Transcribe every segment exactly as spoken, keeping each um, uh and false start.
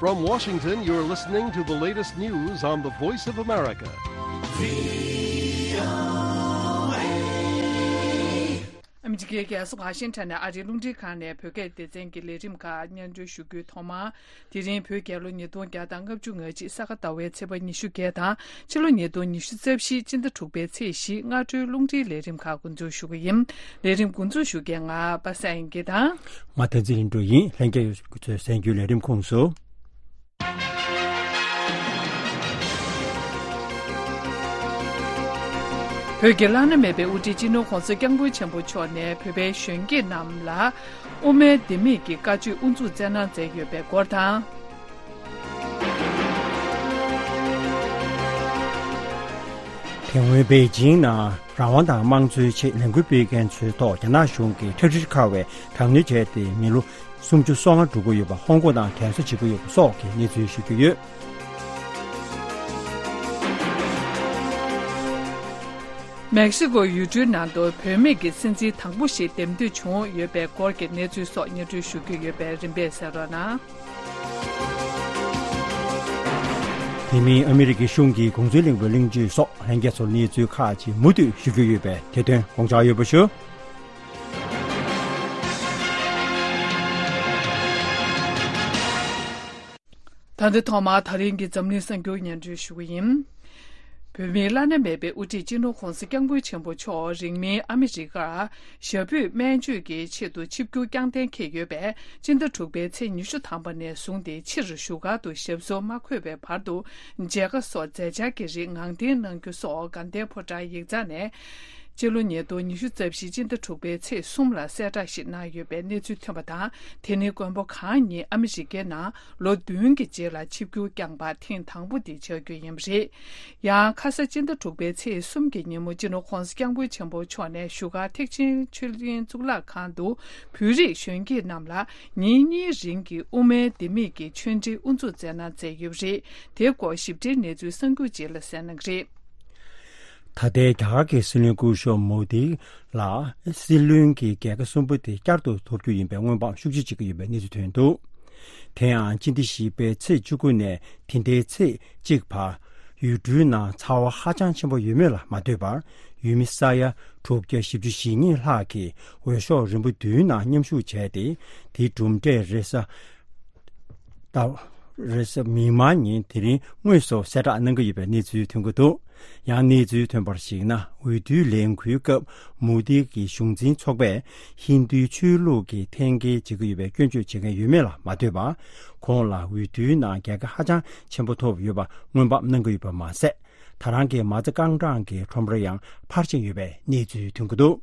From Washington, you're listening to the latest news on the Voice of America. ཨ་མི་རི་ཀའི་རྒྱལ་ས་ཝ་ཤིང་ཊོན་ནས་ཨ་རིའི་རླུང་འཕྲིན་ཁང་ནས་བོད་སྐད་སྡེ་ཚན་གྱི་ལས་རིམ་ཁག་སྙན་སྒྲོན་ཞུ་རྒྱུའི་ཐོག་མར། དེ་རིང་བོད་རྒྱལ་ལོ་ཉིས་སྟོང་བརྒྱ་དང་ལྔ་བཅུ་ང་གཅིག་ས་ག་ཟླ་བའི་ཚེས་པ་ཉི་ཤུ་བརྒྱད་དང་ཕྱི་ལོ་ཉིས་སྟོང་ཉི་ཤུ་རྩ་བཞི་སྤྱི་ཟླ་དྲུག་པའི་ཚེས་བཞི་སྔ་དྲོའི་རླུང་འཕྲིན་ལས་རིམ་ཁག་འགོ་འཛུགས་ཞུ་གི་ཡིན། ལས་རིམ་འགོ་འཛུགས་ཞུ་མཁན་ང་པ་སངས་དབྱངས་སྐྱིད་དང་། ང་བསྟན་འཛིན་ལྷུན་གྲུབ་ཡིན། ལྷན་རྒྱས་ཚོས་གསན་རྒྱུའི་ལས་རིམ་ཁོངས་སུ། བོད་ཀྱི་བླ་ན་མེད་པའི་དབུ་ཁྲིད་སྤྱི་ནོར་༸གོང་ས་༸སྐྱབས་མགོན་ཆེན་པོ་མཆོག་ནས་བོད་པའི་གཞོན་སྐྱེས་རྣམས་ལ་དབུ་མའི་ལྡེ་མིག་གི་བཀའ་ཆོས་དབུ་འཛུགས་སྩལ་གནང་མཛད་ཡོད་པའི་སྐོར་དང་། དེ་སྔོན་པེ་ཅིང་ནང་རང་དབང་དང་དམངས་གཙོའི་ཆེད་ལས་འགུལ་སྤེལ་མཁན་ཚོའི་ཐོག་རྒྱ་ནག་གཞུང་གིས་ཁྲག་དྲི་ཁ་བའི་དྲག་གནོན་བྱས་ཏེ་མི་ལོ་སུམ་ཅུ་སོ་ལྔ་འགྲོ་གི་ཡོད་པ། ཧོང་ཀོང་ནང་དྲན་གསོ་བྱེད་ཀྱི་ཡོད་པ་སོགས་ཀྱི་གནས་ཚུལ་ཞུ་རྒྱུ་ཡོད། མེག་སི་ཀོ་ཡུལ་གྲུའི་ནང་དུ་བུད་མེད་ཀྱི་སྲིད་འཛིན་དང་པོ་ཞིག་འདེམས་ཐོན་བྱུང་ཡོད་པའི་སྐོར་གྱི་གནས་ཚུལ་སོགས་སྙན་སྒྲོན་ཞུ་རྒྱུ་ཡོད་པས་རིམ་པས་གསན་རོགས་གནང་། དེ་མིན་ཨ་མི་རི་ཀའི་གཞུང་གི་གུང་སེང་གླེང་བའི་གླེང་བརྗོད་སོགས་ལྷན་རྒྱས་ཚོར་གནས་ཚུལ་ཁག་ཅིག་མུ་མཐུད་ཞུ་རྒྱུ་ཡོད་པས་དེ་དོན་དགོངས་འཇགས་ཡོད་པ་ཞུ། ད་ལྟ་ཐོག་མར་ད་རིང་གི་འཛམ་གླིང་གསར་འགྱུར་སྙན་སྒྲོན་ཞུ་གི་ཡིན། བོད་མིའི་བླ་ན་མེད་པའི་དབུ་ཁྲིད་སྤྱི་ནོར་༸གོང་ས་༸སྐྱབས་མགོན་ཆེན་པོ་མཆོག་རིང་མིན་ཨ་མི་རི་ཀར་ཞབས་པུས་སྨན་བཅོས་ཀྱི་ཆེད་དུ་ཆིབས་བསྒྱུར་བསྐྱངས་གཏན་འཁེལ་ཡོད་པས། སྤྱི་ཟླ་དྲུག་པའི་ཚེས་ཉི་ཤུ་ཐམ་པ་ནས་བཟུང་སྟེ་ཕྱིར་བཞུགས་སྒར་དུ་ཞབས་སོར་མ་འཁོད་པའི་བར་དུ་མཇལ་ཁ་སོགས་མཛད་འཆར་གྱི་རིགས་ངང་འདེང་གནང་རྒྱུ་སོགས་དགའ་ལྡན་ཕོ་བྲང་ཡིག་ཚང་ནས་སྤྱི་ལོ་ཉིས་སྟོང་ཉི་ཤུ་རྩ་བཞི་སྤྱི་ཟླ་དྲུག་པའི་ཚེས་གསུམ་ལ་གསལ་བསྒྲགས་ཤིག་གནང་ཡོད་པའི་གནས་ཚུལ་ཐོན་པ་དང་། དེ་ནི་མགོན་པོ་གང་ཉིད་ཨ་མི་རི་ཀའི་ནང་ལོ་བདུན་གྱི་རྗེས་ལ་ཆིབས་བསྒྱུར་བསྐྱངས་པ་ཐེངས་དང་པོ་དེ་ཆགས་རྒྱུ་ཡིན་པ་རེད། ཡང་ཁ་ས་སྤྱི་ཟླ་དྲུག་པའི་ཚེས་གསུམ་གྱི་ཉིན་མོ་སྤྱི་ནོར་༸གོང་ས་༸སྐྱབས་མགོན་ཆེན་པོ་མཆོག་ནས་བཞུགས་སྒར་ཐེག་ཆེན་ཆོས་གླིང་གཙུག་ལག་ཁང་དུ་བོད་རིགས་གཞོན་སྐྱེས་རྣམས་ལ་ཉིན་གཉིས་རིང་གི་དབུ་མའི་ལྡེ་མིག་གི་ཆོས་འབྲེལ་དབུ་འཛུགས་མཛད་གནང་མཛད་ཡོད་པ་རེད། དེའི་སྐོར་ཞིབ་ཕྲའི་གནས་ཚུལ་གསར་འགྱུར་རྗེས་ལ་གསན་གནང་གི་རེད། ད་ལྟའི་རྒྱ་གར་གྱི་སྲིད་བློན་སྐུ་ཞབས་མོ་དི་ལ་སྲིད་བློན་གྱི་རྒྱལ་ཁ་གསུམ་པོ་དེ་བསྐྱར་དུ་ཐོབ་རྒྱུ་ཡིན་པའི་སྔོན་དཔག་ཤུགས་ཆེ་བྱེད་ཀྱི་ཡོད་པའི་གནས་ཚུལ་ཐོན་འདུག་དེ་ཡང་སྤྱི་ཟླ་བཞི་པའི་ཚེས་བཅུ་དགུ་ནས་དེ་ཟླའི་ཚེས་གཅིག་བར་ཡུལ་གྲུའི་ནང་ཚ་བ་ཧ་ཅང་ཆེན་པོ་ཡོད་མེད་ལ་མ་ལྟོས་པར། ཡུལ་མི་ས་ཡ་དྲུག་བརྒྱ་བཞི་བཅུ་ཞེ་གཉིས་ལྷག་གིས་འོས་ཤོག་རིམ་པ་བདུན་ནང་མཉམ་ཞུགས་བྱས་ཏེ། དེའི་གྲུབ་འབྲས་རེས་གཟའ་ཟླ། རེས་གཟའ་མིག་དམར་ཉིན་དེ་རིང་དངོས་སུ་གསལ་བསྒྲགས་གནང་གི་ཡོད་པའི་གནས་ཚུལ་ཐོན་གྱི་འདུག་ཡང་གནས་ཚུལ་ཐོན་པར་གཞིགས་ན། འོས་བསྡུའི་ལས་འགུལ་སྐབས་མོ་དི་གི་གཞུང་འཛིན་ཚོགས་པས་ཧིན་རྡུའི་ཆོས་ལུགས་ཀྱི་འཐེན་འཁྱེར་བྱེད་ཀྱི་ཡོད་པའི་སྐྱོན་བརྗོད་བྱེད་མཁན་ཡོད་མེད་ལ་མ་ལྟོས་པར། ཁོང་ལ་འོས་བསྡུའི་ནང་རྒྱལ་ཁ་ཧ་ཅང་ཆེན་པོ་ཐོབ་ཡོད་པ་སྔོན་དཔག་གནང་གི་ཡོད་པ་མ་ཟད། ད་རང་གི་མ་རྩ་རྐང་གྲངས་ཀྱི་ཁྲོམ་ར་ཡང་འཕར་ཕྱིན་ཡོད་པའི་གནས་ཚུལ་ཐོན་གྱི་འདུག་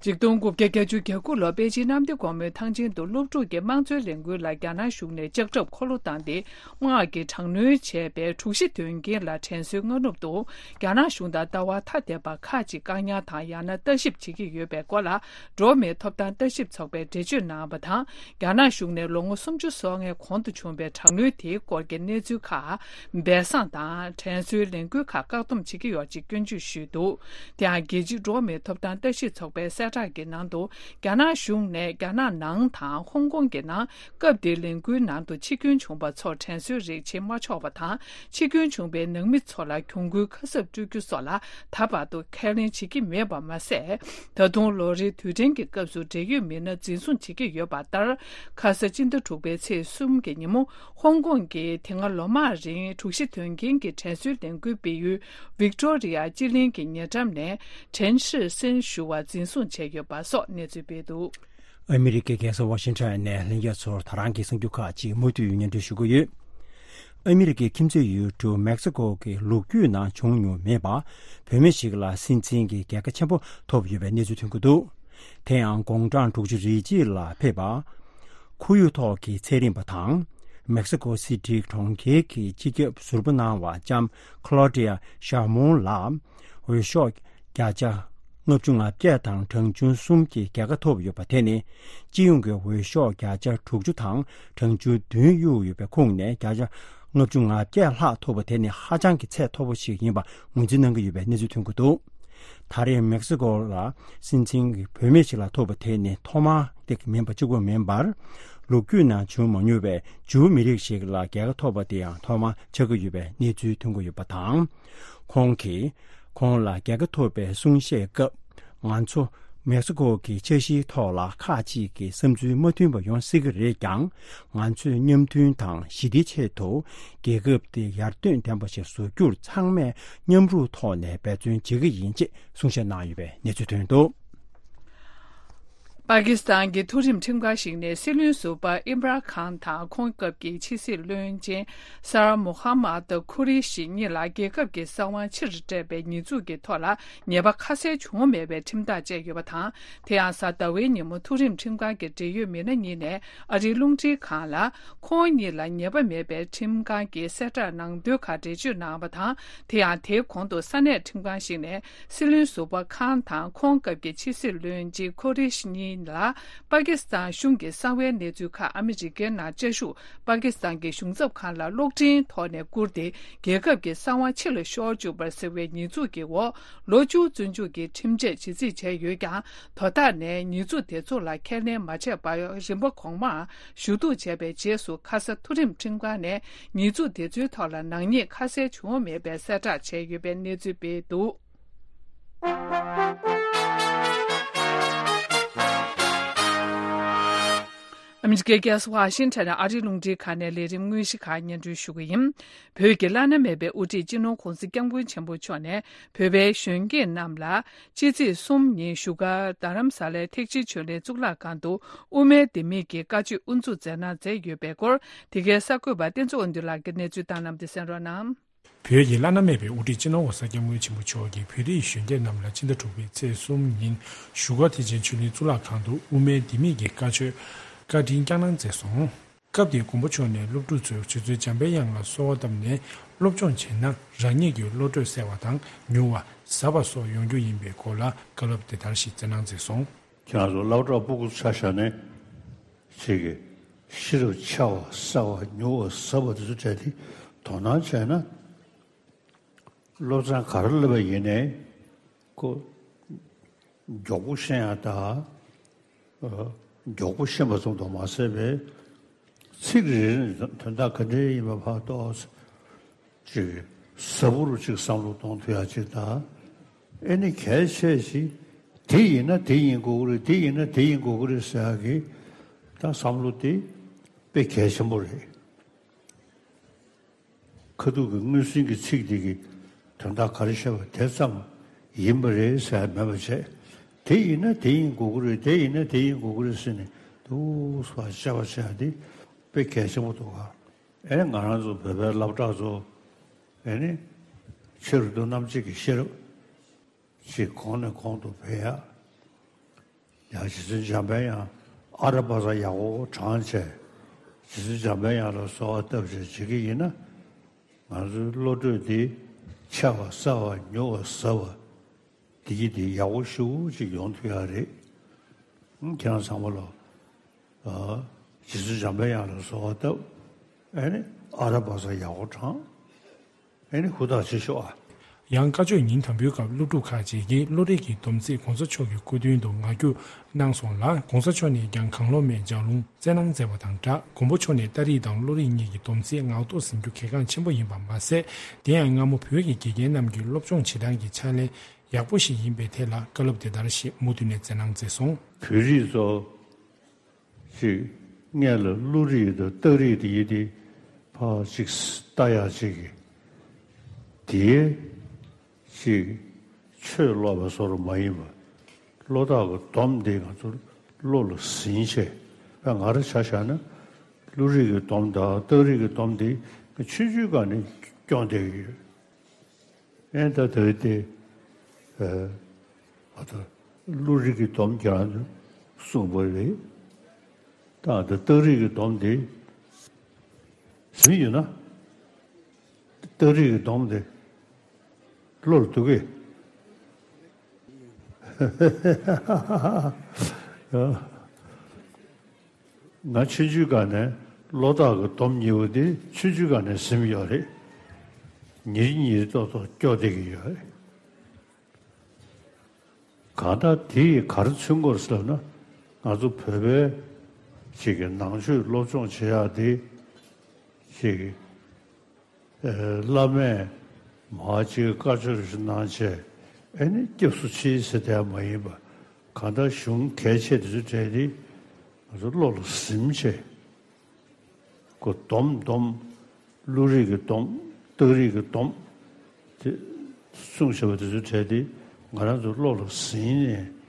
ཆིག་སྟོང་དགུ་བརྒྱ་བརྒྱད་ཅུ་གྱ་དགུ་ལོར་པེ་ཅིན་གནམ་བདེ་སྒོ་མོའི་ཐང་ཆེན་དུ་སློབ་ཕྲུག་གི་དམངས་གཙོའི་ལས་འགུལ་ལ་རྒྱ་ནག་གཞུང་ནས་ལྕགས་ཁྲབ་འཁོར་ལོ་བཏང་སྟེ། དམག་གིས་དྲག་གནོན་བྱས་པའི་དྲུག་བཞི་དོན་རྐྱེན་ལ་དྲན་གསོའི་སྔ་ནུབ་ཏུ། རྒྱ་ནག་གཞུང་དང་ལྟ་བ་ཐ་དད་པ་ཁག་ཅིག་བཀག་ཉར་དང་ཡང་ན་ལྟ་ཞིབ་བྱེད་ཀྱི་ཡོད་པའི་སྐོར་ལ། འགྲོ་བ་མིའི་ཐོབ་ཐང་ལྟ་ཞིབ་ཚོགས་པས་འགྲེལ་བརྗོད་གནང་བ་དང་། རྒྱ་ནག་གཞུང་ནས་ལོ་ངོ་སུམ་ཅུ་སོ་ལྔའི་གོང་དུ་བྱུང་བའི་དྲག་གནོན་དེའི་སྐོར་གྱི་གནས་ཚུལ་ཁག་སྦས་གསང་དང་། དྲན་གསོའི་ལས་འགུལ་ཁག་བཀག་སྡོམ་བྱེད་ཀྱི་ཡོད་ཅེས་སྐྱོན་བརྗོད་ཞུས་འདུག་དེ་ཡང་རྒྱལ་སྤྱིའི་འགྲོ་བ་མིའི་ཐོབ་ཐང་ལྟ་ཞིབ་ཚོགས་པའི་གསལ་བསྒྲགས་ཀྱི་ནང་དུ། རྒྱ་ནག་གཞུང་ནས་རྒྱ་ནག་ནང་དང་ཧོང་ཀོང་གི་ནང་སྐབས་དེའི་ལས་འགུལ་ནང་དུ་འཆི་སྐྱོན་བྱུང་བ་ཚོར་དྲན་གསོའི་རིགས་བྱེད་མ་ཆོག་པ་དང་། འཆི་སྐྱོན་བྱུང་བའི་ནང་མི་ཚོ་ལ་གྱོང་གུན་ཁ་གསབ་སྤྲོད་རྒྱུ་སོགས་ལ་ད་བར་དུ་ཁས་ལེན་བྱེད་ཀྱི་མེད་པ་མ་ཟད། ད་དུང་ལོ་རེའི་དུས་དྲན་གྱི་སྐབས་སུ་འབྲེལ་ཡོད་མི་སྣ་འཛིན་བཟུང་བྱེད་ཀྱི་ཡོད་པ་ལྟར། ཁ་ས་སྤྱི་ཟླ་དྲུག་པའི་ཚེས་གསུམ་གྱི་ཉིན་མོ། ཧོང་ཀོང་གིས་དེ་སྔ་ལོ་མང་རིང་དྲུག་བཞི་དོན་རྐྱེན་གྱི་དྲན་གསོའི་ལས་འགུལ་སྤེལ་ཡུལ་ཝིག་ཏོ་རི་ཡ་སྤྱི་གླིང་གི་ཉེ་འགྲམ་ནས་ཁྲེན་ཧྲི་སིན་ཞུ་བ་འཛིན་བཟུང་བྱས་ཡོད་པ་སོགས་གནས་ཚུལ་སྤེལ་འདུག་ཨ་མི་རི་ཀའི་རྒྱལ་ས་ཝ་ཤིང་ཊོན་ནས་ལྷན་རྒྱས་ཚོར་ད་རང་གི་གསར་འགྱུར་ཁག་ཅིག་མུ་མཐུད་སྙན་སྒྲོན་ཞུ་གི་ཡོད། ཨ་མི་རི་ཀའི་ཁྱིམ་མཚེས་ཡུལ་གྲུ་མེག་སི་ཀོ་གི་ལོ་རྒྱུས་ནང་བྱུང་མྱོང་མེད་པ། བུད་མེད་ཞིག་ལ་སྲིད་འཛིན་གྱི་རྒྱལ་ཁ་ཆེན་པོ་ཐོབ་ཡོད་པའི་གནས་ཚུལ་ཐོན་གྱི་འདུག་དེ་ཡང་དགུང་གྲངས་དྲུག་ཅུ་རེ་གཅིག་ལ་ཕེབས་པ། ཁོར་ཡུག་ཐོག་གི་ཚན་རིག་པ་དང་། མེག་སི་ཀོ་སི་ཊི་གྲོང་ཁྱེར་གྱི་སྤྱི་ཁྱབ་ཟུར་པ་གནང་བ་ལྕམ་ཁ་ལོ་ཌི་ཡ་ཤར་མོན་ལ། འོས་ཤོག་བརྒྱ་ཆ་ལྔ་བཅུ་ང་བརྒྱད་དང་གྲངས་ཆུང་གསུམ་གྱི་རྒྱལ་ཁ་ཐོབ་ཡོད་པ་དེ་ནི། སྤྱི་ཡོངས་ཀྱི་འོས་ཤོག་བརྒྱ་ཆ་དྲུག་ཅུ་དང་གྲངས་ཆུང་བདུན་གཡུགས་ཡོད་པའི་ཁོངས་ནས་བརྒྱ་ཆ་ལྔ་བཅུ་ང་བརྒྱད་ལྷག་ཐོབ་པ་དེ་ནི་ཧ་ཅང་གི་ཚད་མཐོ་པོ་ཞིག་ཡིན་པ་ངོས་འཛིན་གནང་གི་ཡོད་པའི་གནས་ཚུལ་ཐོན་གྱི་འདུག་ད་རེས་མེག་སི་ཀོ་ལ་སྲིད་འཛིན་གྱི་བུད་མེད་ཅིག་ལ་ཐུག་པ་དེ་ནི་ཐོག་མ་དེ་མིན་པ་གཅིག་པུ་མིན་པར། ལོ་རྒྱུས་ནང་བྱུང་མ་མྱོང་བའི་ཇུའུ་མི་རིགས་ཤིག་ལ་རྒྱལ་ཁ་ཐོབ་པ་དེ་ཡང་ཐོག་མ་ཆགས་ཀྱི་ཡོད་པའི་གནས་ཚུལ་ཐོན་གྱི་ཡོད་པ་དང་། ཁོང་གིས་ཁོང་ལ་རྒྱལ་ཁ་ཐོབ་པའི་གསུང་བཤད་སྐབས། ང་ཚོ་མེག་སི་ཀོ་གི་འཆར་གཞིའི་ཐོག་ལ་ཁག་ཅིག་གི་བསམ་ཚུལ་མ་མཐུན་པ་ཡོང་སྲིད་ཀྱི་རེད་ཀྱང་། ང་ཚོས་མཉམ་མཐུན་དང་ཞི་བདེའི་ཆེད་དུ་རྒྱལ་ཁབ་དེ་ཡར་ཐོན་ལྡན་པ་ཞིག་བཟོ་རྒྱུར་ཚང་མས་མཉམ་རུབ་ཐོག་ནས་འབད་བརྩོན་བྱེད་ཀྱི་ཡིན་ཅེས་གསུང་བཤད་གནང་ཡོད་པའི་གནས་ཚུལ་ཐོན་འདུག། པ་ཀི་སི་ཐན་གྱི་མཐོ་རིམ་ཁྲིམས་ཁང་ཞིག་ནས་སྲིད་བློན་ཟུར་པ་ཨིམ་རཱན་ཁཱན་དང་ཁོང་སྐབས་ཀྱི་ཕྱི་སྲིད་བློན་ཆེན་སར་མོ་ཧམ་མད་ཁུ་རེ་ཤི་གཉིས་ལ་རྒྱལ་ཁབ་ཀྱི་གསང་བ་ཕྱིར་སྤྲད་པའི་ཉེས་འཛུགས་ཀྱི་ཐོག་ལ་ཉེས་པ་ཁ་གསལ་བྱུང་མེད་པའི་ཁྲིམས་ཐག་བཅད་ཡོད་པ་དང་། དེ་ཡང་གཟའ་ཟླ་བའི་ཉིན་མོ་མཐོ་རིམ་ཁྲིམས་ཁང་གི་འབྲེལ་ཡོད་མི་སྣ་གཉིས་ནས་ཨ་རིའི་རླུང་འཕྲིན་ཁང་ལ། ཁོང་གཉིས་ལ་ཉེས་པ་མེད་པའི་ཁྲིམས་ཁང་གི་གསལ་བསྒྲགས་ནང་དོན་ཁག་འགྲེལ་བརྗོད་གནང་བ་དང་། དེ་ཡང་དེའི་གོང་དུ་ས་གནས་ཁྲིམས་ཁང་ཞིག་ནས་སྲིད་བློན་ཟུར་པ་ཁཱན་དང་ཁོང་སྐབས་ཀྱི་ཕྱི་སྲིད་བློན་ཆེན་ཁུ་རེ་ཤི་གཉིས་ལ་པ་ཀི་སི་ཐན་གཞུང་གི་གསང་བའི་གནས་ཚུལ་ཁག་ཨ་མི་རི་ཀའི་ནང་བཅའ་བཞུགས་པ་ཀི་སི་ཐན་གྱི་གཞུང་ཚབ་ཁང་ལ་གློག་འཕྲིན་ཐོག་ནས་བསྐུར་ཏེ་རྒྱལ་ཁབ་ཀྱི་གསང་བ་ཕྱི་ལ་ཤོར་བཅུག་པ་ཟེར་བའི་ཉེས་འཛུགས་ཀྱི་འོག་ལོ་བཅུ་བཙོན་འཇུག་གི་ཁྲིམས་ཆད་ཇི་སྲིད་བྱས་ཡོད་ཀྱང་། དོ་བདག་ནས་ཉེས་འཛུགས་དེ་ཚོ་ལ་ཁས་ལེན་མ་བྱས་པར་རིམ་པ་གོང་མར་ཞུ་གཏུག་བྱས་པའི་རྗེས་སུ་ཁ་ས་མཐོ་རིམ་ཁྲིམས་ཁང་ནས་ཉེས་འཛུགས་དེ་ཚོའི་ཐོག་ལ་ནག་ཉེས་ཁ་གསལ་བྱུང་མེད་པའི་གསལ་བསྒྲགས་བྱས་ཡོད་པའི་གནས་ཚུལ་སྤེལ་འདུག། ཨ་མི་རི་ཀའི་རྒྱལ་ས་ཝ་ཤིང་ཊོན་ནས་ཨ་རིའི་རླུང་འཕྲིན་ཁང་ནས་ལས་རིམ་དངོས་གཞི་ཁག་སྙན་སྒྲོན་ཞུ་གི་ཡིན། བོད་ཀྱི་བླ་ན་མེད་པའི་དབུ་ཁྲིད་སྤྱི་ནོར་༧གོང་ས་༧སྐྱབས་མགོན་ཆེན་པོ་མཆོག་ནས་བོད་པའི་གཞོན་སྐྱེས་རྣམས་ལ་ཕྱི་ཚེས་གསུམ་ཉིན་བཞུགས་སྒར་རྡ་རམ་ས་ལའི་ཐེག་ཆེན་ཆོས་གླིང་གཙུག་ལག་ཁང་དུ་དབུ་མའི་ལྡེ་མིག་གི་བཀའ་ཆོས་དབུ་འཛུགས་མཛད་གནང་མཛད་ཡོད་པའི་སྐོར། དེ་གའི་གསར་འགོད་པ་བསྟན་འཛིན་དབང་འདུས་ལགས་ཀྱིས་གནས་ཚུལ་བཏང་གནང་བ་དེ་གསན་རོགས་གནང་། བོད་ཀྱི་བླ་ན་མེད་པའི་དབུ་ཁྲིད་སྤྱི་ནོར་༧གོང་ས་༧སྐྱབས་མགོན་ཆེན་པོ་མཆོག་གིས་བོད་རིགས་གཞོན་སྐྱེས་རྣམས་ལ་ཕྱི་ཟླ་དྲུག་པའི་ཚེས་གསུམ་ཉིན་བཞུགས་སྒར་ཐེག་ཆེན་ཆོས་གླིང་གཙུག་ལག་ཁང་དུ་དབུ་མའི་ལྡེ་མིག་གི་བཀའ་ཆོས་བཀའ་དྲིན་བསྐྱངས་གནང་མཛད་སོང་། སྐབས་དེར་མགོན་པོ་མཆོག་ནས་སློབ་ཕྲུག་ཚོས་རྗེ་བཙུན་འཇམ་དཔལ་དབྱངས་ལ་གསོལ་བ་བཏབ་ནས་སློབ་སྦྱོང་བྱས་ན་རང་ཉིད་ཀྱི་བློ་གྲོས་གསལ་བ་དང་མྱུར་བ་ཟབ་པ་སོགས་ཡོང་རྒྱུ་ཡིན་པའི་སྐོར་ལ་བཀའ་སློབ་དེ་ལྟར་ཞིག་སྩལ་གནང་མཛད་སོང་། ཁྱེད་རང་ཚོ་སློབ་གྲྭ་ཕྲུ་གུ་ཆ་བཞག་ནས་ཅིག་གི་ཤེས་རབ་ཆེ་བ་གསལ་བ་མྱུར་བ་ཟབ་པ་དེ་ཚོ་སྤྲད་དེ་དོ་སྣང་བྱས་ན། སློབ་ཚན་ག་རེ་བསླབ་པ་ཡིན་ནའི་ཁོ་མགྱོགས་པོ་ཤེས་ཡ་དང་། མགྱོགས་པོ་ཤེས་པ་ཙམ་དུ་མ་ཟད་པའི་ཚིག་རེ་རེ་ནས་དོན་དག་ག་འདྲ་ཡིན་པ་ཕར་རྟོགས། ཅིག་ཟབ་པོ་རུ་ཅིག་བསམ་བློ་གཏོང་ཐུབ་ཡ་ཅིག་དང་། ཨེ་ནི་གལ་ཆེ་ཞིག་དེ་ཡིན་ན་དེ་ཡིན་དགོས་ཀྱི་རེད། དེ་ཡིན་ན་དེ་ཡིན་དགོས་ཀྱི་རེད་ཟེར་ཡ་གི་ད་བསམ་བློ་དེ་དཔེ་གལ་ཆེན་པོ་རེད། ཁ་ཐུག་གི་དངོས་ཟིན་གྱི་ཚིག་དེ་གི་དོན་དག་ག་རེ་བཤད་པ་དེ་ཙམ་ཡིན་པ་རེད་ཟེར་མེད་པ་བྱས། དེ་ཡིན་ན་དེ་ཡིན་དགོས་ཀྱི་རེད། དེ་ཡིན་ན་དེ་ཡིན་དགོས་ཀྱི་རེད་ཟེར་ནས་འདུག་སེ་བཤད་པ་བྱས་དེ་དཔེ་གལ་ཆེན་པོ་འདུག་ག་ཨེ་ང་རང་ཚོ་བོད་པའི་སློབ་གྲྭ་ཚོ་ཨེ་ནི་ཆེ་རུ་འདུག་རྣམ་དཔྱོད་ཀྱི་ཤེས་རབ་ཅིག་གོང་ནས་གོང་དུ་འཕེལ་ཡ། ཡང་རྗེ་བཙུན་འཇམ་དཔལ་དབྱངས་ཨ་ར་པ་ཙ་ཡག་པོ་དྲངས་བྱས། རྗེ་བཙུན་འཇམ་དཔལ་དབྱངས་ལ་གསོལ་བ་བཏབ་བྱས་བྱེད་ཀྱི་ཡིན་ན། ང་ཚོའི་བློ་གྲོས་འདི་ཆེ་བ་གསལ་བ་མྱུར་བ་ཟབ་པ་འདི་གི་འདི་ཡག་པོ་ཞེ་པོ་ཅིག་ཡོང་ཐུབ་ཡ་རེད། ཁྱེད་རང་ཚང་མ་ལ་རྗེ་བཙུན་འཇམ་དཔལ་དབྱངས་ལ་གསོལ་བ་བཏབ། ཨེ་ནི་ཨ་ར་པ་ཙ་ཡག་པོ་དྲངས། ཨེ་ནི་ཧུར་ཐག་བྱེད་ཤོག་ཨ། ཡང་བཀའ་ཆོས་ཉིན་དང་པོའི་སྐབས་སློབ་ཕྲུག་ཁག་ཅིག་གིས་བློ་རིག་གི་སྡོམ་ཚིག་༧གོང་ས་མཆོག་གི་སྐུ་མདུན་དུ་ངག་རྒྱུགས་གནང་སོང་ལ། ༧གོང་ས་མཆོག་ནས་ཀྱང་གང་བློ་མེད་ལྗགས་ལུང་སྩལ་གནང་མཛད་པ་དང་སྦྲགས། མགོན་པོ་མཆོག་ནས་ཏ་རིག་དང་བློ་རིག་གཉིས་ཀྱི་སྡོམ་ཚིག་ངག་ཐོག་ཟིན་རྒྱུ་གལ་འགངས་ཆེན་པོ་ཡིན་པ་མ་ཟད། དེ་ཡང་སྔ་མོ་བོད་ཀྱི་དགེ་རྒན་རྣམས་ཀྱི་སློབ་སྦྱོང་བྱེད་སྟངས་ཀྱི་ཕྱག་ལེན་ཡག་པོ་ཞིག་ཡིན་པའི་ཐད་ལ་བཀའ་སློབ་དེ་ལྟར་ཞིག་མུ་མཐུད་ནས་སྩལ་གནང་མཛད་སོང་། བོད་རིགས་ཚོ་ཅིག་སྔོན་ལ་བློ་རིག་དང་རྟགས་རིག་དེ་ཡིན་ཏེ་ཕར་ཅིག་ལྟ་ཡག་ཅིག་གི་དེའི་ཅིག་ཆོས་ཀློག་པ་བཟོ་འདྲ་མ་ཡིན་པ། བློ་རྟགས་ཀྱི་སྡོམ་དེ་ང་ཚོ་བློ་ལ་ཟིན་བྱས། ང་རང་ཆ་བཞག་ན་བློ་རིག་གི་སྡོམ་དང་རྟགས་རིག་གི་སྡོམ་དེ་ཆུང་ཆུང་སྒང་ནས་སྐྱོང་བསྡད་ཀྱི་ཡོད། ཨེ་ད་དེ་དེ་ཨ་ད་བློ་རིག་གི་སྡོམ་ཀྱང་གསུངས་པ་རེད། ད་ད་རྟགས་རིག་གི་སྡོམ་དེ་ཟིན་ཡོད་ན། རྟགས་རིག་གི་སྡོམ་དེ་བློར་འདུག་གས། ང་ཆུང་ཆུང་སྒང་ནས་བློ་རྟགས་ཀྱི་སྡོམ་གཉིས་པོ་དེ་ཆུང་ཆུང་སྒང་ནས་ཟིན་ཡོད་རེད། ཉིན་རེ་ཉིན་རེ་ཏོག་ཏོག་སྐྱོ་བསྡད་ཀྱི་ཡོད་རེད། གང་ལྟར་དེ་ཡིས་ག་རེ་མཚོན་གྱི་ཡོད་རེད་ཟེར་ན། ང་ཚོ་བོད་པའི་ཅིག་གི་ནང་ཆོས་སློབ་སྦྱོང་བྱེད་ཡག་དེ་ཅིག་གི་ཨེ་བླ་མས་མར་ཅིག་བཀའ་ཆོས་ཞིག་གནང་བྱས། ཨེ་ནི་སྐྱབས་སུ་མཆི་ཟེར་དེ་མ་ཡིན་པ། གང་ལྟར་གཞུང་གལ་ཆེ་དེ་ཚོའི་གྲས་དེ་ང་ཚོ་བློ་ལ་ཟིན་བྱས། ཁོ་སྡོམ་སྡོམ། བློ་རིག་གི་སྡོམ། རྟགས་རིག་གི་སྡོམ་དེ་གསུངས་བཞག་པ་དེ་ཚོའི་གྲས་དེ་ང་རང་ཚོ་བློ་ལ་ཟིན་ནས་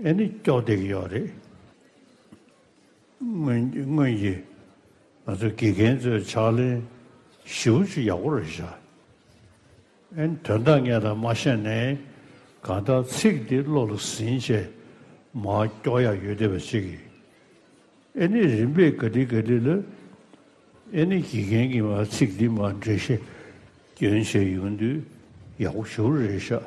ཨེ་ནི་སྐྱོར་བསྡད་ཀྱི་ཡོད་རེད། སྔོན་སྔོན་གྱི་ང་ཚོ་དགེ་རྒན་ཚོའི་ཕྱག་ལེན་ཞེ་པོ་ཅིག་ཡག་པོ་རེད་ཤག། ཨེ་ནི་དོན་དག་ངས་ད་མ་ཤེས་ནའི་གང་ལྟར་ཚིག་འདི་བློ་ལ་ཟིན་བྱས་མར་སྐྱོར་ཡག་ཡོད་བསྡད་པ་ཅིག་གིས། ཨེ་ནི་རིམ་པས་ག་དེ་ག་དེ་ལ་ཨེ་ནི་དགེ་རྒན་གྱིས་མར་ཚིག་འདི་མར་འགྲེལ་བཤད་སྐྱོན་བྱས་ཡོང་དུས་ཡག་པོ་ཞེ་པོ་རེད་ཤག།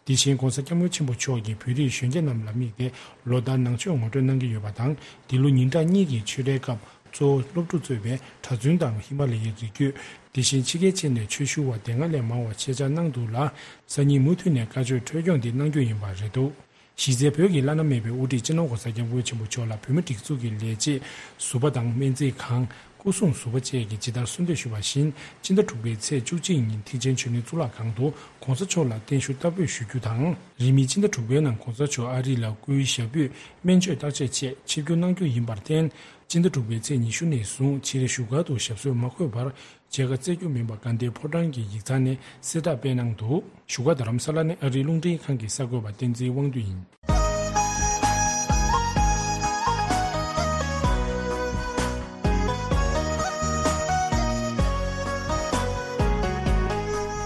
དེ་བཞིན་༧གོང་ས་༧སྐྱབས་མགོན་ཆེན་པོ་མཆོག་གིས་བོད་རིགས་གཞོན་སྐྱེས་རྣམས་ལ་དམིགས་ཏེ་ལོ་ལྟར་ནང་ཆོས་ངོ་སྤྲོད་གནང་གི་ཡོད་པ་དང་། འདི་ལོ་ཉིན་གྲངས་གཉིས་ཀྱི་ཆོས་རའི་སྐབས་གཙོ་བོ་སློབ་ཕྲུག་གཙོས་པའི་གྲྭ་བཙུན་དང་ཧི་མ་ལ་ཡའི་རི་རྒྱུད། དེ་བཞིན་ཕྱི་རྒྱལ་ཕྱིན་ནས་ཆོས་ཞུ་བ་དེ་སྔ་ལས་མང་བ་ཆེད་བཅར་གནང་འདུག་ལ། སང་ཉིན་མུ་མཐུད་ནས་བཀའ་ཆོས་འཕྲོས་སྐྱོང་འདི་གནང་རྒྱུ་ཡིན་པ་རེད་འདུག། གཞི་རྩའི་བོད་ཀྱི་བླ་ན་མེད་པའི་དབུ་ཁྲིད་སྤྱི་ནོར་༧གོང་ས་༧སྐྱབས་མགོན་ཆེན་པོ་མཆོག་ལ་བོད་མི་སྒྲིག་འཛུགས་ཀྱི་ལས་བྱེད་ཟུར་པ་དང་སྨན་རྩིས་ཁང་། སྐུ་སྲུང་ཟུར་པ་བཅས་ཀྱིས་ཇི་ལྟར་གསོལ་འདེབས་ཞུས་པ་བཞིན། སྤྱི་ཟླ་དྲུག་པའི་ཚེས་བཅུ་གཅིག་ཉིན་ཐེག་ཆེན་ཆོས་གླིང་གཙུག་ལག་ཁང་དུ་༧གོང་ས་མཆོག་ལ་བརྟན་བཞུགས་བསྟར་འབུལ་ཞུ་རྒྱུ་དང་། རིང་མིན་སྤྱི་ཟླ་དྲུག་པའི་ནང་༧གོང་ས་མཆོག་ཨ་རི་ལ་སྐུའི་ཞབས་པུས་སྨན་བཅོས་བརྟག་དཔྱད་ཆེད་ཆིབས་བསྒྱུར་གནང་རྒྱུ་ཡིན་པར་བརྟེན། སྤྱི་ཟླ་དྲུག་པའི་ཚེས་ཉི་ཤུ་ནས་བཟུང་ཕྱིའི་བཞུགས་སྒར་དུ་ཞབས་སོར་མ་འཁོད་པར། མཇལ་ཁ་བསྩལ་རྒྱུ་མིན་པ་དགའ་ལྡན་ཕོ་བྲང་གི་ཡིག་ཚང་ནས་གསལ་བསྒྲགས་སྤེལ་གནང་འདུག། བཞུགས་སྒར་རྡ་རམ་ས་ལ་ནས་ཨ་རིའི་རླུང་འཕྲིན་ཁང་གི་གསར་འགོད་པ་བསྟན་འཛིན་དབང་འདུས་ཡིན།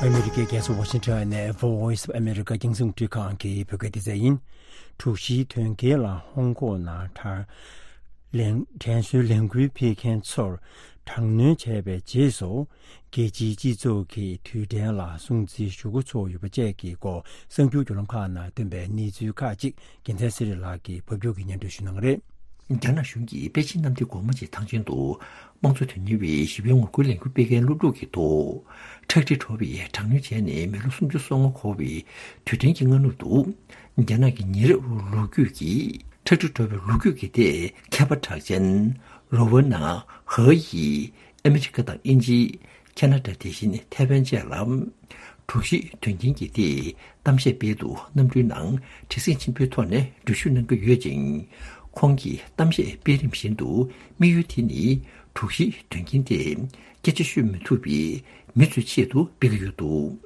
ཨ་མི་རི་ཀའི་རྒྱལ་ས་ཝ་ཤིང་ཊོན་ནས་Voice of America་རྒྱང་སྲིང་རླུང་འཕྲིན་ཁང་གི་བོད་སྐད་སྡེ་ཚན་ཡིན། དྲུག་བཞིའི་དོན་རྐྱེན་ལ་ཧོང་ཀོང་ནང་དྲན་དྲན་གསོའི་ལས་འགུལ་སྤེལ་མཁན་ཚོར་དྲག་གནོན་བྱས་པའི་རྗེས་སུ། རྒྱལ་སྤྱིའི་སྤྱི་ཚོགས་ཀྱིས་དུས་དྲན་ལ་སྲུང་བརྩི་ཞུ་འགོ་ཚུགས་ཡོད་པ་བཅས་ཀྱི་སྐོར་གསར་འགྱུར་བརྒྱུད་ལམ་ཁག་ནང་ཐོན་པའི་གནས་ཚུལ་ཁག་ཅིག་རྒྱལ་མཚན་ཚེ་རིང་ལགས་ཀྱིས་ཕབ་སྒྱུར་གྱིས་སྙན་སྒྲོན་ཞུ་གནང་གི་རེད། རྒྱ་ནག་གཞུང་གིས་པེ་ཅིན་གནམ་བདེ་སྒོ་མོ་ཆེའི་ཐང་ཆེན་དུ་དམངས་གཙོ་དོན་གཉེར་བའི་ཞི་བའི་ངོ་རྒོལ་ལས་འགུལ་སྤེལ་མཁན་སློབ་ཕྲུག་གི་ཐོག་ཁྲག་དྲི་བྲོ་བའི་དྲག་གནོན་བྱས་ནས་མི་ལོ་སུམ་ཅུ་སོ་ལྔ་འཁོར་བའི་དུས་དྲན་གྱི་སྔ་ནུབ་ཏུ། རྒྱ་ནག་གི་ཉེ་རབས་ལོ་རྒྱུས་ཀྱི་ཁྲག་དྲི་བྲོ་བའི་ལོ་རྒྱུས་ཀྱི་ཐད་མཁས་པ་གྲགས་ཅན་རོ་ཝེ་ན་ཧེ་ཡིས་ཨ་མི་རི་ཀ་དང་དབྱིན་ཇི། ཁེ་ན་ཌ་དེ་བཞིན་ཐའེ་ཝན་བཅས་ལ། དྲུག་བཞི་དོན་རྐྱེན་གྱི་ཐད་གཏམ་བཤད་སྤེལ་དུ་གནམ་གྲུའི་ནང་བྲེལ་ཟིང་ཆེན་པོའི་ཐོག་ནས་འགྲུལ་བཞུད་གནང་གི་ཡོད་ཅིང་། ཁོང་གིས་གཏམ་བཤད་སྤེལ་རིམ་བཞིན་དུ་དམིགས་ཡུལ་དེ་ནི་དྲུག་བཞི་དོན་རྐྱེན་དེ་སྐད་ཆ་ཤོད་མི་ཐུབ་པའི་མི་ཚོའི་ཆེད་དུ་སྤེལ་གྱི་ཡོད་འདུག།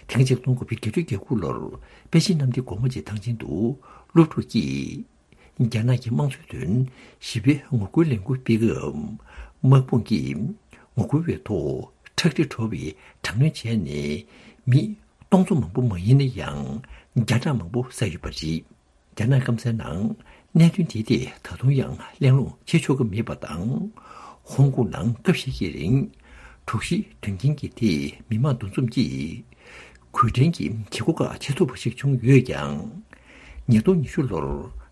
དེ་སྔ་ཆིག་སྟོང་དགུ་བརྒྱ་བརྒྱད་ཅུ་གྱ་དགུ་ལོར་པེ་ཅིན་གནམ་བདེ་སྒོ་མོ་ཆེའི་ཐང་ཆེན་དུ་སློབ་ཕྲུག་གིས། རྒྱ་ནག་གི་དམངས་གཙོའི་དོན་ཞི་བའི་ངོ་རྒོལ་ལས་འགུལ་སྤེལ་སྐབས། དམག་དཔུང་གིས་ངོ་རྒོལ་བའི་ཐོག་ཁྲག་དྲི་བྲོ་བའི་དྲག་གནོན་བྱས་ནས་མི་སྟོང་ཚོ་མང་པོ་མ་ཡིན་ན་ཡང་བརྒྱ་ཕྲག་མང་པོ་བསད་ཡོད་པ་རེད། རྒྱ་ནག་སྐམ་སའི་ནང་གནད་དོན་དེའི་ཐད་ད་དུང་ཡང་གླེང་སློང་བྱེད་ཆོག་གི་མེད་པ་དང་། ཧོང་ཀོང་ནང་སྐབས་ཤིག་གི་རིང་དྲུག་བཞི་དོན་རྐྱེན་གྱི་ཐད་མི་མང་འདུ་འཛོམས་ཀྱིས། གུས་བཀུར་གྱི་བྱེད་སྒོ་ཁག་བྱེད་ཐུབ་པ་ཞིག་བྱུང་ཡོད་ཀྱང་། ཉིས་སྟོང་ཉི་ཤུ་ལོར་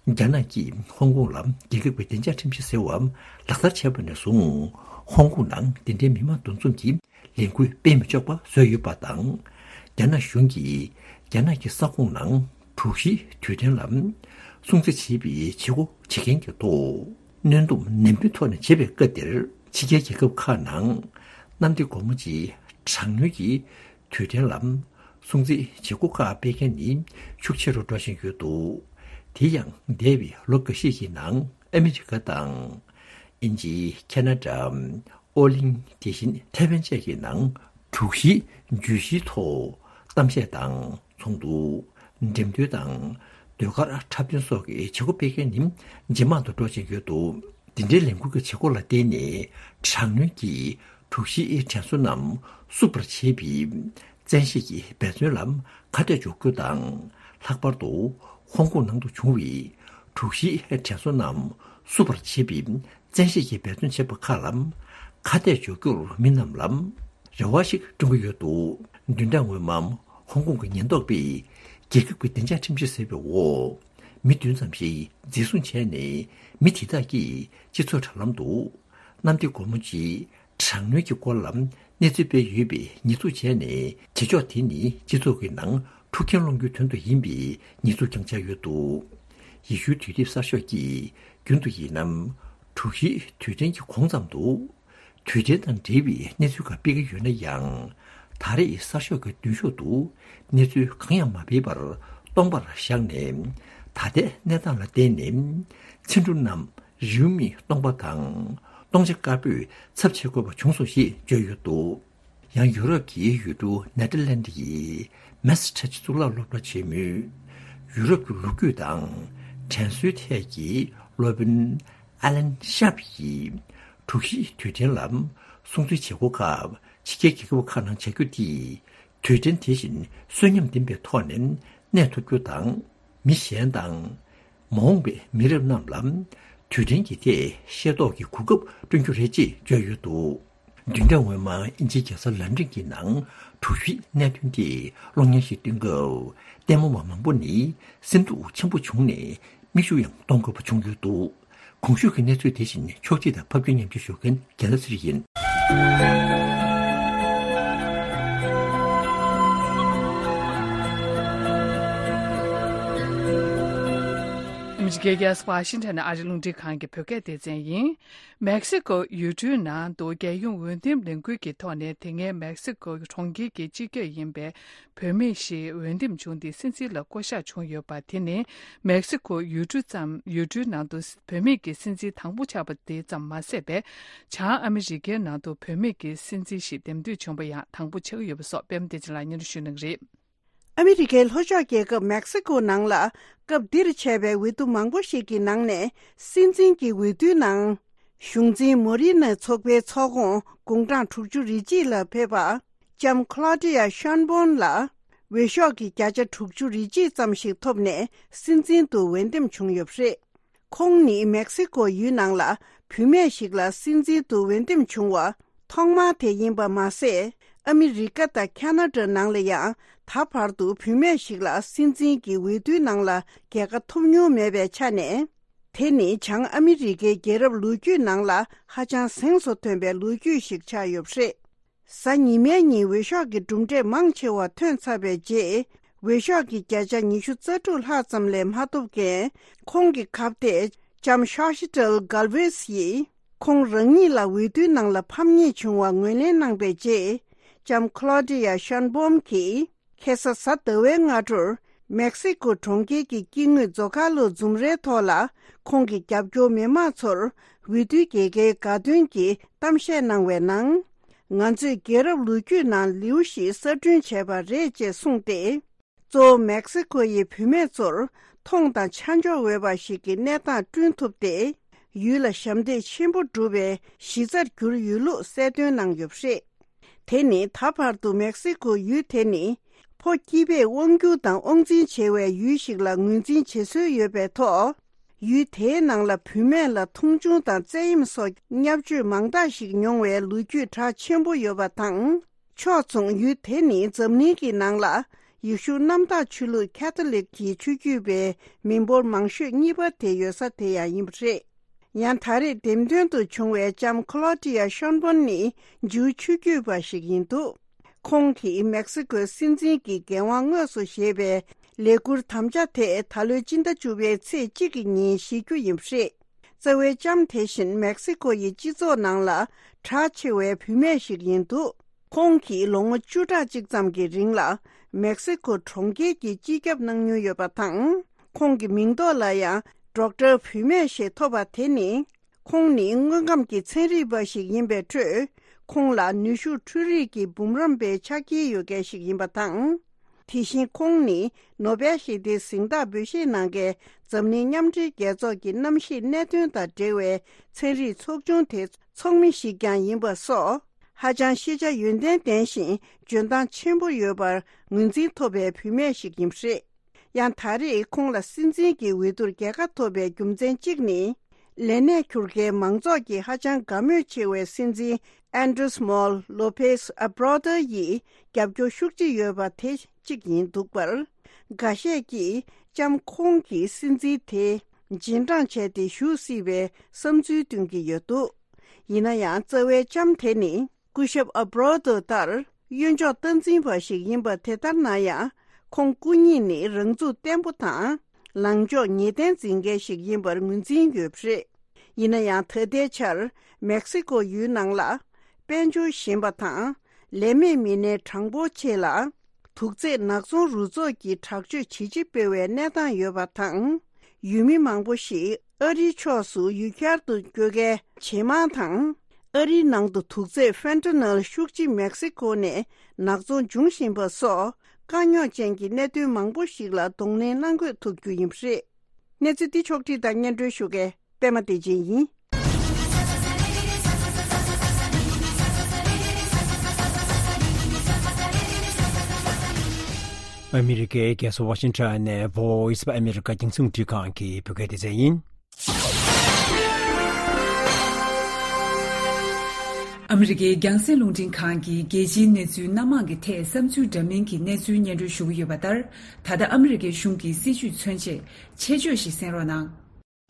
རྒྱ་ནག་གིས་ཧོང་ཀོང་ལ་རྒྱལ་ཁབ་ཀྱི་བདེ་འཇགས་ཁྲིམས་གཞི་ཟེར་བ་ལག་བསྟར་བྱས་པ་ནས་བཟུང་ཧོང་ཀོང་ནང་འདི་འདྲའི་མི་མང་འདུ་འཛོམས་ཀྱི་ལས་འགུལ་སྤེལ་མི་ཆོག་པ་བཟོས་ཡོད་པ་དང་། རྒྱ་ནག་གཞུང་གིས་རྒྱ་ནག་གི་ས་ཁོངས་ནང་དྲུག་བཞིའི་དུས་དྲན་ལ་སྲུང་བརྩི་བྱེད་པའི་བྱེད་སྒོ་བྱེད་མཁན་གྱི་ཐོག་གནོན་སྡོམ་ནན་པོའི་ཐོག་ནས་བྱེད་པའི་སྐབས་འདིར་ཕྱི་རྒྱལ་རྒྱལ་ཁབ་ཁག་ནང་གནམ་བདེ་སྒོ་མོ་ཆེའི་དྲག་གནོན་གྱི་དུས་དྲན་ལ་སྲུང་བརྩི་བྱེད་སྒོ་ཁག་སྤེལ་མཁན་ནི་ཤུགས་ཆེ་རུ་འགྲོ་བཞིན་ཡོད་འདུག། དེ་ཡང་འདས་པའི་ལོ་འགའ་ཤས་ཀྱི་ནང་ཨ་མི་རི་ཀ་དང་། དབྱིན་ཇི། ཁེ་ན་ཌ། ཨོ་གླིང་། དེ་བཞིན་ཐའེ་ཝན་བཅས་ཀྱི་ནང་དྲུག་བཞི་བརྗོད་གཞིའི་ཐོག་གཏམ་བཤད་དང་ཚོགས་འདུ། འགྲེམས་སྟོན་དང་ཟློས་གར་འཁྲབ་སྟོན་སོགས་ཀྱི་བྱེད་སྒོ་སྤེལ་མཁན་ནི་ཇེ་མང་དུ་འགྲོ་བཞིན་ཡོད་འདུག། འདི་འདྲའི་ལས་འགུལ་གྱི་བྱེད་སྒོ་ལ་བརྟེན་ནས་དྲག་གནོན་གྱིས་དྲུག་བཞིའི་དྲན་གསོ་རྣམས་བསུབ་པར་བྱེད་པའི་བཙན་ཤེད་ཀྱི་འབད་བརྩོན་ལ་ཁ་གཏད་གཅོག་རྒྱུ་དང་། ལྷག་པར་དུ་ཧོང་ཀོང་ནང་དུ་བྱུང་བའི་དྲུག་བཞིའི་དྲན་གསོ་རྣམས་བསུབ་པར་བྱེད་པའི་བཙན་ཤེད་ཀྱི་འབད་བརྩོན་བྱེད་པ་ཁག་ལ་ཁ་གཏད་གཅོག་རྒྱུར་མི་རྣམས་ལ་རེ་བ་ཞིག་བསྐྲུན་གྱི་ཡོད་འདུག། བདུན་ཕྲག་སྔོན་མ་ཧོང་ཀོང་གི་ཉེན་རྟོག་པས་རྒྱལ་ཁབ་ཀྱི་བདེ་འཇགས་ཁྲིམས་གཞི་ཟེར་བའི་འོག་མི་བདུན་ཙམ་ཞིག་འཛིན་བཟུང་བྱས་ནས་མི་དེ་དག་གིས་སྤྱི་ཚོགས་དྲ་ལམ་དུ་གནམ་བདེ་སྒོ་མོ་ཆེའི་དྲག་གནོན་གྱི་སྐོར་ལ་གནས་ཚུལ་སྤེལ་ཡོད་པའི་ཉེས་འཛུགས་བྱས་ནས་བྱེད་ཕྱོགས་དེ་ནི་སྤྱི་ཚོགས་ཀྱི་ནང་ འཁྲུག་རྐྱེན་སློང་རྒྱུའི་དོན་དུ་ཡིན་པའི་ཉེས་འཛུགས་ཀྱང་བྱས་ཡོད་འདུག་ཡེ་ཤུའི་དུས་དེབ་གསར་ཤོག་གིས་རྒྱུན་དུ་ཡིན་ནམ། དྲུག་བཞིའི་དུས་དྲན་གྱི་གོང་ཙམ་དུ། དུས་དྲན་དང་འབྲེལ་བའི་གནས་ཚུལ་ཁག་སྤེལ་གྱི་ཡོད་ན་ཡང་། ད་རེས་གསར་ཤོག་གི་མདུན་ཤོག་ཏུ་གནས་ཚུལ་གང་ཡང་མ་སྤེལ་བར་སྟོང་པར་བཞག་ནས། ད་ལྟའི་གནས་སྟངས་ལ་བརྟེན་ནས་ཚིག་འབྲུ་རྣམས་རེའུ་མིག་སྟོང་པ་དང་སྟོང་ཆ་དཀར་པོས་ཚབ་བྱེད་དགོས་པ་བྱུང་སོང་ཞེས་བརྗོད་ཡོད་འདུག་ཡང་ཡུ་རོབ་ཀྱི་ཡུལ་གྲུ་ནེ་ཐར་ལན་ཌི་ཡི་མེ་སི་ཊེ་ཆི་གཙུག་ལག་སློབ་གྲྭ་ཆེན་མོའི་ཡུ་རོབ་ཀྱི་ལོ་རྒྱུས་དང་དྲན་གསོའི་ཐད་ཀྱི་སློབ་དཔོན་ཨ་ལན་ཤཱབ་ཡིས་དྲུག་བཞིའི་དུས་དྲན་ལ་སྲུང་བརྩི་བྱེད་སྒོ་ཁག་ཕྱི་རྒྱལ་རྒྱལ་ཁབ་ཁག་ནང་བྱ་རྒྱུ་དེས་དུས་དྲན་དེ་བཞིན་གསོན་ཉམས་ལྡན་པའི་ཐོག་ནས་གནས་ཐུབ་རྒྱུ་དང་། མི་གཞན་དང་། མ་འོངས་པའི་མི་རབས་རྣམས་ལ་དུས་དྲན་གྱི་ཐད་ཤེས་རྟོགས་ཀྱི་གོ་སྐབས་བསྐྲུན་རྒྱུ་རེད་ཅེས་བརྗོད་ཡོད་འདུག་བདུན་ཕྲག་སྔོན་མ་དབྱིན་ཇིའི་རྒྱལ་ས་ལན་ཀྲན་གྱི་ནང་དྲུག་བཞིའི་གནད་དོན་དེ་གློག་བརྙན་ཞིག་སྟོན་སྐབས། ལྟད་མོ་བ་མང་པོ་ནི་སེམས་སྡུག་ཆེན་པོ་བྱུང་ནས་མིག་ཆུ་ཡང་གཏོང་དགོས་པ་བྱུང་ཡོད་འདུག་གོང་ཞུས་ཀྱི་གནས་ཚུལ་དེ་བཞིན་ཕྱོགས་སྒྲིག་དང་ཕབ་སྒྱུར་ཉམས་ཞིབ་ཞུ་མཁན་རྒན་ལགས་ཚེ་རིང་ཡིན། ཨ་མི་རི་ཀའི་རྒྱལ་ས་ཝ་ཤིང་ཊོན་ནས་ཨ་རི་རླུང་འཕྲིན་ཁང་གི་བོད་སྐད་སྡེ་ཚན་ཡིན། མེག་སི་ཀོ་ཡུལ་གྲུའི་ནང་དུ་རྒྱལ་ཡོངས་འོས་འདེམས་ལས་འགུལ་གྱི་ཐོག་ནས། དེ་སྔའི་མེག་སི་ཀོ་གྲོང་ཁྱེར་གྱི་སྤྱི་ཁྱབ་ཡིན་པའི་བུད་མེད་ཞིག་འོས་འདེམས་བྱུང་སྟེ་སྲིད་འཛིན་ལ་བསྐོ་གཞག་བྱུང་ཡོད་པ་དེ་ནི། མེག་སི་ཀོ་ཡུལ་གྲུ་ཙམ། ཡུལ་གྲུའི་ནང་དུ་བུད་མེད་ཀྱི་སྲིད་འཛིན་དང་པོ་ཆགས་པ་དེ་ཙམ་མ་ཟད་པའི། བྱང་ཨ་མི་རི་ཀའི་ནང་དུ་བུད་མེད་ཀྱི་སྲིད་འཛིན་ཞིག་འདེམས་ཐོན་བྱུང་བ་ཡང་དང་པོ་ཆགས་ཀྱི་ཡོད་པ་སོགས། པད་མ་བདེ་ཆེན་ལགས་སྙན་སྒྲོན་ཞུ་གནང་གི་རེད། ཨ་མི་རི་ཀའི་ལྷོ་ཕྱོགས་རྒྱལ་ཁབ་མེག་སི་ཀོ་ནང་ལ། སྐབས་འདིར་བྱས་པའི་འོས་བསྡུ་མང་པོ་ཞིག་གི་ནང་ནས། སྲིད་འཛིན་གྱི་འོས་བསྡུའི་ནང་། གཞུང་འཛིན་མོ་རི་ནི་ཚོགས་པའི་ཚོགས་ཁོངས་དགུང་གྲངས་དྲུག་ཅུ་རེ་གཅིག་ལ་ཕེབས་པ། ལྕམ་ཁ་ལོ་ཌི་ཡ་ཤོན་བོན་ལ། འོས་ཤོག་གི་བརྒྱ་ཆ་དྲུག་ཅུ་རེ་གཅིག་ཙམ་ཞིག་ཐོབ་ནས། སྲིད་འཛིན་དུ་འོས་འདེམས་བྱུང་ཡོད་པ་རེད། ཁོང་ནི་མེག་སི་ཀོ་ཡུལ་ནང་ལ་བུད་མེད་ཞིག་ལ་སྲིད་འཛིན་དུ་འོས་འདེམས་བྱུང་བ་ཐོག་མ་དེ་ཡིན་པ་མ་ཟད། ཨ་མི་རི་ཀ་དང་ཁ་ན་ཌ་ནང་ལ་ཡང་ད་བར་དུ་བུད་མེད་ཞིག་ལ་སྲིད་འཛིན་གྱི་འོས་བསྡུའི་ནང་ལ་རྒྱལ་ཁ་ཐོབ་མྱོང་མེད་པའི་ཆ་ནས། དེ་ནི་བྱང་ཨ་མི་རི་ཀའི་རྒྱལ་རབས་ལོ་རྒྱུས་ནང་ལ་ཧ་ཅང་གཟེངས་སུ་ཐོན་པའི་ལོ་རྒྱུས་ཤིག་ཆགས་ཡོད་པ་རེད། གཟའ་ཉི་མའི་ཉིན་འོས་ཤོག་གི་གྲུབ་འབྲས་མང་ཆེ་བ་ཐོན་ཚར་བའི་རྗེས། འོས་ཤོག་གི་བརྒྱ་ཆ་ཉི་ཤུ་རྩ་དྲུག་ལྷག་ཙམ་ལས་མ་ཐོབ་མཁན་ཁོང་གི་ཁ་གཏད་ལྕམ་ཤོ་ཤི་ཏལ་གལ་ཝེས་ཡིས། ཁོང་རང་ཉིད་ལ་འོས་བསྡུའི་ནང་ལ་ཕམ་ཉེས་བྱུང་བ་ངོས་ལེན་གནང་པའི་རྗེས། ལྕམ་ཁ་ལོ་ཌི་ཡ་ཤོན་བོམ་གྱིས། ཁ་སང་གཟའ་ཟླ་བའི་སྔ་དྲོར། མེག་སི་ཀོ་གྲོང་ཁྱེར་གྱི་དཀྱིལ་ངོས་ཛོ་ཁ་ལོ་འཛུམ་རའི་ཐོག་ལ། ཁོང་གི་རྒྱབ་སྐྱོར་མི་མང་ཚོར། འོས་བསྡུའི་རྒྱལ་ཁའི་དགའ་སྟོན་གྱི་གཏམ་བཤད་གནང་བའི་ནང་། ང་ཚོས་རྒྱལ་རབས་ལོ་རྒྱུས་ནང་ལེའུ་ཞིག་གསར་སྐྲུན་བྱས་པ་རེད་ཅེས་གསུངས་ཏེ། གཙོ་བོ་མེག་སི་ཀོ་ཡི་བུད་མེད་ཚོར་མཐོང་དང་ཆ་འཇོག་འོས་པ་ཞིག་གི་གནས་སྟངས་བསྐྲུན་ཐུབ་སྟེ། ཡུལ་ལ་ཞབས་འདེགས་ཆེན་པོ་བསྒྲུབས་པའི་གཞི་རྩར་གྱུར་ཡོད་ལུགས་གསལ་སྟོན་གནང་ཡོད་པ་རེད། དེ་ནི་ད་བར་དུ་མེག་སི་ཀོ་ཡུལ་དེ་ནི་ཕོ་སྐྱིད་པས་དབང་སྒྱུར་དང་དབང་འཛིན་བྱེད་པའི་ཡུལ་ཞིག་ལ་ངོས་འཛིན་བྱེད་སྲོལ་ཡོད་པའི་ཐོག་ཡུལ་དེའི་ནང་ལ་བུད་མེད་ལ་མཐོང་ཆུང་དང་བཙན་གཡེམ་སོགས་བརྙས་བཅོས་མང་དག་ཞིག་མྱོང་བའི་ལོ་རྒྱུས་གྲགས་ཆེན་པོ་ཡོད་པ་དང་། ཕྱོགས་མཚུངས་ཡུལ་དེ་ནི་འཛམ་གླིང་གི་ནང་ལ་ཡེ་ཤུ་གནམ་བདག་ཆོས་ལུགས་ཁ་ཐོ་ལིག་གི་ཆོས་བརྒྱུད་པའི་མི་འབོར་མང་ཤོས་གཉིས་པ་དེ་ཡོད་ས་དེ་ཡང་ཡིན་པ་རེད། ཡང་ད་རེས་འདེམས་ཐོན་དུ་བྱུང་བའི་ལྕམ་ཁ་ལོ་ཏི་ཡ་ཤོན་བོན་ནི་ཇུའུ་ཆོས་བརྒྱུད་པ་ཞིག་ཡིན་འདུག་ཁོང་གིས་མེག་སི་ཀོའི་སྲིད་འཛིན་གྱི་འགན་དབང་དངོས་སུ་བཞེས་པའི་ལས་འཁུར་དམ་བཅའ་དེ་ད་ལོའི་སྤྱི་ཟླ་བཅུ་པའི་ཚེས་གཅིག་གི་ཉིན་བཞེས་རྒྱུ་ཡིན་པ་རེད། རྩ་བའི་ལྕམ་དེ་བཞིན་མེག་སི་ཀོ་ཡི་སྤྱི་ཚོགས་ནང་ལ་གྲགས་ཆེ་བའི་བུད་མེད་ཞིག་ཡིན་འདུག་ཁོང་གིས་ལོ་ངོ་བཅུ་ཕྲག་གཅིག་ཙམ་གྱི་རིང་ལ་མེག་སི་ཀོ་གྲོང་ཁྱེར་གྱི་སྤྱི་ཁྱབ་གནང་མྱོང་ཡོད་པ་དང་། ཁོང་གི་མིང་ཐོག་ལ་ཡང་ཌོག་ཊར་བུད་མེད་ཞེས་ཐོབ་པ་དེ་ནི། ཁོང་ནི་དངོས་ཁམས་ཀྱི་ཚན་རིག་པ་ཞིག་ཡིན་པའི་ཁྲོད། ཁོང་ལ་ནུས་ཤུགས་འཕྲུལ་རིག་གི་འབུམ་རམས་པའི་ཕྱག་འཁྱེར་ཡོད་མཁན་ཞིག་ཡིན་པ་དང་། དེ་བཞིན་ཁོང་ནི་ནོ་བེལ་ཞི་བདེའི་གཟེངས་རྟགས་འབུལ་བཞེས་གནང་མཁན་འཛམ་གླིང་མཉམ་འབྲེལ་རྒྱལ་ཚོགས་ཀྱི་གནམ་གཤིས་གནད་དོན་དང་འབྲེལ་བའི་ཚན་རིག་ཚོགས་ཆུང་དེའི་ཚོགས་མི་ཞིག་ཀྱང་ཡིན་པ་སོགས། ཧ་ཅང་ཤེས་བྱ་ཡོན་ཏན་ལྡན་ཞིང་འཇོན་ཐང་ཆེན་པོ་ཡོད་པར་ངོས་འཛིན་ཐོབ་པའི་བུད་མེད་ཞིག་ཡིན་པ་རེད། ཡང་ད་རེས་ཁོང་ལ་སྲིད་འཛིན་གྱི་འོས་བསྡུར་རྒྱལ་ཁ་ཐོབ་པའི་རྒྱུ་མཚན་གཅིག་ནི། ལས་གནས་འཁུར་མཁན་མང་ཚོགས་ཀྱིས་ཧ་ཅང་དགའ་མོས་ཆེ་བའི་སྲིད་འཛིན་ཨན་ཌྲེས་མོལ་ལོ་པེས་ཨ་བྷྲོ་ཏར་ཡིས་རྒྱབ་སྐྱོར་ཤུགས་ཆེ་ཡོད་པ་དེ་གཅིག་ཡིན་འདུག་པར། འགའ་ཤས་ཀྱིས་ལྕམ་ཁོང་གིས་སྲིད་འཛིན་དེ་རྗེས་འབྲང་བྱས་ཏེ་བཞུགས་སྲིད་པའི་བསམ་ཚུལ་བཏོན་གྱི་ཡོད་འདུག་ཡིན་ན་ཡང་རྩ་བའི་ལྕམ་དེ་ནི། སྐུ་ཞབས་ཨ་བྷྲོ་ཏོ་ལྟར་གཡོན་ཕྱོགས་སྟངས་འཛིན་པ་ཞིག་ཡིན་པ་དེ་ལྟར་ན་ཡང་། ཁོང་སྐུ་ཉིད་ནི་རང་ཚུགས་བརྟན་པོ་དང་། ལངས་ཕྱོགས་ངེས་གཏན་འཛིན་མཁན་ཞིག་ཡིན་པར་ངོས་འཛིན་ཡོད་པ་རེད། ཡིན་ན་ཡང་ད་ལྟའི་ཆར་མེག་སི་ཀོ་ཡུལ་ནང་ལ་དཔལ་འབྱོར་ཞན་པ་དང་། ལས་མེད་མི་སྣའི་གྲངས་འབོར་ཆེ་ལ། དུག་རྫས་ནག་ཚོང་རུ་ཚོགས་ཀྱིས་དྲག་སྤྱོད་ཇེ་ཆེ་སྤེལ་བའི་གནས་སྟངས་ཡོད་པ་དང་། ཡུལ་མི་མང་པོ་ཞིག་ཨ་རིའི་ཕྱོགས་སུ་ཡུལ་གྱར་དུ་བསྐྱོད་མཁན་ཇེ་མང་དང་། ཨ་རིའི་ནང་དུ་དུག་རྫས་ཕེན་ཏ་ནོལ་ཤུགས་ཆེ་མེག་སི་ཀོ་ནས་ནག་ཚོང་འབྱུང་བཞིན་པ་སོགས་དཀའ་རྙོག་ཅན་གྱི་གནད་དོན་མང་པོ་ཞིག་ལ་གདོང་ལེན་གནང་དགོས་ཐུག་རྒྱུ་ཡིན་པ་རེད། གནས་ཚུལ་འདི་ཕྱོགས་བསྒྲིགས་དང་སྙན་སྒྲོན་ཞུ་མཁན་པད་མ་བདེ་ཆེན་ཡིན། ཨ་མི་རི་ཀའི་རྒྱལ་ས་ཝ་ཤིང་ཊོན་ནས་Voice of America་རྒྱང་སྲིང་རླུང་འཕྲིན་ཁང་གི་བོད་སྐད་སྡེ་ཚན་ཡིན། ཨ་མི་རི་ཀའི་རྒྱང་སྲིང་རླུང་འཕྲིན་ཁང་གིས་རྒྱལ་སྤྱིའི་གནས་ཚུལ་སྣ་མང་གི་ཐད་བསམ་ཚུལ་འདྲ་མིན་གྱི་གནས་ཚུལ་སྙན་སྒྲོན་ཞུ་གི་ཡོད་པ་ལྟར། ད་ལྟ་ཨ་མི་རི་ཀའི་གཞུང་གི་སྲིད་བྱུས་མཚོན་ཆེད་ཆེད་བརྗོད་ཞིག་གསན་རོགས་གནང་།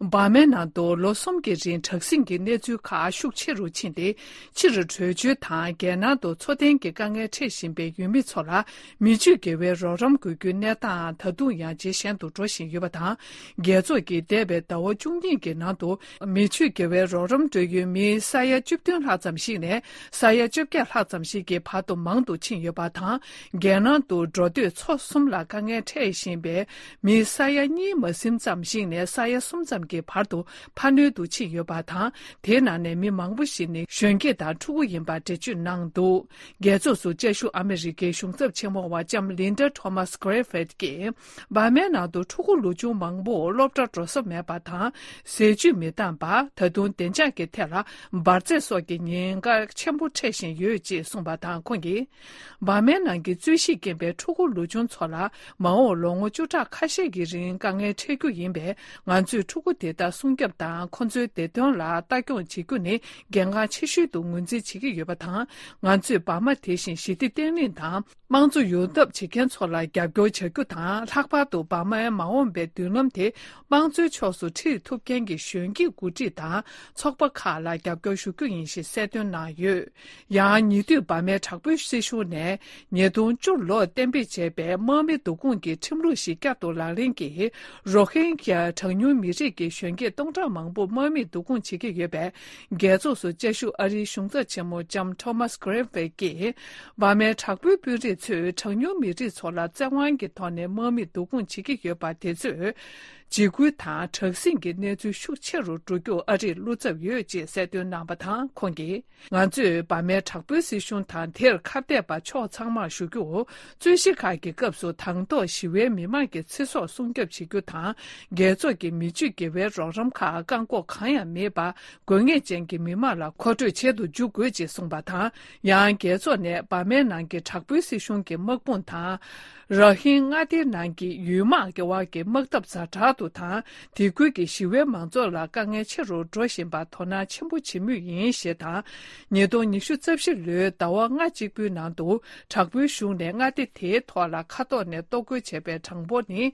འབར་མའི་ནང་དུ་ལོ་གསུམ་གྱི་རིང་དྲག་ཟིང་གི་གནས་ཚུལ་ཁག་ཤུགས་ཆེ་རུ་ཕྱིན་ཏེ། ཕྱིར་བྲོས་བྱོལ་དང་། རྒྱལ་ནང་དུ་འཚོ་རྟེན་གྱི་དཀའ་ངལ་འཕྲད་བཞིན་པའི་ཡུལ་མི་ཚོ་ལ་མི་ཆོས་དགེ་བའི་རོགས་རམ་དགོས་རྒྱུའི་གནས་སྟངས་ད་དུང་ཡང་ཇེ་ཞན་དུ་འགྲོ་བཞིན་ཡོད་པ་དང་། རྒྱལ་ཚོགས་ཀྱིས་འདས་པའི་ཟླ་བ་བཅུ་གཉིས་ཀྱི་ནང་དུ་མི་ཆོས་དགེ་བའི་རོགས་རམ་སྤྲོད་ཡུལ་མི་ས་ཡ་བཅུ་བདུན་ལྷག་ཙམ་ཞིག་ནས་ས་ཡ་བཅོ་བརྒྱད་ལྷག་ཙམ་ཞིག་གི་བར་དུ་མང་དུ་ཕྱིན་ཡོད་པ་དང་། རྒྱལ་ནང་དུ་འགྲོ་སྡོད་ཚོ་གསུམ་ལ་དཀའ་ངལ་འཕྲད་བཞིན་པའི་མི་ས་ཡ་གཉིས་མ་ཟིན་ཙམ་ཞིག་ནས་ས་ཡ་གསུམ་ཙམ་གྱི་བར་དུ་འཕར་སྣོན་དུ་ཕྱིན་ཡོད་པ་དང་། དེའི་ནང་ནས་མི་མང་པོ་ཞིག་ནི་གཞོན་སྐྱེས་དང་ཕྲུ་གུ་ཡིན་པ་འགྲེལ་བརྗོད་གནང་འདུག་རྒྱལ་ཚོགས་སུ་བཅའ་བཞུགས་ཨ་མི་རི་ཀའི་གཞུང་ཚབ་ཆེན་མོ་བ་ལྕམ་ལིན་ཌ་ཐོ་མཱས་གྷི་རི་ཕིད་ཀྱིས། འབར་མའི་ནང་དུ་ཕྲུ་གུ་ལོ་ཆུང་མང་པོ་སློབ་གྲྭར་འགྲོ་ས་མེད་པ་དང་། ཟས་བཅུད་མི་འདང་པ། ད་དུང་བདེ་འཇགས་ཀྱི་ཐད་ལ་འབར་རྫས་སོགས་ཀྱི་ཉེན་ཁ་ཆེན་པོ་འཕྲད་བཞིན་ཡོད་ཅེས་གསུངས་པ་དང་། ཁོང་གིས། འབར་མའི་ནང་གི་རྩོད་གཞི་རྐྱེན་པས་ཕྲུ་གུ་ལོ་ཆུང་ཚོ་ལ་མ་འོངས་ལོ་ངོ་བཅུ་ཕྲག་ཁ་ཤས་ཀྱི་རིང་དཀའ་ངལ་འཕྲད་རྒྱུ་ཡིན་པས། ང་ཚོས་ཕྲུ་གུ་དེ་དག་སྲུང་སྐྱོབ་དང་། ཁོ་ཚོའི་བདེ་དོན་ལ་ལྟ་སྐྱོང་བྱེད་རྒྱུ་ནི་གལ་འགངས་ཆེ་ཤོས་དུ་ངོས་འཛིན་བྱེད་ཀྱི་ཡོད་པ་དང་། ང་ཚོས་འབར་མ་དེ་བཞིན་ཞི་བདེ་བརྟན་ལྷིང་དང་། དམངས་གཙོ་ཡོང་ཐབས་བྱེད་མཁན་ཚོ་ལ་རྒྱབ་སྐྱོར་བྱ་རྒྱུ་དང་། ལྷག་པར་དུ་འབར་མའི་མ་འོངས་པའི་མདུན་ལམ་དེ་དམངས་གཙོའི་ཕྱོགས་སུ་ཁྲིད་ཐུབ་མཁན་གྱི་གཞོན་སྐྱེས་འགོ་ཁྲིད་དང་ཚོགས་པ་ཁག་ལ་རྒྱབ་སྐྱོར་ཞུ་རྒྱུ་ཡིན་ཞེས་གསལ་སྟོན་གནང་ཡོད། ཡང་ཉེ་དུས་འབར་མའི་དྲག་པོའི་སྲིད་གཞུང་ནས་ཉིས་སྟོང་བཅུ་ལོར་གཏན་འབེབས་བྱས་པའི་དམག་མི་བསྡུ་སྐོང་གི་ཁྲིམས་ལུགས་ཤིག་བསྐྱར་དུ་ལག་ལེན་གྱིས། རོ་ཧིན་གྱི་གྲངས་ཉུང་མི་རིགས་ཀྱི་གཞོན་སྐྱེས་སྟོང་ཕྲག་མང་པོ་དམག་མིས་བསྡུ་སྐོང་བྱེད་ཀྱི་ཡོད་པས། རྒྱལ་ཚོགས་སུ་བཅའ་བཞུགས་ཨ་རིའི་གཞུང་ཚབ་ཆེན་མོ་ལྕམ་ཐོ་མཱས་གྷི་རི་ཕིད་ཀྱིས། འབར་མའི་དྲག་པོའི་དཔོན་རིགས་ཚོས་གྲངས་ཉུང་མི་རིགས་ཚོ་ལ་བཙན་དབང་གི་ཐོག་ནས་དམག་མིས་བསྡུ་སྐོང་བྱེད་ཀྱི་ཡོད་པ་དེ་ཚོས། འཇིགས་སྐུལ་དང་དྲག་ཟིང་གི་གནས་ཚུལ་ཤུགས་ཆེ་རུ་འགྲོ་རྒྱུར་ཨ་རིས་བློ་འཚབ་ཡོད་ཅེས་གསལ་སྟོན་གནང་བ་དང་། ཁོང་གིས། ང་ཚོས་འབར་མའི་དྲག་པོའི་སྲིད་གཞུང་དང་། དེར་ཁ་གཏད་པ་ཕྱོགས་ཚང་མར་ཞུ་རྒྱུར། རྩོད་གཞི་ཁག་གི་སྐབས་སུ་དང་ཐོག་ཞི་བའི་མི་མང་གི་ཚེ་སྲོག་སྲུང་སྐྱོབ་བྱེད་རྒྱུ་དང་། རྒྱལ་ཚོགས་ཀྱི་མི་ཆོས་དགེ་བའི་རོགས་རམ་ཁག་བཀག་འགོག་གང་ཡང་མེད་པར། དགོས་ངེས་ཅན་གྱི་མི་མང་ལ་མཁོ་སྤྲོད་བྱེད་དུ་འཇུག་དགོས་ཅེས་གསུངས་པ་དང་། ཡང་རྒྱལ་ཚོགས་ནས་འབར་མའི་ནང་གི་དྲག་པོའི་སྲིད་གཞུང་གི་དམག་དཔུང་དང་། ར་ཧིན་མངའ་སྡེའི་ནང་གི་ཡུལ་དམག་གི་དབར་གྱི་དམག་འཐབ་ཛ་དྲག་ཏུ་དང་། དེ་ཁུལ་གྱི་ཞི་བའི་མང་ཚོགས་ལ་དཀའ་ངལ་ཆེ་རུ་འགྲོ་བཞིན་པར་དོ་སྣང་ཆེན་པོ་བྱེད་མུས་ཡིན་ཞེས་དང་། ཉིས་སྟོང་ཉི་ཤུ་རྩ་བཞི་ལོའི་ཟླ་བ་ལྔ་གཅིག་པུའི་ནང་དུ། དྲག་པོའི་གཞུང་ནས་མངའ་སྡེ་དེའི་ཐོག་ལ་མཁའ་ཐོག་ནས་གཏོར་རྒོལ་བྱས་པའི་གྲངས་འབོར་ནི།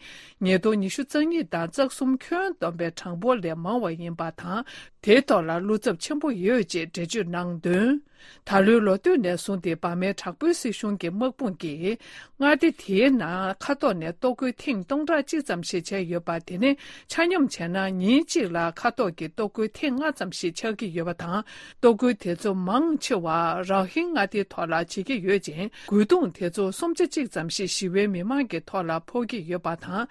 ཉིས་སྟོང་ཉི་ཤུ་རྩ་གཉིས་དང་རྩ་གསུམ་ཁྱོན་བསྡོམས་པའི་གྲངས་འབོར་ལས་མང་བ་ཡིན་པ་དང་། དེའི་ཐོག་ལ་བློ་འཚབ་ཆེན་པོ་ཡོད་ཅེས་འགྲེལ་བརྗོད་གནང་དོན། ད་ལོའི་ལོ་སྟོད་ནས་བཟུང་སྟེ་འབར་མའི་དྲག་པོའི་སྲིད་གཞུང་གི་དམག་དཔུང་གིས། མངའ་སྡེ་དེའི་ནང་མཁའ་ཐོག་ནས་གཏོར་རྒོལ་ཐེངས་སྟོང་ཕྲག་གཅིག་ཙམ་ཞིག་བྱས་ཡོད་པ། དེ་ནི་ཆ་སྙོམས་བྱས་ན་ཉིན་གཅིག་ལ་མཁའ་ཐོག་གི་གཏོར་རྒོལ་ཐེངས་ལྔ་ཙམ་ཞིག་ཆགས་ཀྱི་ཡོད་པ་དང་། གཏོར་རྒོལ་དེ་ཚོ་མང་ཆེ་བ་ར་ཧིན་མངའ་སྡེའི་ཐོག་ལ་བྱེད་ཀྱི་ཡོད་ཅིང་། རྒོལ་རྡུང་དེ་ཚོ་སུམ་ཆ་གཅིག་ཙམ་ཞིག་ཞི་བའི་མི་མང་གི་ཐོག་ལ་ཕོག་གི་ཡོད་པ་དང་།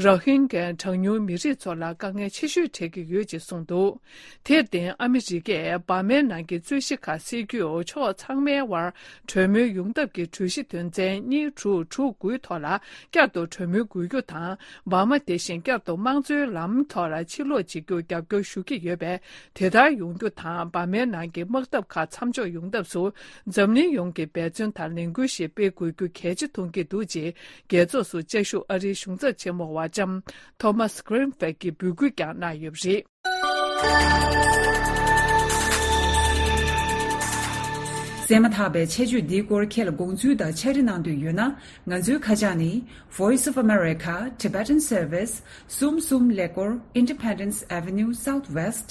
ར་ཧིན་གྱི་གྲངས་ཉུང་མི་རིགས་ཚོ་ལ་དཀའ་ངལ་ཆེ་ཤོས་འཕྲད་ཀྱི་ཡོད་ཅེས་གསུངས་འདུག་དེར་བརྟེན། ཨ་མི་རི་ཀས་འབར་མའི་ནང་གི་རྩོད་གཞི་ཁག་སེལ་རྒྱུར་ཕྱོགས་ཚང་མའི་དབར་གྲོས་མོལ་ཡོང་ཐབས་ཀྱི་གྲོས་གཞི་དོན་ཚན་གཉིས་དྲུག་དྲུག་དགུའི་ཐོག་ལ་བསྐྱར་དུ་གྲོས་མོལ་དགོས་རྒྱུ་དང་། འབར་མ་དེ་བཞིན་བསྐྱར་དུ་དམངས་གཙོའི་ལམ་ཐོག་ལ་ཕྱིར་ལོག་བྱེད་རྒྱུར་རྒྱབ་སྐྱོར་ཞུ་གི་ཡོད་པས། དེ་ལྟར་ཡོང་རྒྱུ་དང་། འབར་མའི་ནང་གི་དམག་འཐབ་ཁག་མཚམས་འཇོག་ཡོང་ཐབས་སུ། འཛམ་གླིང་ཡོངས་ཀྱིས་འབད་བརྩོན་དང་ལས་འགུལ་ཞིག་སྤེལ་དགོས་རྒྱུ་གལ་ཆེ་མཐོང་གི་འདུག་ཅེས། རྒྱལ་ཚོགས་སུ་བཅའ་བཞུགས་ཨ་རིའི་གཞུང་ཚབ་ཆེན་མོ་བ་ལྕམ་ཐོ་མཱས་གྷི་རིན་ཕིད་ཀྱིས་འབོད་སྐུལ་ཀྱང་གནང་ཡོད་པ་རེད། གསན་མ་ཐག་པའི་ཆེད་བརྗོད་འདིའི་སྐོར་ཁྱེད་ལ་དགོངས་ཚུལ་དང་ཕྱག་བྲིས་གནང་འདོད་ཡོད་ན། ང་ཚོའི་ཁ་བྱང་ནི། Voice of America, Tibetan Service, གསུམ་གསུམ་ཀླད་ཀོར། Independence Avenue Southwest,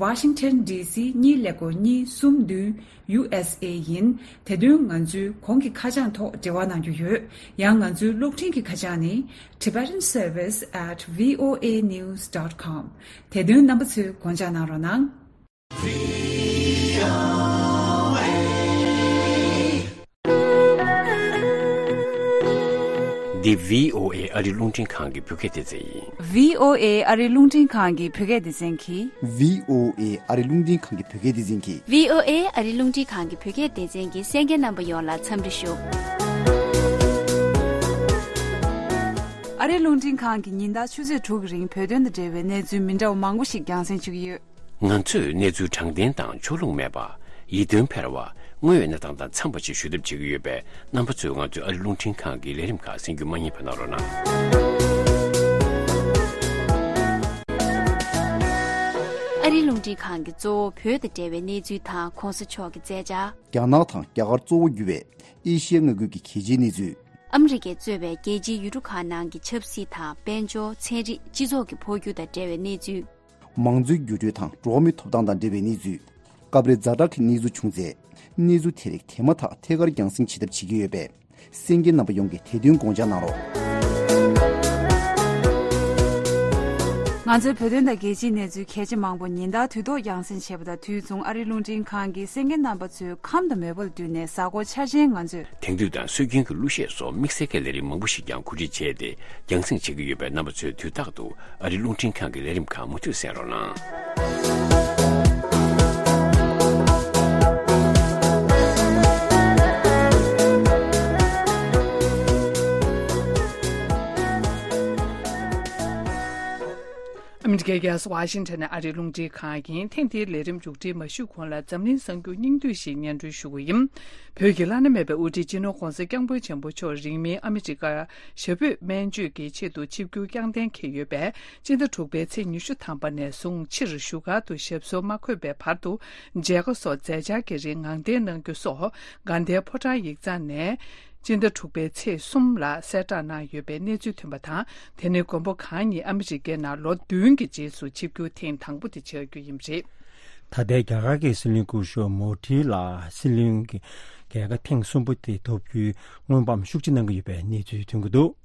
Washington D C གཉིས་ཀླད་ཀོར་གཉིས་གསུམ་བདུན། U S A ཡིན། དེ་དོན་ང་ཚོའི་གོང་གི་ཁ་བྱང་ཐོག་འབྲེལ་བ་གནང་རྒྱུ་ཡོད། ཡང་ང་ཚོའི་གློག་འཕྲིན་གྱི་ཁ་བྱང་ནི། Tibetan Service at V O A news dot com། དེ་དོན་རྣམ་པ་ཚོས་དགོངས་འཇགས་གནང་རོགས་གནང་། འདི་V O A ཨ་རི་རླུང་འཕྲིན་ཁང་གི་བོད་སྐད་སྡེ་ཚན་ཡིན། V O A ཨ་རི་རླུང་འཕྲིན་ཁང་གི་བོད་སྐད་སྡེ་ཚན་གྱིས། V O A ཨ་རི་རླུང་འཕྲིན་ཁང་གི་བོད་སྐད་སྡེ་ཚན་གྱིས། V O A ཨ་རི་རླུང་འཕྲིན་ཁང་གི་བོད་སྐད་སྡེ་ཚན་གྱི་གསན་མཁན་རྣམ་པ་ཡོངས་ལ་འཚམས་འདྲི་ཞུ། ཨ་རི་རླུང་འཕྲིན་ཁང་གིས་ཉིན་ལྟར་ཆུ་ཚོད་དྲུག་གི་རིང་བོད་དོན་དང་འབྲེལ་བའི་གནས་ཚུལ་མི་འདྲ་བ་མང་པོ་ཞིག་རྒྱང་སྲིང་ཞུ་གི་ཡོད། ང་ཚོས་གནས་ཚུལ་དྲང་བདེན་དང་ཕྱོགས་ལྷུང་མེད་པ། ཡིད་རྟོན་འཕེར་བ། དངོས་ཡོད་གནས་སྟངས་དང་འཚམས་པ་ཞིག་ཞུ་ཐབས་བྱེད་ཀྱི་ཡོད་པས། རྣམ་པ་ཚོས་ང་ཚོའི་ཨ་རི་རླུང་འཕྲིན་ཁང་གི་ལས་རིམ་ཁག་གསན་རྒྱུ་མ་བསྙེལ་བ་གནང་རོགས་གནང་། ཨ་རི་རླུང་འཕྲིན་ཁང་གི་གཙོ་བོ་བོད་དང་འབྲེལ་བའི་གནས་ཚུལ་དང་གོང་ས་མཆོག་གི་མཛད་འཆར། རྒྱ་ནག་དང་རྒྱ་གར་གཙོ་བོ་གྱུར་བའི་ཨེ་ཤི་ཡའི་མངའ་ཁུལ་གྱི་གལ་ཆེའི་གནས་ཚུལ། ཨ་མི་རི་ཀས་གཙོས་པའི་རྒྱལ་སྤྱིའི་ཡུལ་གྲུ་ཁག་ནང་གི་ཆབ་སྲིད་དང་དཔལ་འབྱོར། ཚན་རིག་སྤྱི་ཚོགས་ཀྱི་འཕོ་འགྱུར་དང་འབྲེལ་བའི་གནས་ཚུལ། མང་གཙོའི་འགྱུར་འགྲོས་དང་འགྲོ་བ་མིའི་ཐོབ་ཐང་དང་འབྲེལ་བའི་གནས་ཚུལ། སྐབས་རེ་ཛ་དྲག་གི་གནས་ཚུལ་བྱུང་ཚེ། གནས་ཚུལ་དེ་རིགས་དེ་མ་ཐག་ཐད་ཀར་རྒྱང་སྲིང་བྱེད་ཐབས་བྱེད་ཀྱི་ཡོད་པས། གསན་མཁན་རྣམ་པ་ཡོངས་ཀྱིས་དེ་དོན་དགོངས་འཇགས་གནང་རོགས། ང་ཚོའི་བོད་དོན་དང་རྒྱལ་སྤྱིའི་གནས་ཚུལ་གལ་ཆེ་མང་པོ་ཉིན་ལྟར་དུས་ཐོག་རྒྱང་སྲིང་བྱེད་པ་དང་དུས་མཚུངས། ཨ་རིའི་རླུང་འཕྲིན་ཁང་གིས་གསན་མཁན་རྣམ་པ་ཚོའི་ཁམས་དང་མོས་པ་ལ་བསྟུན་ནས་གཟའ་འཁོར་འཆར་ཅན་ང་ཚོས། དེང་དུས་དང་སྲོལ་རྒྱུན་གྱི་གླུ་གཞས་སོགས་དམིགས་བསལ་གྱི་ལས་རིམ་མང་པོ་ཞིག་ཀྱང་གོ་སྒྲིག་བྱས་ཏེ་རྒྱང་སྲིང་བྱེད་ཀྱི་ཡོད་པས། རྣམ་པ་ཚོས་དུས་རྟག་ཏུ་ཨ་རིའི་རླུང་འཕྲིན་ཁང་གི་ལས་རིམ་ཁག་མུ་མཐུད་གསན་རོགས་གནང་། ཨ་མི་རི་ཀའི་རྒྱལ་ས་ཝ་ཤིང་ཊོན་ནས་ཨ་རིའི་རླུང་འཕྲིན་ཁང་ཡིན། ཐེངས་འདིའི་ལས་རིམ་མཇུག་སྒྲིལ་མ་ཞུས་གོང་ལ་འཛམ་གླིང་གསར་འགྱུར་སྙིང་བསྡུས་ཤིག་སྙན་སྒྲོན་ཞུ་གི་ཡིན། བོད་ཀྱི་བླ་ན་མེད་པའི་དབུ་ཁྲིད་སྤྱི་ནོར་༧གོང་ས་༧སྐྱབས་མགོན་ཆེན་པོ་མཆོག་རིང་མིན་ཨ་མི་རི་ཀ་ཞབས་པུས་སྨན་བཅོས་ཀྱི་ཆེད་དུ་ཆིབས་བསྒྱུར་བསྐྱངས་གཏན་འཁེལ་ཡོད་པས། སྤྱི་ཟླ་དྲུག་པའི་ཚེས་ཉི་ཤུ་ཐམ་པ་ནས་བཟུང་ཕྱིར་བཞུགས་སྒར་དུ་ཞབས་སོར་མ་འཁོད་པའི་བར་དུ་མཇལ་ཁ་སོགས་མཛད་འཆར་གྱི་རིང་ངང་བརྟན་གནང་རྒྱུ་སོགས་དགའ་ལྡན་ཕོ་བྲང་ཡིག་ཚང་ནས་སྤྱི་ཟླ་དྲུག་པའི་ཚེས་གསུམ་ལ་གསལ་བསྒྲགས་གནང་ཡོད་པའི་གནས་ཚུལ་ཐོན་པ་དང་། དེ་ནི་མགོན་པོ་གང་ཉིད་ཨ་མི་རི་ཀའི་ནང་ལོ་བདུན་གྱི་རྗེས་སུ་ཆིབས་བསྒྱུར་ཐེངས་དང་པོ་དེ་ཆགས་རྒྱུ་ཡིན་པ་རེད། ད་ལྟའི་རྒྱ་གར་གྱི་སྲིད་བློན་སྐུ་ཞབས་མོ་དྷི་ལ་སྲིད་བློན་གྱི་རྒྱལ་ཁ་ཐེངས་གསུམ་པ་དེ་ཐོབ་རྒྱུའི་སྔོན་དཔག་ཤུགས་ཆེ་གནང་གི་ཡོད་པའི་གནས་ཚུལ་ཐོན་གྱི་འདུག།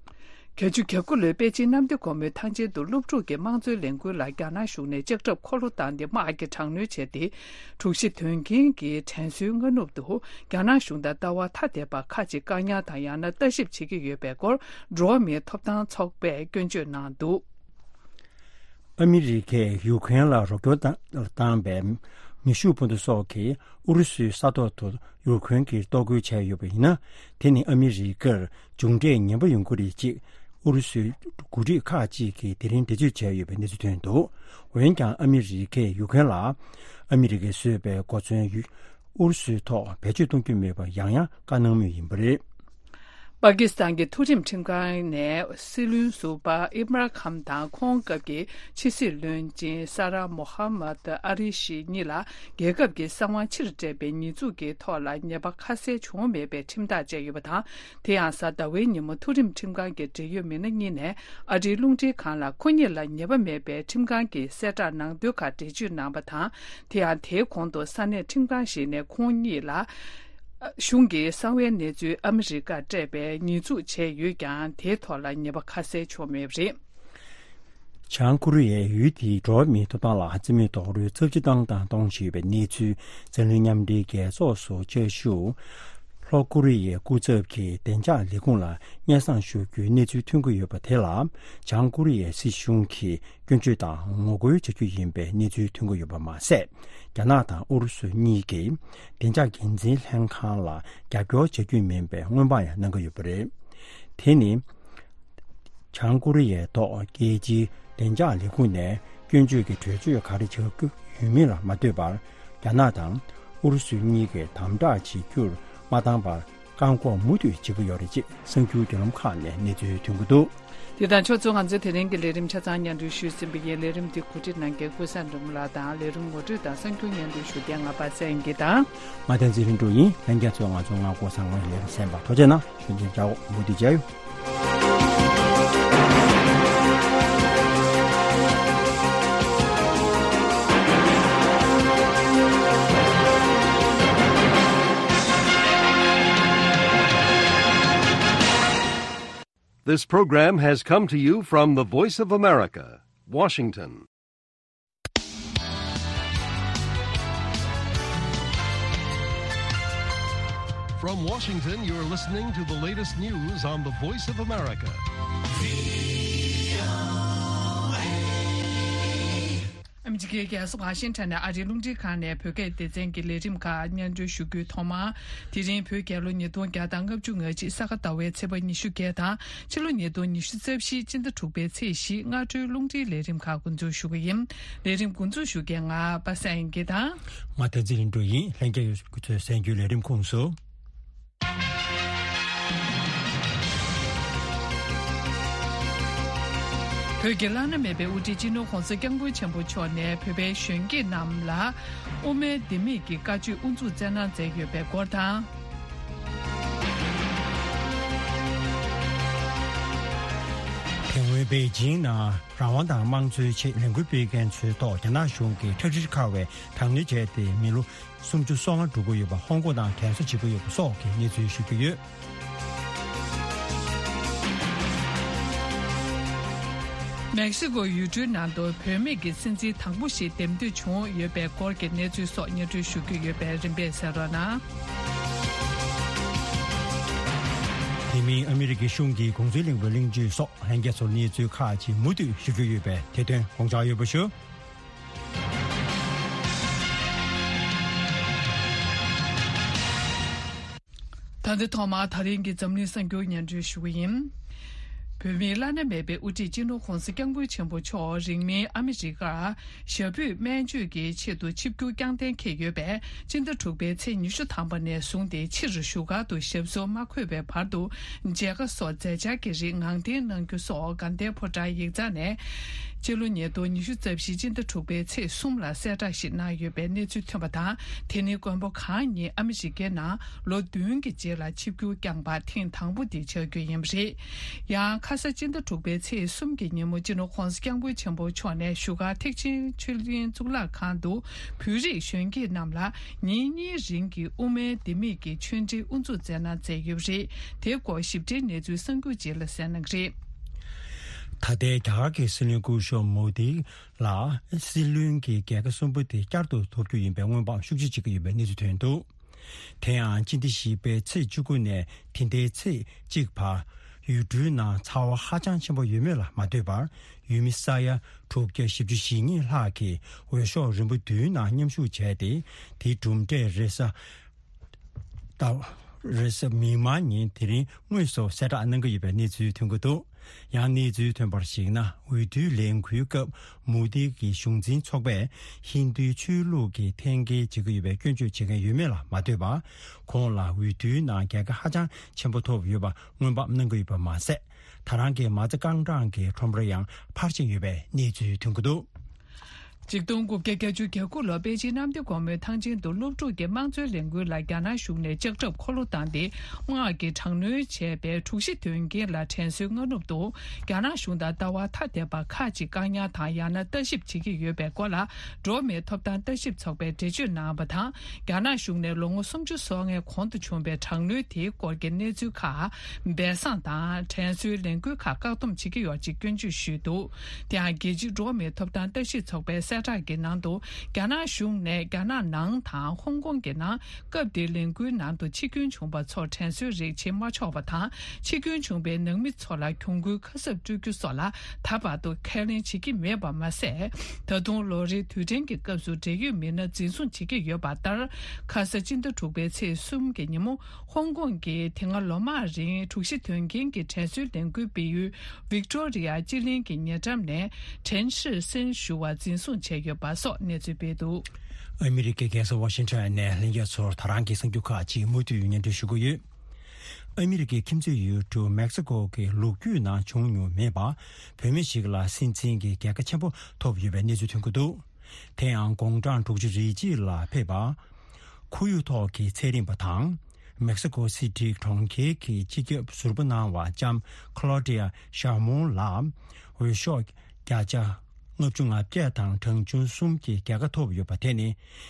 བརྒྱད་ཅུ་གྱ་དགུ་ལོའི་པེ་ཅིན་གནམ་བདེ་སྒོ་མོའི་ཐང་ཆེན་དུ་སློབ་ཕྲུག་གི་དམངས་གཙོའི་ལས་འགུལ་ལ་རྒྱ་ནག་གཞུང་ནས་ལྕགས་ཁྲབ་འཁོར་ལོ་བཏང་སྟེ་དམག་གི་དྲག་གནོན་བྱས་ཏེ། དྲུག་བཞི་དོན་རྐྱེན་གྱི་དྲན་གསོའི་སྔ་ནུབ་ཏུ། རྒྱ་ནག་གཞུང་དང་ལྟ་བ་ཐ་དད་པ་ཁག་ཅིག་བཀག་ཉར་དང་ཡང་ན་ལྟ་ཞིབ་བྱེད་ཀྱི་ཡོད་པའི་སྐོར་འགྲོ་བ་མིའི་ཐོབ་ཐང་ཚོགས་པས་སྐྱོན་བརྗོད་གནང་འདུག། ཨ་མི་རི་ཀས་ཡུ་ཁེན་ལ་རོགས་སྐྱོར་བཏང་བཏང་བའི་མེ་ཤུགས་འཕུར་མདའ་སོགས་ཀྱིས་ཨུ་རུ་སུའི་ས་ཐོག་ཏུ་ཡུ་ཁེན་གྱིས་གཏོར་རྒོལ་བྱས་ཡོད་པ་ཡིན་ན། དེ་ནི་ཨ་མི་རི་ཀར་མཇུག་འབྲས་ངན་པ་ཡོང་གི་རེད་ཅེས་ཨུ་རུ་སུའི་འགོ་ཁྲིད་ཁག་ཅིག་གིས་དེ་རིང་འགྲེལ་བརྗོད་བྱས་ཡོད་པའི་གནས་ཚུལ་ཐོན་འདུག། འོན་ཀྱང་ཨ་མི་རི་ཀས་ཡུ་ཁེན་ལ་ཨ་མི་རི་ཀས་བཟོས་པའི་གོ་མཚོན་ཡུ་ཨུ་རུ་སུའི་ཐོག་བེད་སྤྱོད་གཏོང་རྒྱུ་མེད་པར་ཡང་ཡང་བཀའ་གནང་མུས་ཡིན་པ་རེད། པ་ཀི་སི་ཐན་གྱི་མཐོ་རིམ་ཁྲིམས་ཁང་ནས་སྲིད་བློན་ཟུར་པ་ཨིམ་རཱན་ཁཱན་དང་ཁོང་སྐབས་ཀྱི་ཕྱི་སྲིད་བློན་ཆེན་ས་ར་མོ་ཧ་མད་ཨ་རི་ཤི་གཉིས་ལ་རྒྱལ་ཁབ་ཀྱི་གསང་བ་ཕྱིར་སྤྲད་པའི་ཉེས་འཛུགས་ཀྱི་ཐོག་ལ་ཉེས་པ་ཁ་གསལ་བྱུང་མེད་པའི་ཁྲིམས་ཐག་བཅད་ཡོད་པ་དང་། དེ་ཡང་གཟའ་ཟླ་བའི་ཉིན་མོ་མཐོ་རིམ་ཁྲིམས་ཁང་གི་འབྲེལ་ཡོད་མི་སྣ་གཉིས་ནས་ཨ་རིའི་རླུང་འཕྲིན་ཁང་ལ་ཁོ་གཉིས་ལ་ཉེས་པ་མེད་པའི་ཁྲིམས་ཁང་གི་གསལ་བསྒྲགས་ནང་དོན་ཁག་འགྲེལ་བརྗོད་གནང་བ་དང་། དེ་ཡང་དེའི་གོང་དུ་ས་གནས་ཁྲིམས་ཁང་ཞིག་ནས་ཁོང་གཉིས་ལ། གཞུང་གི་གསང་བའི་གནས་ཚུལ་ཨ་མི་རི་ཀར་སྤྲད་པའི་ཉེས་འཛུགས་བྱས་ཡོད་ཀྱང་། དེའི་ཐོག་ལ་ཉེས་པ་ཁ་གསལ་བྱུང་མེད་པ་རེད། བྱང་ཀོ་རི་ཡས་ཡུལ་དེའི་འགྲོ་བ་མིའི་ཐོབ་ཐང་ལ་རྩིས་མེད་རྡོག་རོལ་ཚབས་ཆེ་བཏང་དང་གཏོང་བཞིན་ཡོད་པའི་གནས་ཚུལ་འཛམ་གླིང་མཉམ་འབྲེལ་རྒྱལ་ཚོགས་སུ་བཅའ་བཞུགས་ལྷོ་ཀོ་རི་ཡའི་སྐུ་ཚབ་ཀྱི་བདེ་འཇགས་ལས་ཁུངས་ལ་སྙན་སེང་ཞུ་རྒྱུའི་གནས་ཚུལ་ཐོན་གྱི་ཡོད་པ་དེ་ལ། བྱང་ཀོ་རི་ཡའི་སྲིད་གཞུང་གིས་སྐྱོན་བརྗོད་དང་ངོ་རྒོལ་བྱ་རྒྱུ་ཡིན་པའི་གནས་ཚུལ་ཐོན་གྱི་ཡོད་པ་མ་ཟད། རྒྱ་ནག་དང་ཨུ་རུ་སུ་གཉིས་ཀྱིས་བདེ་འཇགས་འགན་འཛིན་ལྷན་ཁང་ལ་རྒྱབ་སྐྱོར་བྱ་རྒྱུ་མིན་པའི་སྔོན་དཔག་ཡང་གནང་གི་ཡོད་པ་རེད། དེ་ནི། བྱང་ཀོ་རི་ཡའི་ཐོག་རྒྱལ་སྤྱིའི་བདེ་འཇགས་ལས་ཁུངས་ནས་སྐྱོན་བརྗོད་ཀྱི་གྲོས་ཆོད་ག་རེ་བྱ་རྒྱུ་ཡོད་མིན་ལ་མ་ལྟོས་པར། རྒྱ་ནག་དང་ཨུ་རུ་སུ་གཉིས་ཀས་དམ་དྲག་བྱེད་རྒྱུར་མ་བཏང་བར། བཀག་འགོག་མུ་མཐུད་བྱེད་ཀྱི་ཡོད་རེད་ཅེས་གསར་འགྱུར་བརྒྱུད་ལམ་ཁག་ནས་གནས་ཚུལ་ཐོན་གྱི་འདུག། དེ་དང་ཕྱོགས་མཚུངས། ང་ཚོའི་དེ་རིང་གི་ལས་རིམ་ཆ་ཚང་སྙན་སྒྲོན་ཞུས་ཟིན་པ་ཡིན། ལས་རིམ་འདི་གོ་སྒྲིག་གནང་མཁན་ཀུན་བཟང་འབྲི་མོ་ལགས་དང་། ལས་རིམ་ངོ་སྤྲོད་དང་གསར་འགྱུར་སྙན་སྒྲོན་ཞུ་མཁན་ང་པ་སངས་དབྱངས་སྐྱིད་དང་། ང་བསྟན་འཛིན་ལྷུན་གྲུབ་ཡིན། ལྷན་རྒྱས་ཚོས་ང་ཚོ་སྔ་འགོག་ཚང་མའི་ལས་རིམ་གསན་པར་ཐུགས་རྗེ་གནང་། ཞུ་འདོན་བྱའོ། མུ་མཐུད་མཇལ་ཡོང་། This program has come to you from the Voice of America, Washington. From Washington, you're listening to the latest news on the Voice of America. ཨ་མི་རི་ཀའི་རྒྱལ་ས་ཝ་ཤིང་ཊོན་ནས་ཨ་རིའི་རླུང་འཕྲིན་ཁང་ནས་བོད་སྐད་སྡེ་ཚན་གྱི་ལས་རིམ་ཁག་སྙན་སྒྲོན་ཞུ་རྒྱུའི་ཐོག་མར། དེ་རིང་བོད་རྒྱལ་ལོ་ཉིས་སྟོང་བརྒྱ་དང་ལྔ་བཅུ་ང་གཅིག་ས་ག་ཟླ་བའི་ཚེས་པ་ཉི་ཤུ་བརྒྱད་དང་ཕྱི་ལོ་ཉིས་སྟོང་ཉི་ཤུ་རྩ་བཞི་སྤྱི་ཟླ་དྲུག་པའི་ཚེས་བཞི་སྔ་དྲོའི་རླུང་འཕྲིན་ལས་རིམ་ཁག་འགོ་འཛུགས་ཞུ་གི་ཡིན། ལས་རིམ་འགོ་འཛུགས་ཞུ་མཁན་ང་པ་སངས་དབྱངས་སྐྱིད་དང་། ང་བསྟན་འཛིན་ལྷུན་གྲུབ་ཡིན། ལྷན་རྒྱས་ཚོས་གསན་རྒྱུའི་ལས་རིམ་ཁོངས་སུ། བོད་ཀྱི་བླ་ན་མེད་པའི་དབུ་ཁྲིད་སྤྱི་ནོར་༧གོང་ས་༧སྐྱབས་མགོན་ཆེན་པོ་མཆོག་ནས་བོད་པའི་གཞོན་སྐྱེས་རྣམས་ལ་དབུ་མའི་ལྡེ་མིག་གི་བཀའ་ཆོས་དབུ་འཛུགས་སྩལ་གནང་མཛད་ཡོད་པའི་སྐོར་དང་། དེ་སྔོན་པེ་ཅིང་ནང་རང་དབང་དང་དམངས་གཙོའི་ཆེད་ལས་འགུལ་སྤེལ་མཁན་ཚོའི་ཐོག་རྒྱ་ནག་གཞུང་གིས་ཁྲག་དྲི་ཁ་བའི་དྲག་གནོན་བྱས་ཏེ་མི་ལོ་སུམ་ཅུ་སོ་ལྔ་འགྲོ་གི་ཡོད་པ། ཧོང་ཀོང་ནང་དྲན་གསོ་བྱེད་ཀྱི་ཡོད་པ་སོགས་ཀྱི་གནས་ཚུལ་ཞུ་རྒྱུ་ཡོད། མེག་སི་ཀོ་ཡུལ་གྲུའི་ནང་དུ་བུད་མེད་ཀྱི་སྲིད་འཛིན་དང་པོ་ཞིག་འདེམས་ཐོན་བྱུང་ཡོད་པའི་སྐོར་གྱི་གནས་ཚུལ་སོགས་སྙན་སྒྲོན་ཞུ་རྒྱུ་ཡོད་པས་རིམ་པས་གསན་རོགས་གནང་། དེ་མིན་ཨ་མི་རི་ཀའི་གཞུང་གིས་གུང་སེང་གླིང་པའི་གླིང་བཅུ་སོགས་ལྷན་རྒྱས་ཚོར་གནས་ཚུལ་ཁག་ཅིག་མུ་མཐུད་ཞུ་རྒྱུ་ཡོད་པས་དེ་དོན་དགོངས་འཇགས་ཡོད་པ་ཞུ། ད་ལྟ་ཐོག་མར་ད་རིང་གི་འཛམ་གླིང་གསར་འགྱུར་སྙན་སྒྲོན་ཞུ་གི་ཡིན། བོད་མིའི་བླ་ན་མེད་པའི་དབུ་ཁྲིད་སྤྱི་ནོར་༧གོང་ས་༧སྐྱབས་མགོན་ཆེན་པོ་མཆོག་རིང་མིན་ཨ་མི་རི་ཀར་ཞབས་པུས་སྨན་བཅོས་ཀྱི་ཆེད་དུ་ཆིབས་བསྒྱུར་བསྐྱངས་གཏན་འཁེལ་ཡོད་པས། སྤྱི་ཟླ་དྲུག་པའི་ཚེས་ཉི་ཤུ་ཐམ་པ་ནས་བཟུང་སྟེ་ཕྱིར་བཞུགས་སྒར་དུ་ཞབས་སོར་མ་འཁོད་པའི་བར་དུ་མཇལ་ཁ་སོགས་མཛད་འཆར་གྱི་རིགས་ངང་འཐེན་གནང་རྒྱུ་སོགས་དགའ་ལྡན་ཕོ་བྲང་ཡིག་ཚང་ནས་སྤྱི་ལོ་ཉིས་སྟོང་ཉི་ཤུ་རྩ་བཞི་སྤྱི་ཟླ་དྲུག་པའི་ཚེས་གསུམ་ལ་གསལ་བསྒྲགས་ཤིག་གནང་ཡོད་པའི་གནས་ཚུལ་ཐོན་པ་དང་། དེ་ནི་མགོན་པོ་གང་ཉིད་ཨ་མི་རི་ཀའི་ནང་ལོ་བདུན་གྱི་རྗེས་ལ་ཆིབས་བསྒྱུར་བསྐྱངས་པ་ཐེངས་དང་པོ་དེ་ཆགས་རྒྱུ་ཡིན་པ་རེད། ཡང་ཁ་ས་སྤྱི་ཟླ་དྲུག་པའི་ཚེས་གསུམ་གྱི་ཉིན་མོ་སྤྱི་ནོར་༧གོང་ས་༧སྐྱབས་མགོན་ཆེན་པོ་མཆོག་ནས་བཞུགས་སྒར་ཐེག་ཆེན་ཆོས་གླིང་གཙུག་ལག་ཁང་དུ་བོད་རིགས་གཞོན་སྐྱེས་རྣམས་ལ་ཉིན་གཉིས་རིང་གི་དབུ་མའི་ལྡེ་མིག་གི་ཆོས་འབྲེལ་དབུ་འཛུགས་མཛད་གནང་མཛད་ཡོད་པ་རེད། དེའི་སྐོར་ཞིབ་ཕྲའི་གནས་ཚུལ་གསར་འགྱུར་རྗེས་ལ་གསན་གནང་གི་རེད། ད་ལྟའི་རྒྱ་གར་གྱི་སྲིད་བློན་སྐུ་ཞབས་མོ་དི་ལ་སྲིད་བློན་གྱི་རྒྱལ་ཁ་གསུམ་པོ་དེ་བསྐྱར་དུ་ཐོབ་རྒྱུ་ཡིན་པའི་སྔོན་དཔག་ཤུགས་ཆེ་བྱེད་ཀྱི་ཡོད་པའི་གནས་ཚུལ་ཐོན་འདུག་དེ་ཡང་སྤྱི་ཟླ་བཞི་པའི་ཚེས་བཅུ་དགུ་ནས་དེ་ཟླའི་ཚེས་གཅིག་བར་ཡུལ་གྲུའི་ནང་ཚ་བ་ཧ་ཅང་ཆེན་པོ་ཡོད་མེད་ལ་མ་ལྟོས་པར། ཡུལ་མི་ས་ཡ་དྲུག་བརྒྱ་བཞི་བཅུ་ཞེ་གཉིས་ལྷག་གིས་འོས་ཤོག་རིམ་པ་བདུན་ནང་མཉམ་ཞུགས་བྱས་ཏེ། དེའི་གྲུབ་འབྲས་རེས་གཟའ་ཟླ་རེས་གཟའ་མིག་དམར་ཉིན་དེ་རིང་དངོས་སུ་གསལ་བསྒྲགས་གནང་གི་ཡོད་པའི་གནས་ཚུལ་ཐོན་གྱི་འདུག་ཡང་གནས་ཚུལ་ཐོན་པར་གཞིགས་ན། འོས་བསྡུའི་ལས་འགུལ་སྐབས་མོ་དི་གི་གཞུང་འཛིན་ཚོགས་པས་ཧིན་རྡུའི་ཆོས་ལུགས་ཀྱི་འཐེན་འཁྱེར་བྱེད་ཀྱི་ཡོད་པའི་སྐྱོན་བརྗོད་བྱེད་མཁན་ཡོད་མེད་ལ་མ་ལྟོས་པར། ཁོང་ལ་འོས་བསྡུའི་ནང་རྒྱལ་ཁ་ཧ་ཅང་ཆེན་པོ་ཐོབ་ཡོད་པ་སྔོན་དཔག་གནང་གི་ཡོད་པ་མ་ཟད། ད་རང་གི་མ་རྩ་རྐང་གྲངས་ཀྱི་ཁྲོམ་ར་ཡང་འཕར་བཞིན་ཡོད་པའི་གནས་ཚུལ་ཐོན་གྱི་འདུག་ཆིག་སྟོང་དགུ་བརྒྱ་བརྒྱད་ཅུ་གྱ་དགུ་ལོར་པེ་ཅིན་གནམ་བདེ་སྒོ་མོའི་ཐང་ཆེན་དུ་སློབ་ཕྲུག་གི་དམངས་གཙོའི་ལས་འགུལ་ལ་རྒྱ་ནག་གཞུང་ནས་ལྕགས་ཁྲབ་འཁོར་ལོ་བཏང་སྟེ། དམག་གིས་དྲག་གནོན་བྱས་པའི་དྲུག་བཞི་དོན་རྐྱེན་ལ་དྲན་གསོའི་སྔ་ནུབ་ཏུ། རྒྱ་ནག་གཞུང་དང་ལྟ་བ་ཐ་དད་པ་ཁག་ཅིག་བཀག་ཉར་དང་ཡང་ན་ལྟ་ཞིབ་བྱེད་ཀྱི་ཡོད་པའི་སྐོར་ལ། འགྲོ་བ་མིའི་ཐོབ་ཐང་ལྟ་ཞིབ་ཚོགས་པས་འགྲེལ་བརྗོད་གནང་བ་དང་། རྒྱ་ནག་གཞུང་ནས་ལོ་ངོ་སུམ་ཅུ་སོ་ལྔའི་གོང་དུ་བྱུང་བའི་དྲག་གནོན་དེའི་སྐོར་གྱི་གནས་ཚུལ་ཁག་སྦས་གསང་དང་། དྲན་གསོའི་ལས་འགུལ་ཁག་བཀག་སྡོམ་བྱེད་ཀྱི་ཡོད་ཅེས་སྐྱོན་བརྗོད་ཞུས་འདུག་དེ་ཡང་རྒྱལ་སྤྱིའི་འགྲོ་བ་མིའི་ཐོབ་ཐང་ལྟ་ཞིབ་ཚོགས་པའི་གསལ་བསྒྲགས་ཀྱི་ནང་དུ། རྒྱ་ནག་གཞུང་ནས་རྒྱ་ནག་ནང་དང་ཧོང་ཀོང་གི་ནང་སྐབས་དེའི་ལས་འགུལ་ནང་དུ་འཆི་སྐྱོན་བྱུང་བ་ཚོར་དྲན་གསོའི་རིགས་བྱེད་མ་ཆོག་པ་དང་། འཆི་སྐྱོན་བྱུང་བའི་ནང་མི་ཚོ་ལ་གྱོང་གུན་ཁ་གསབ་སྤྲོད་རྒྱུ་སོགས་ལ་ད་བར་དུ་ཁས་ལེན་བྱེད་ཀྱི་མེད་པ་མ་ཟད། ད་དུང་ལོ་རེའི་དུས་དྲན་གྱི་སྐབས་སུ་འབྲེལ་ཡོད་མི་སྣ་འཛིན་བཟུང་བྱེད་ཀྱི་ཡོད་པ་ལྟར། ཁ་ས་སྤྱི་ཟླ་དྲུག་པའི་ཚེས་གསུམ་གྱི་ཉིན་མོ། ཧོང་ཀོང་གིས་དེ་སྔ་ལོ་མང་རིང་དྲུག་བཞི་དོན་རྐྱེན་གྱི་དྲན་གསོའི་ལས་འགུལ་སྤེལ་ཡུལ་ཝིག་ཏོ་རི་ཡ་སྤྱི་གླིང་གི་ཉེ་འགྲམ་ནས་ཁྲེན་ཧྲི་སན་ཞུ་བ་འཛིན་བཟུང་བྱས་ཡོད་པ་སོགས་གནས་ཚུལ་སྤེལ་འདུག་ཨ་མི་རི་ཀའི་རྒྱལ་ས་ཝ་ཤིང་ཊོན་ནས་ལྷན་རྒྱས་ཚོར་ད་རང་གི་གསར་འགྱུར་ཁག་ཅིག་མུ་མཐུད་སྙན་སྒྲོན་ཞུ་གི་ཡོད། ཨ་མི་རི་ཀའི་ཁྱིམ་མཚེས་ཡུལ་གྲུ་མེག་སི་ཀོ་གི་ལོ་རྒྱུས་ནང་བྱུང་མྱོང་མེད་པ། བུད་མེད་ཞིག་ལ་སྲིད་འཛིན་གྱི་རྒྱལ་ཁ་ཆེན་པོ་ཐོབ་ཡོད་པའི་གནས་ཚུལ་ཐོན་གྱི་འདུག་དེ་ཡང་དགུང་གྲངས་དྲུག་ཅུ་རེ་གཅིག་ལ་ཕེབས་པ། ཁོར་ཡུག་ཐོག་གི་ཚན་རིག་པ་དང་། མེག་སི་ཀོ་སི་ཊི་གྲོང་ཁྱེར་གྱི་སྤྱི་ཁྱབ་ཟུར་པ་གནང་བ་ལྕམ་ཁ་ལོ་ཌི་ཡ་ཤ་མོང་ལ། འོས་ཤོག་བརྒྱ་ཆ་ལྔ་བཅུ་ང་བརྒྱད་དང་གྲངས་ཆུང་གསུམ་གྱི་རྒྱལ་ཁ་ཐོབ་ཡོད་པ་དེ་ནི།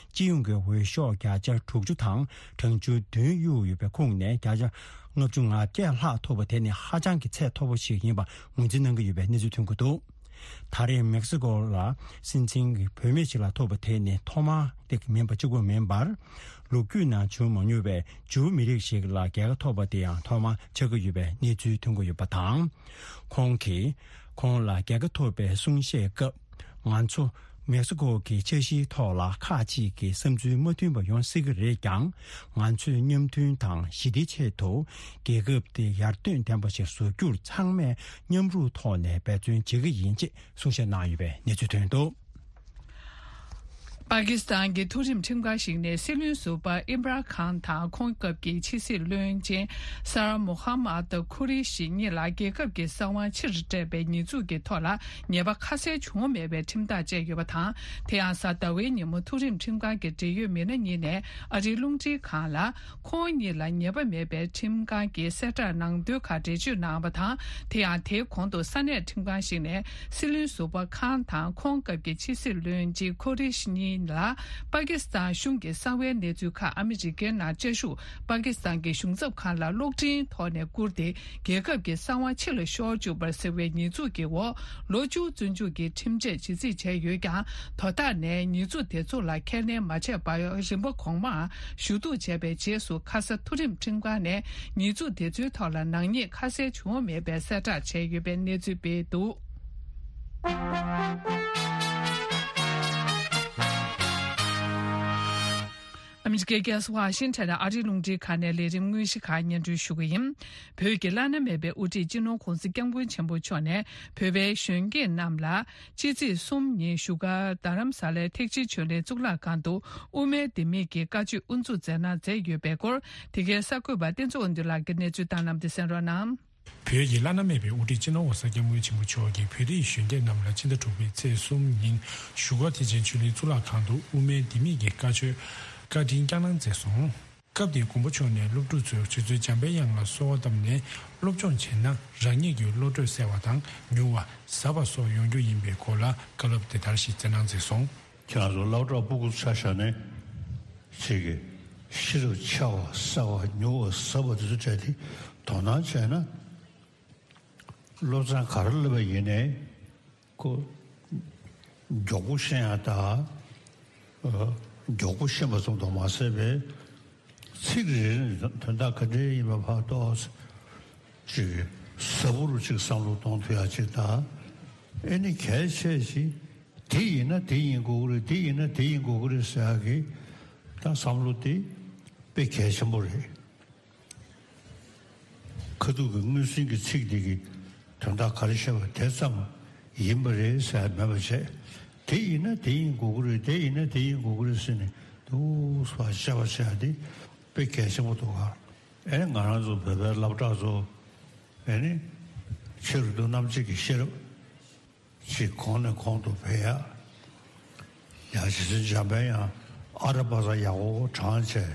སྤྱི་ཡོངས་ཀྱི་འོས་ཤོག་བརྒྱ་ཆ་དྲུག་ཅུ་དང་གྲངས་ཆུང་བདུན་གཡུགས་ཡོད་པའི་ཁོངས་ནས་བརྒྱ་ཆ་ལྔ་བཅུ་ང་བརྒྱད་ལྷག་ཐོབ་པ་དེ་ནི་ཧ་ཅང་གི་ཚད་མཐོ་པོ་ཞིག་ཡིན་པ་ངོས་འཛིན་གནང་གི་ཡོད་པའི་གནས་ཚུལ་ཐོན་གྱི་འདུག་ད་རེས་མེག་སི་ཀོ་ལ་སྲིད་འཛིན་གྱི་བུད་མེད་ཅིག་ལ་ཐོབ་པ་དེ་ནི་ཐོག་མ་དེ་མིན་པ་གཅིག་པུ་མིན་པར། ལོ་རྒྱུས་ནང་བྱུང་མ་མྱོང་བའི་ཇུའུ་མི་རིགས་ཤིག་ལ་རྒྱལ་ཁ་ཐོབ་པ་དེ་ཡང་ཐོག་མ་ཆགས་ཀྱི་ཡོད་པའི་གནས་ཚུལ་ཐོན་གྱི་ཡོད་པ་དང་། ཁོང་གིས་ཁོང་ལ་རྒྱལ་ཁ་ཐོབ་པའི་གསུང་བཤད་སྐབས། ང་ཚོ་མེག་སི་ཀོ་གི་འཆར་གཞིའི་ཐོག་ལ་ཁག་ཅིག་གི་བསམ་ཚུལ་མ་མཐུན་པ་ཡོང་སྲིད་ཀྱི་རེད་ཀྱང་། ང་ཚོས་མཉམ་མཐུན་དང་ཞི་བདེའི་ཆེད་དུ་རྒྱལ་ཁབ་དེ་ཡར་ཐོན་ལྡན་པ་ཞིག་བཟོ་རྒྱུར་ཚང་མས་མཉམ་རུབ་ཐོག་ནས་འབད་བརྩོན་བྱེད་ཀྱི་ཡིན་ཅེས་གསུང་བཤད་གནང་ཡོད་པའི་གནས་ཚུལ་ཐོན་འདུག། པ་ཀི་སི་ཐན་གྱི་མཐོ་རིམ་ཁྲིམས་ཁང་ཞིག་ནས་སྲིད་བློན་ཟུར་པ་ཨིམ་རཱན་ཁཱན་དང་ཁོང་སྐབས་ཀྱི་ཕྱི་སྲིད་བློན་ཆེན་སར་མོ་ཧམ་མད་ཁུ་རེ་ཤི་གཉིས་ལ་རྒྱལ་ཁབ་ཀྱི་གསང་བ་ཕྱིར་སྤྲད་པའི་ཉེས་འཛུགས་ཀྱི་ཐོག་ལ་ཉེས་པ་ཁ་གསལ་བྱུང་མེད་པའི་ཁྲིམས་ཐག་བཅད་ཡོད་པ་དང་། དེ་ཡང་གཟའ་ཟླ་བའི་ཉིན་མོ་མཐོ་རིམ་ཁྲིམས་ཁང་གི་འབྲེལ་ཡོད་མི་སྣ་གཉིས་ནས་ཨ་རིའི་རླུང་འཕྲིན་ཁང་ལ། ཁོང་གཉིས་ལ་ཉེས་པ་མེད་པའི་ཁྲིམས་ཁང་གི་གསལ་བསྒྲགས་ནང་དོན་ཁག་འགྲེལ་བརྗོད་གནང་བ་དང་། དེ་ཡང་དེའི་གོང་དུ་ས་གནས་ཁྲིམས་ཁང་ཞིག་ནས་སྲིད་བློན་ཟུར་པ་ཁཱན་དང་ཁོང་སྐབས་ཀྱི་ཕྱི་སྲིད་བློན་ཆེན་ཁོ་རེ་ཤི་གཉིས་ལ་པ་ཀི་སི་ཐན་གཞུང་གི་གསང་བའི་གནས་ཚུལ་ཁག་ཨ་མི་རི་ཀའི་ནང་བཅའ་བཞུགས་པ་ཀི་སི་ཐན་གྱི་གཞུང་ཚབ་ཁང་ལ་གློག་འཕྲིན་ཐོག་ནས་བསྐུར་ཏེ། རྒྱལ་ཁབ་ཀྱི་གསང་བ་ཕྱི་ལ་ཤོར་བཅུག་པར་ཟེར་བའི་ཉེས་འཛུགས་ཀྱི་འོག་ལོ་བཅུ་བཙོན་འཇུག་གི་ཁྲིམས་ཆད་ཇི་སྲིད་བྱས་ཡོད་ཀྱང་། དོ་བདག་ནས་ཉེས་འཛུགས་དེ་ཚོ་ལ་ཁས་ལེན་མ་བྱས་པར་རིམ་པ་གོང་མར་ཞུ་གཏུག་བྱས་པའི་རྗེས་སུ་ཁ་ས་མཐོ་རིམ་ཁྲིམས་ཁང་ནས་ཉེས་འཛུགས་དེ་ཚོའི་ཐོག་ལ་ནག་ཉེས་ཁ་གསལ་བྱུང་མེད་པའི་གསལ་བསྒྲགས་བྱས་ཡོད་པའི་གནས་ཚུལ་སྤེལ་འདུག། ཨ་མི་རི་ཀའི་རྒྱལ་ས་ཝ་ཤིང་ཊོན་ནས་ཨ་རིའི་རླུང་འཕྲིན་ཁང་ནས་ལས་རིམ་དངོས་གཞི་ཁག་སྙན་སྒྲོན་ཞུ་གི་ཡིན། བོད་ཀྱི་བླ་ན་མེད་པའི་དབུ་ཁྲིད་སྤྱི་ནོར་༧གོང་ས་༧སྐྱབས་མགོན་ཆེན་པོ་མཆོག་ནས་བོད་པའི་གཞོན་སྐྱེས་རྣམས་ལ་ཕྱི་ཚེས་གསུམ་ཉིན་བཞུགས་སྒར་རྡ་རམ་ས་ལའི་ཐེག་ཆེན་ཆོས་གླིང་གཙུག་ལག་ཁང་དུ་དབུ་མའི་ལྡེ་མིག་གི་བཀའ་ཆོས་དབུ་འཛུགས་མཛད་གནང་མཛད་ཡོད་པའི་སྐོར། དེ་གའི་གསར་འགོད་པ་བསྟན་འཛིན་དབང་འདུས་ལགས་ཀྱིས་གནས་ཚུལ་བཏང་གནང་བ་དེ་གསན་རོགས་གནང་། བོད་ཀྱི་བླ་ན་མེད་པའི་དབུ་ཁྲིད་སྤྱི་ནོར་༧གོང་ས་༧སྐྱབས་མགོན་ཆེན་པོ་མཆོག་གིས་བོད་རིགས་གཞོན་སྐྱེས་རྣམས་ལ་ཕྱི་ཟླ་དྲུག་པའི་ཚེས་གསུམ་ཉིན་བཞུགས་སྒར་ཐེག་ཆེན་ཆོས་གླིང་གཙུག་ལག་ཁང་དུ་དབུ་མའི་ལྡེ་མིག་གི་བཀའ་ཆོས་བཀའ་དྲིན་བསྐྱངས་གནང་མཛད་སོང་། སྐབས་དེར་མགོན་པོ་མཆོག་ནས་སློབ་ཕྲུག་ཚོར་རྗེ་བཙུན་འཇམ་དཔལ་དབྱངས་ལ་གསོལ་བ་བཏབ་ནས་སློབ་སྦྱོང་བྱས་ན་རང་ཉིད་ཀྱི་བློ་གྲོས་གསལ་བ་དང་མྱུར་བ་ཟབ་པ་སོགས་ཡོང་རྒྱུ་ཡིན་པའི་སྐོར་ལ་བཀའ་སློབ་དེ་ལྟར་ཞིག་སྩལ་གནང་མཛད་སོང་། ཁྱེད་རང་ཚོ་སློབ་གྲྭ་ཕྲུ་གུ་ཆ་བཞག་ནས་ཅིག་གི་ཤེས་རབ་ཆེ་བ་གསལ་བ་མྱུར་བ་ཟབ་པ་དེ་ཚོ་སྤྲད་དེ་དོ་སྣང་བྱས་ན། སློབ་ཚན་ག་རེ་སླེབས་པ་ཡིན་ནའི་ཁོ་མགྱོགས་པོ་ཤེས་ཡ་དང་། མགྱོགས་པོ་ཤེས་པ་ཙམ་དུ་མ་ཟད་པའི་ཚིག་རེ་རེ་ནས་དོན་དག་ག་འདྲ་ཡིན་པ་ཕར་རྟོགས། ཅིག་ཟབ་པོ་རུ་ཅིག་བསམ་བློ་གཏོང་ཐུབ་ཡ་ཅིག་དང་། ཨེ་ནི་གལ་ཆེ་ཞིག་དེ་ཡིན་ན་དེ་ཡིན་དགོས་ཀྱི་རེད། དེ་ཡིན་ན་དེ་ཡིན་དགོས་ཀྱི་རེད་ཟེར་ཡ་གི་ད་བསམ་བློ་དེ་དཔེ་གལ་ཆེན་པོ་རེད། ཁ་ཐུག་གི་དངོས་ཟིན་གྱི་ཚིག་འདི་གི་དོན་དག་ག་རེ་བཤད་པ་དེ་ཙམ་ཡིན་པ་རེད་ཟེར་མེད་པ་བྱས། དེ་ཡིན་ན་དེ་ཡིན་དགོས་ཀྱི་རེད། དེ་ཡིན་ན་དེ་ཡིན་དགོས་ཀྱི་རེད་ཟེར་ནས་འདུག་སེ་བཤད་པ་བྱས་ཏེ་དཔེ་གལ་ཆེན་པོ་འདུག་ག་ཨེ་ང་རང་ཚོ་བོད་པའི་སློབ་གྲྭ་ཚོ་ཨེ་ནི་ཆེ་རུ་འདུག་རྣམ་དཔྱོད་ཀྱི་ཤེས་རབ། ཅིག་གོང་ནས་གོང་དུ་འཕེལ་ཡ། ཡང་རྗེ་བཙུན་འཇམ་དཔལ་དབྱངས་ཨ་ར་པ་ས་ཡག་པོ་དྲངས་བྱས། རྗེ་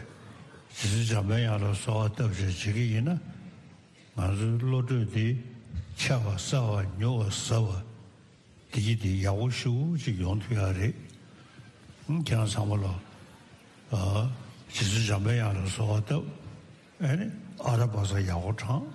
བཙུན་འཇམ་དཔལ་དབྱངས་ལ་གསོལ་བ་བཏབ་བྱས་བྱེད་ཀྱི་ཡིན་ན། ང་ཚོའི་བློ་གྲོས་འདི་ཆེ་བ་གསལ་བ་མྱུར་བ་ཟབ་པ་འདི་གི་འདི་ཡག་པོ་ཞེ་པོ་ཅིག་ཡོང་ཐུབ་ཡ་རེད། ཁྱེད་རང་ཚང་མ་ལ་རྗེ་བཙུན་འཇམ་དཔལ་དབྱངས་ལ་གསོལ་བ་བཏབ། ཨེ་ནི་ཨ་ར་པ་ས་ཡག་པོ་དྲངས།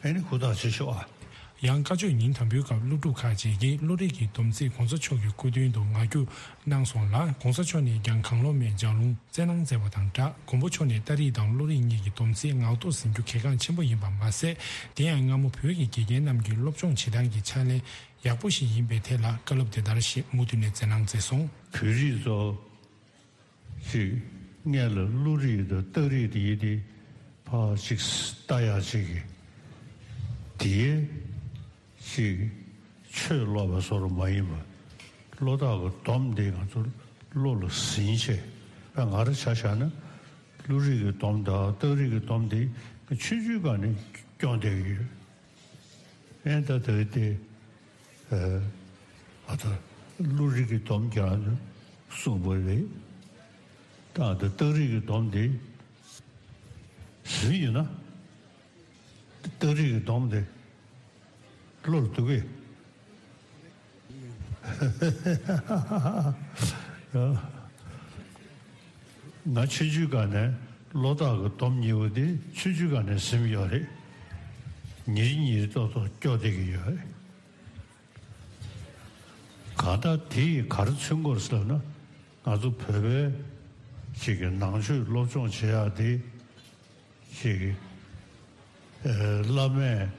ཨེ་ནི་ཧུར་ཐག་བྱེད་ཤོག་ཨ། ཡང་བཀའ་ཆོས་ཉིན་དང་པོའི་སྐབས་སློབ་ཕྲུག་ཁག་ཅིག་གིས་བློ་རིག་གི་སྡོམ་ཚིག་གོང་ས་མཆོག་གི་སྐུ་མདུན་དུ་ངག་རྒྱུན་གནང་སོང་ལ། གོང་ས་མཆོག་ནས་ཀྱང་གང་བློ་མེད་ལྗགས་ལུང་སྩལ་གནང་མཛད་པ་དང་སྦྲགས། མགོན་པོ་མཆོག་ནས་ཏཱ་རིག་དང་བློ་རིག་གཉིས་ཀྱི་སྡོམ་ཚིག་ངག་ཐོག་ཟིན་རྒྱུ་གལ་འགངས་ཆེན་པོ་ཡིན་པ་མ་ཟད། དེ་ཡང་སྔ་མོ་བོད་ཀྱི་དགེ་རྒན་རྣམས་ཀྱི་སློབ་སྦྱོང་བྱེད་སྟངས་ཀྱི་ཕྱག་ལེན་ཡག་པོ་ཞིག་ཡིན་པའི་ཐད་ལ་བཀའ་སློབ་དེ་ལྟར་ཞིག་མུ་མཐུད་ནས་སྩལ་གནང་མཛད་སོང་། བོད་རིགས་ཚོ། ཅིག་སྔོན་ལ་བློ་རིག་དང་རྟགས་རིག་དེ་ཡི་དེ་ཕར་ཅིག་ལྟ་ཡག་ཅིག་གི་དེའི་ཅིག་ཆོས་ཀློག་པ་བཟོ་འདྲ་མ་ཡིན་པ། བློ་རྟགས་ཀྱི་སྡོམ་དེ་ང་ཚོ་བློ་ལ་ཟིན་བྱས། ད་ང་རང་ཆ་བཞག་ན་བློ་རིག་གི་སྡོམ་དང་རྟགས་རིག་གི་སྡོམ་དེ་ ཆུང་ཆུང་སྒང་ནས་སྐྱོང་བསྡད་ཀྱི་ཡོད། ཨེ་ད་ད་དེ་ཨ་ད་བློ་རིག་གི་སྡོམ་རྒྱག་གསུངས་པ་རེད། ད་ཨ་ད་རྟགས་རིག་གི་སྡོམ་དེ་ཟིན་ཡོད་ན། རྟགས་རིག་གི་སྡོམ་དེ་བློ་ལ་འདུག་གས། ང་ཆུང་ཆུང་སྒང་ནས་བློ་ཐག་གི་སྡོམ་གཉིས་པོ་དེ་ཆུང་ཆུང་སྒང་ནས་ཟིན་ཡོད་རེད། ཉིན་རེ་ཉིན་རེ་ཏོག་ཏོག་སྐྱོ་བསྡད་ཀྱི་ཡོད་རེད། གང་ལྟར་དེ་ཡིས་ག་རེ་མཚོན་གྱི་ཡོད་ཟེར་ན། ང་ཚོ་བོད་པའི་ཅིག་གི་ནང་ཆོས་སློབ་སྦྱོང་བྱེད་ཡག་དེ་ཅིག་གི་ཨེ་བླ་མས་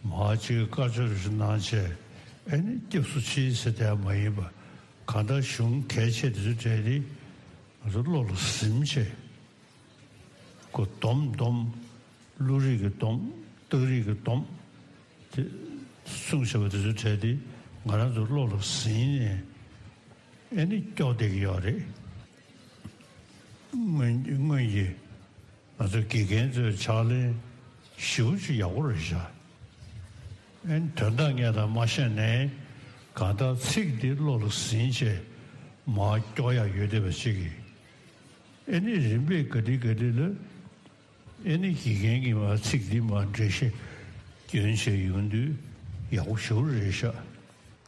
མར་ཅིག་བཀའ་ཆོས་རེ་ཞིག་གནང་བྱས་ཨེ་ནི་སྐྱབས་སུ་མཆི་ཟེར་བསྡད་མ་ཡིན་པ། གང་ལྟར་གཞུང་གལ་ཆེ་དེ་ཚོ་གྲས་དེ་ང་ཚོ་བློ་ལ་ཟིན་བྱས། ཁོ་སྡོམ་སྡོམ། བློ་རིག་གི་སྡོམ། རྟགས་རིག་གི་སྡོམ། དེ་གསུངས་བཞག་པ་དེ་ཚོ་གྲས་དེ་ང་རང་ཚོ་བློ་ལ་ཟིན་ནས་ཨེ་ནི་སྐྱོ་བསྡད་ཀྱི་ཡོད་རེད། སྔོན་སྔོན་གྱི་ང་ཚོ་དགེ་རྒན་ཚོའི་ཕྱག་ལེན་ཞེ་པོ་ཅིག་ཡག་པོ་རེད་ཤག་ཨེ་ནི་དོན་དག་ངས་ད་མ་ཤེས་ནའི་གང་ལྟར་ཚིག་འདི་བློ་ལ་ཟིན་བྱས་མར་སྐྱོར་ཡག་ཡོད་བསྡད་པ་ཅིག་གིས། ཨེ་ནི་རིམ་པས་ག་དུས་ག་དུས་ལ་ཨེ་ནི་དགེ་རྒན་གྱིས་མར་ཚིག་འདི་མར་འགྲེལ་བཤད་སྐྱོན་བྱས་ཡོང་དུས་ཡག་པོ་ཞེ་པོ་རེད་ཤག་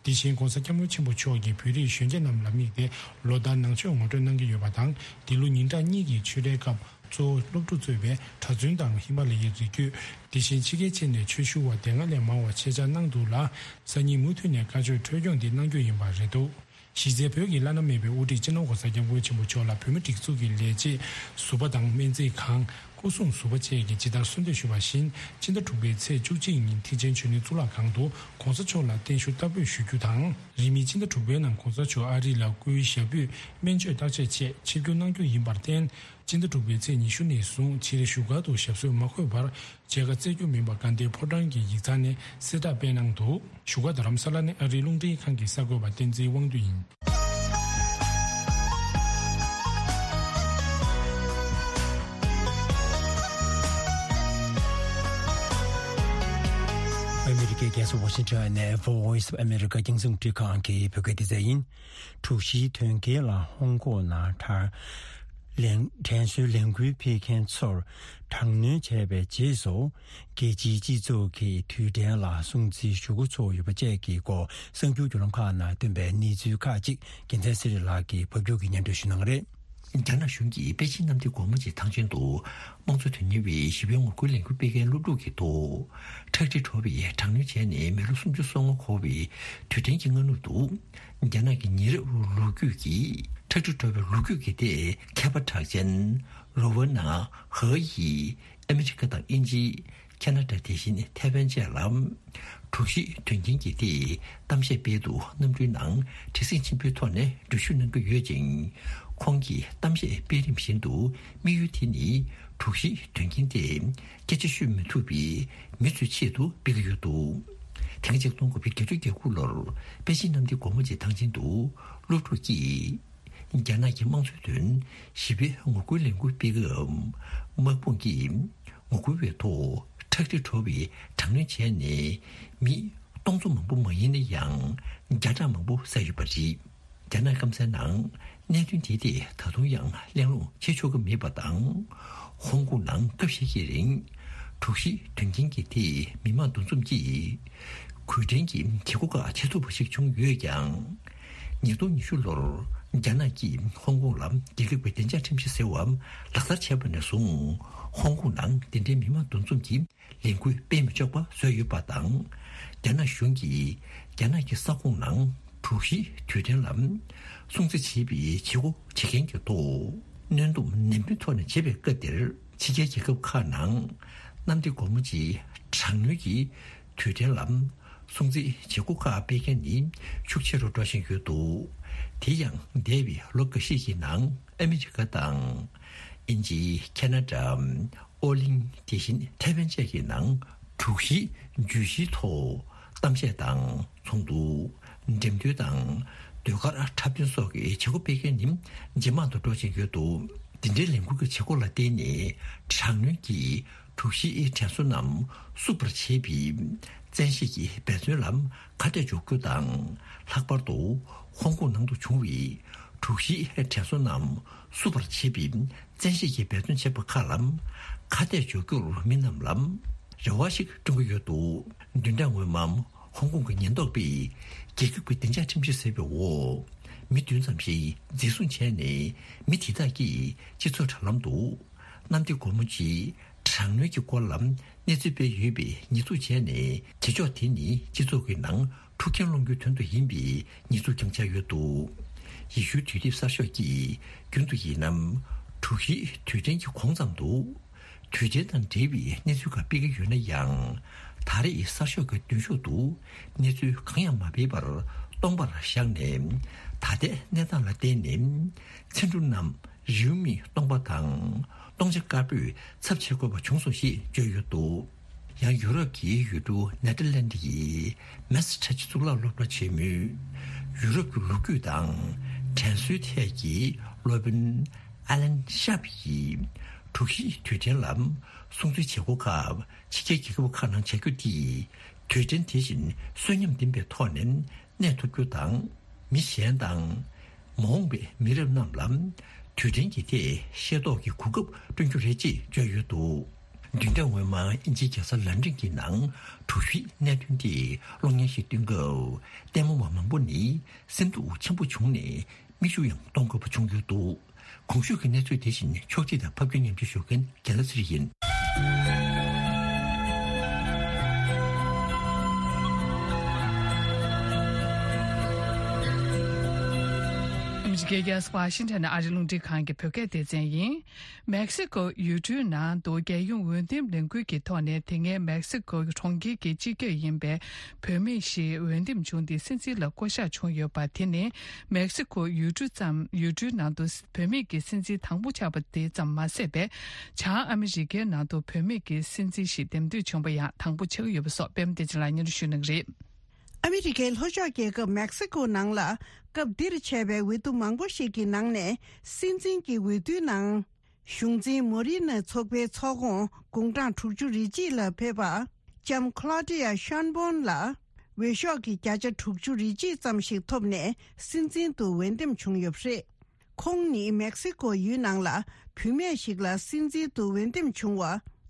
དེ་བཞིན་༸གོང་ས་༸སྐྱབས་མགོན་ཆེན་པོ་མཆོག་གིས་བོད་རིགས་གཞོན་སྐྱེས་རྣམས་ལ་དམིགས་ཏེ་ལོ་ལྟར་ནང་ཆོས་ངོ་སྤྲོད་གནང་གི་ཡོད་པ་དང་། འདི་ལོ་ཉིན་གྲངས་གཉིས་ཀྱི་ཆོས་རའི་སྐབས་གཙོ་བོ་སློབ་ཕྲུག་གཙོས་པའི་གྲྭ་བཙུན་དང་ཧི་མ་ལ་ཡའི་རི་རྒྱུད། དེ་བཞིན་ཕྱི་རྒྱལ་ཕྱིན་ནས་ཆོས་ཞུ་བ་དེ་སྔ་ལས་མང་བ་ཆེད་བཅར་གནང་འདུག་ལ། སང་ཉིན་མུ་མཐུད་ནས་བཀའ་ཆོས་སྲོལ་སྐྱོང་འདི་གནང་རྒྱུ་ཡིན་པ་རེད་འདུག་གཞི་རྩའི་བོད་ཀྱི་བླ་ན་མེད་པའི་དབུ་ཁྲིད་སྤྱི་ནོར་༸གོང་ས་༸སྐྱབས་མགོན་ཆེན་པོ་མཆོག་ལ་བོད་མི་སྒྲིག་འཛུགས་ཀྱི་ལས་བྱེད། ཟུར་པ་དང་སྨན་རྩིས་ཁང་། སྐུ་སྲུང་ཟུར་པ་བཅས་ཀྱིས་ཇི་ལྟར་གསོལ་འདེབས་ཞུས་པ་བཞིན། སྤྱི་ཟླ་དྲུག་པའི་ཚེས་བཅུ་གཅིག་ཉིན་ཐེག་ཆེན་གཞོན་ནུའི་གཙུག་ལག་ཁང་དུ་༸གོང་ས་མཆོག་ལ་བརྟན་བཞུགས་བསྟར་འབུལ་ཞུ་རྒྱུ་དང་། རིང་མིན་སྤྱི་ཟླ་དྲུག་པའི་ནང་༸གོང་ས་མཆོག་ཨ་རི་ལ་སྐུའི་ཞབས་པུས་སྨན་བཅོས་བརྟག་དཔྱད་ཆེད་ཆིབས་བསྒྱུར་གནང་རྒྱུ་ཡིན་པར་བརྟེན། སྤྱི་ཟླ་དྲུག་པའི་ཚེས་ཉི་ཤུ་ནས་བཟུང་ཕྱིའི་བཞུགས་སྒར་དུ་ཞབས་སོར་མ་འཁོད་པར་མཇལ་ཁ་བསྩལ་རྒྱུ་མིན་པ་དགའ་ལྡན་ཕོ་བྲང་གི་ཡིག་ཚང་ནས་གསལ་བསྒྲགས་སྤེལ་གནང་འདུག་བཞུགས་སྒར་རྡ་རམ་ས་ལ་ནས་ཨ་རིའི་རླུང་འཕྲིན་ཁང་གི་གསར་འགོད་པ་བསྟན་འཛིན་དབང་འདུས་ཡིན། ཨ་མི་རི་ཀའི་རྒྱལ་ས་ཝ་ཤིང་ཊོན་ནས་Voice of America རྒྱང་སྲིང་རླུང་འཕྲིན་ཁང་གི་བོད་སྐད་སྡེ་ཚན་ཡིན། དྲུག་བཞིའི་དོན་རྐྱེན་ལ་ཧོང་ཀོང་ནང་དྲག་ལན་དྲན་གསོའི་ལས་འགུལ་སྤེལ་མཁན་ཚོར་དྲག་གནོན་བྱས་པའི་རྗེས་སུ། རྒྱལ་སྤྱིའི་སྤྱི་ཚོགས་ཀྱིས་དུས་དྲན་ལ་སྲུང་བརྩི་ཞུ་འགོ་ཚུགས་ཡོད་པ་བཅས་ཀྱི་སྐོར་གསར་འགྱུར་བརྒྱུད་ལམ་ཁག་ནང་བཏོན་པའི་གནས་ཚུལ་ཁག་ཅིག་རྒྱལ་མཚན་ཚེ་རིང་ལགས་ཀྱིས་ཕབ་སྒྱུར་གྱིས་སྙན་སྒྲོན་ཞུ་གནང་གི་རེད། རྒྱ་ནག་གཞུང་གིས་པེ་ཅིན་གནམ་བདེ་སྒོ་མོ་ཆེའི་ཐང་ཆེན་དུ་དམངས་གཙོ་དོན་གཉེར་བའི་ཞི་བའི་ངོ་རྒོལ་ལས་འགུལ་སྤེལ་མཁན་སློབ་ཕྲུག་གི་ཐོག་ཁྲག་དྲི་བྲོ་བའི་དྲག་གནོན་བྱས་ནས་མི་ལོ་སུམ་ཅུ་སོ་ལྔ་འཁོར་བའི་དུས་དྲན་གྱི་སྔ་ནུབ་ཏུ། རྒྱ་ནག་གི་ཉེ་རབས་ལོ་རྒྱུས་ཀྱི་ཁྲག་དྲི་བྲོ་བའི་ལོ་རྒྱུས་ཀྱི་ཐད་མཁས་པ་གྲགས་ཅན་རོ་ཝར་ནང་ཧ་ཡིས་ཨ་མི་རི་ཀ་དང་དབྱིན་ཇི། ཁ་ན་ཌ། དེ་བཞིན་ཐའེ་ཝན་བཅས་ལ་དྲུག་བཞི་དོན་རྐྱེན་གྱི་ཐད་གཏམ་བཤད་སྤེལ་འདུག་གནམ་གྲུའི་ནང་བྲེལ་ཟིང་ཆེན་པོའི་ཐོག་ནས་འགྲུལ་བཞུད་གནང་གི་ཡོད་ཅིང་། ཁོང་གིས་གཏམ་བཤད་སྤེལ་རིམ་བཞིན་དུ་དམིགས་ཡུལ་དེ་ནི་དྲུག་བཞི་དོན་རྐྱེན་དེ་སྐད་ཆ་ཤོད་མི་ཐུབ་པའི་མི་ཚོའི་ཆེད་དུ་སྤེལ་གྱི་ཡོད་འདུག་དེ་སྔ་ཆིག་སྟོང་དགུ་བརྒྱ་བརྒྱད་ཅུ་གྱ་དགུ་ལོར་པེ་ཅིན་གནམ་བདེ་སྒོ་མོ་ཆེའི་ཐང་ཆེན་དུ་སློབ་ཕྲུག་གིས། རྒྱ་ནག་གི་དམངས་གཙོའི་དོན་ཞི་བའི་ངོ་རྒོལ་ལས་འགུལ་སྤེལ་སྐབས། དམག་དཔུང་གིས་ངོ་རྒོལ་བའི་ཐོག་ཁྲག་དྲི་བྲོ་བའི་དྲག་གནོན་བྱས་ནས། མི་སྟོང་ཚོ་མང་པོ་མ་ཡིན་ན་ཡང་། བརྒྱ་ཕྲག་མང་པོ་བསད་ཡོད་པ་རེད། རྒྱ་ནག་སྐམ་སའི་ནང་གནད་དོན་དེའི་ཐད་ད་དུང་ཡང་གླེང་སློང་བྱེད་ཆོག་གི་མེད་པ་དང་། ཧོང་ཀོང་ནང་སྐབས་ཤིག་གི་རིང་། དྲུག་བཞི་དོན་རྐྱེན་གྱི་ཐད་མི་མང་འདུ་འཛོམས་ཀྱིས་གུས་བཀུར་གྱི་བྱེད་སྒོ་ཁག་བྱེད་ཐུབ་པ་ཞིག་བྱུང་ཡོད་ཀྱང་། ཉིས་སྟོང་ཉི་ཤུ་ལོར་རྒྱ་ནག་གིས་ཧོང་ཀོང་ལ་རྒྱལ་ཁབ་ཀྱི་བདེ་འཇགས་ཁྲིམས་གཞི་ཟེར་བ་ལག་བསྟར་བྱས་པ་ནས་བཟུང་། ཧོང་ཀོང་ནང་འདི་འདྲའི་མི་མང་འདུ་འཛོམས་ཀྱི་ལས་འགུལ་སྤེལ་མི་ཆོག་པ་བཟོས་ཡོད་པ་དང་། རྒྱ་ནག་གཞུང་གིས་རྒྱ་ནག་གི་ས་ཁོངས་ནང་དྲུག་བཞི་དུས་དྲན་ལ་སྲུང་བརྩི་བྱེད་པའི་བྱེད་སྒོ་བྱེད་མཁན་གྱི་ཐོག་གནོན་སྡོམ་ནན་པོའི་ཐོག་ནས་བྱེད་པའི་སྐབས་དེར། ཕྱི་རྒྱལ་རྒྱལ་ཁབ་ཁག་ནང་གནམ་བདེ་སྒོ་མོ་ཆེའི་དྲག་གནོན་གྱི་དུས་དྲན་ལ་སྲུང་བརྩིའི་བྱེད་སྒོ་ཁག་སྤེལ་མཁན་ནི་ཤུགས་ཆེ་རུ་འགྲོ་བཞིན་ཡོད་འདུག་དེ་ཡང་འདས་པའི་ལོ་འགའ་ཤས་ཀྱི་ནང་ཨ་མི་རི་ཀ་དང་། དབྱིན་ཇི། ཁ་ན་ཌ། ཨོ་གླིང་། དེ་བཞིན་ཐའེ་ཝན་བཅས་ཀྱི་ནང་དྲུག་བཞི་བརྗོད་གཞིའི་ཐོག་གཏམ་བཤད་དང་ཚོགས་འདུ། འགྲེམས་སྟོན་དང་ཟློས་གར་འཁྲབ་སྟོན་སོགས་ཀྱི་བྱེད་སྒོ་སྤེལ་མཁན་ནི་ཇེ་མང་དུ་འགྲོ་བཞིན་ཡོད་འདུག་འདི་འདྲའི་ལས་འགུལ་གྱི་བྱེད་སྒོ་ལ་བརྟེན་ནས་དྲག་གནོན་གྱི་ དྲུག་བཞིའི་དྲན་གསོ་རྣམས་བསུབ་པར་བྱེད་པའི་བཙན་ཤེད་ཀྱི་འབད་བརྩོན་ལ་ཁ་གཏད་གཅོག་རྒྱུ་དང་། ལྷག་པར་དུ་ཧོང་ཀོང་ནང་དུ་བྱུང་བའི་དྲུག་བཞིའི་དྲན་གསོ་རྣམས་བསུབ་པར་བྱེད་པའི་བཙན་ཤེད་ཀྱི་འབད་བརྩོན་བྱེད་པ་ཁག་ལ་ཁ་གཏད་གཅོག་རྒྱུར་མི་རྣམས་ལ་རེ་བ་ཞིག་བསྐྲུན་གྱི་ཡོད་འདུག་བདུན་ཕྲག་སྔོན་མ་ཧོང་ཀོང་གི་ཉེན་རྟོག་པས་རྒྱལ་ཁབ་ཀྱི་བདེ་འཇགས་ཁྲིམས་གཞི་ཟེར་བའི་འོག་མི་བདུན་ཙམ་ཞིག་འཛིན་བཟུང་བྱས་ནས། མི་དེ་དག་གིས་སྤྱི་ཚོགས་དྲ་ལམ་དུ་གནམ་བདེ་སྒོ་མོ་ཆེའི་དྲག་གནོན་གྱི་སྐོར་ལ་གནས་ཚུལ་སྤེལ་ཡོད་པའི་ཉེས་འཛུགས་བྱས་ནས། བྱེད་ཕྱོགས་དེ་ནི་སྤྱི་ཚོགས་ཀྱི་ནང་འཁྲུག་རྐྱེན་སློང་རྒྱུའི་དོན་དུ་ཡིན་པའི་ཉེས་འཛུགས་ཀྱང་བྱས་ཡོད་འདུག་ཡེ་ཤུའི་དུས་དེབ་གསར་ཤོག་གིས་རྒྱུན་དུ་ཡིན་ནམ། དྲུག་བཞིའི་དུས་དྲན་གྱི་གོང་ཙམ་དུ་དུས་དྲན་དང་འབྲེལ་བའི་གནས་ཚུལ་ཁག་སྤེལ་གྱི་ཡོད་ན་ཡང་། ད་རེས་གསར་ཤོག་གི་མདུན་ཤོག་ཏུ་གནས་ཚུལ་གང་ཡང་མ་སྤེལ་བར་སྟོང་པར་བཞག་ནས། ད་ལྟའི་གནས་སྟངས་ལ་བརྟེན་ནས་མཚན་འབྲུ་རྣམས་རེའུ་མིག་སྟོང་པ་དང་སྟོང་ཆ་དཀར་པོས་ཚབ་བྱེད་དགོས་པ་བྱུང་སོང་ཞེས་བརྗོད་ཡོད་འདུག་ཡང་ཡུ་རོབ་ཀྱི་ཡུལ་གྲུ་ནེ་ཐར་ལན་ཌི་ཡི་མེ་སི་ཁྲ་ཆུ་གཙུག་ལག་སློབ་གྲྭ་ཆེན་མོའི་ཡུ་རོབ་ཀྱི་ལོ་རྒྱུས་དང་དྲན་གསོའི་ཐད་ཀྱི་སློབ་དཔོན་ཨ་ལན་ཤཱབ་ཡིས་དྲུག་བཞིའི་དུས་དྲན་ལ་སྲུང་བརྩི་བྱེད་སྒོ་ཁག་ཕྱི་རྒྱལ་རྒྱལ་ཁབ་ཁག་ནང་བྱ་རྒྱུ་དེས་དུས་དྲན་དེ་བཞིན་གསོན་ཉམས་ལྡན་པའི་ཐོག་ནས་གནས་ཐུབ་རྒྱུ་དང་། མི་གཞན་དང་། མ་འོངས་པའི་མི་རབས་རྣམས་ལ་དུས་དྲན་གྱི་ཐད་ཤེས་རྟོགས་ཀྱི་གོ་སྐབས་བསྐྲུན་རྒྱུ་རེད་ཅེས་བརྗོད་ཡོད་འདུག་བདུན་ཕྲག་སྔོན་མ་དབྱིན་ཇིའི་རྒྱལ་ས་ལན་ཀྲན་གྱི་ནང་དྲུག་བཞིའི་གནད་དོན་དེ་གློག་བརྙན་ཞིག་སྟོན་སྐབས། ལྟད་མོ་བ་མང་པོ་ནི་སེམས་སྡུག་ཆེན་པོ་བྱུང་ནས་མིག་ཆུ་ཡང་གཏོང་དགོས་པ་བྱུང་ཡོད་འདུག་གོང་ཞུས་ཀྱི་གནས་ཚུལ་དེ་བཞིན་ཕྱོགས་སྒྲིག་དང་ཕབ་སྒྱུར་ཉམས་ཞིབ་ཞུ་མཁན་རྒན་ལགས་ཚེ་རིང་ཡིན། ཨ་མི་རི་ཀའི་རྒྱལ་ས་ཝ་ཤིང་ཊོན་ནས་ཨ་རིའི་རླུང་འཕྲིན་ཁང་གི་བོད་སྐད་སྡེ་ཚན་ཡིན། མེག་སི་ཀོ་ཡུལ་གྲུའི་ནང་དུ་རྒྱལ་ཡོངས་འོས་འདེམས་ལས་འགུལ་གྱི་ཐོག་ནས། དེ་སྔའི་མེག་སི་ཀོ་གྲོང་ཁྱེར་གྱི་སྤྱི་ཁྱབ་ཡིན་པའི་བུད་མེད་ཞིག་འོས་འདེམས་བྱུང་སྟེ་སྲིད་འཛིན་ལ་བསྐོ་གཞག་བྱུང་ཡོད་པ་དེ་ནི། མེག་སི་ཀོ་ཡུལ་གྲུ་ཙམ། ཡུལ་གྲུའི་ནང་དུ་བུད་མེད་ཀྱི་སྲིད་འཛིན་དང་པོ་ཆགས་པ་དེ་ཙམ་མ་ཟད་པའི། བྱང་ཨ་མི་རི་ཀའི་ནང་དུ་བུད་མེད་ཀྱི་སྲིད་འཛིན་ཞིག་འདེམས་ཐོན་བྱུང་བ་ཡང་དང་པོ་ཆགས་ཀྱི་ཡོད་པ་སོགས་པད་མ་བདེ་ཆེན་ལགས་སྙན་སྒྲོན་ཞུ་གནང་གི་རེད། ཨ་མི་རི་ཀའི་ལྷོ་ཕྱོགས་རྒྱལ་ཁབ་མེག་སི་ཀོ་ནང་ལ། སྐབས་འདིར་ཆད་པའི་འོས་བསྡུ་མང་པོ་ཞིག་གི་ནང་ནས། སྲིད་འཛིན་གྱི་འོས་བསྡུའི་ནང་། གཞུང་འཛིན་མོ་རི་ནོའི་ཚོགས་པའི་ཚོགས་ཁོངས་དགུང་གྲངས་དྲུག་ཅུ་རེ་གཅིག་ལ་ཕེབས་པ། ལྕམ་ཁློ་ཌི་ཡ་ཤོན་བོན་ལ། འོས་ཤོག་གི་བརྒྱ་ཆ་དྲུག་ཅུ་རེ་གཅིག་ཙམ་ཞིག་ཐོབ་ནས། སྲིད་འཛིན་དུ་འོས་འདེམས་བྱུང་ཡོད་པ་རེད། ཁོང་ནི་མེག་སི་ཀོ་ཡུལ་ནང་ལ་བུད་མེད་ཞིག་ལ་སྲིད་འཛིན་དུ་འོས་འདེམས་བྱུང་བ་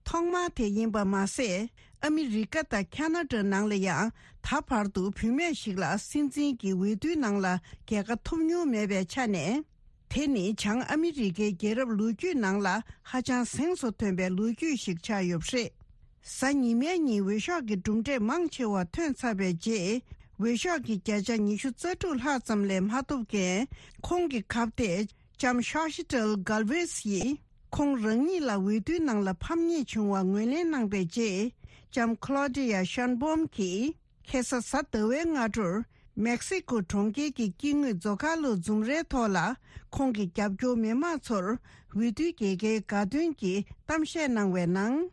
ཐོག་མ་དེ་ཡིན་པ་མ་ཟད། ཨ་མི་རི་ཀ་དང་ཁ་ན་ཌ་ནང་ལ་ཡང་ད་བར་དུ་བུད་མེད་ཞིག་ལ་སྲིད་འཛིན་གྱི་འོས་བསྡུའི་ནང་ལ་རྒྱལ་ཁ་ཐོབ་མྱོང་མེད་པའི་ཆ་ནས། དེ་ནི་བྱང་ཨ་མི་རི་ཀའི་རྒྱལ་རབས་ལོ་རྒྱུས་ནང་ལ་ཧ་ཅང་གཟེངས་སུ་ཐོན་པའི་ལོ་རྒྱུས་ཤིག་ཆགས་ཡོད་པ་རེད། གཟའ་ཉི་མའི་ཉིན་འོས་ཤོག་གི་གྲུབ་འབྲས་མང་ཆེ་བ་ཐོན་ཚར་བའི་རྗེས། འོས་ཤོག་གི་བརྒྱ་ཆ་ཉི་ཤུ་རྩ་དྲུག་ལྷག་ཙམ་ལས་མ་ཐོབ་མཁན་ཁོང་གི་ཁ་གཏད། ལྕམ་ཤོ་ཤི་ཏལ་གལ་ཝེས་ཡིས་ཁོང་རང་ཉིད་ལ་འོས་བསྡུའི་ནང་ལ་ཕམ་ཉེས་བྱུང་བ་ངོས་ལེན་གནང་པའི་རྗེས། ལྕམ་ཁློ་ཌི་ཡ་ཤོན་བོམ་གྱིས་ཁ་སང་གཟའ་ཟླ་བའི་སྔ་དྲོར་མེག་སི་ཀོ་གྲོང་ཁྱེར་གྱི་དཀྱིལ་ངོས་ཛོ་ཁ་ལོ་འཛོམས་རའི་ཐོག་ལ་ཁོང་གི་རྒྱབ་སྐྱོར་མི་མང་ཚོར་འོས་བསྡུའི་རྒྱལ་ཁའི་དགའ་སྟོན་གྱི་གཏམ་བཤད་གནང་བའི་ནང་།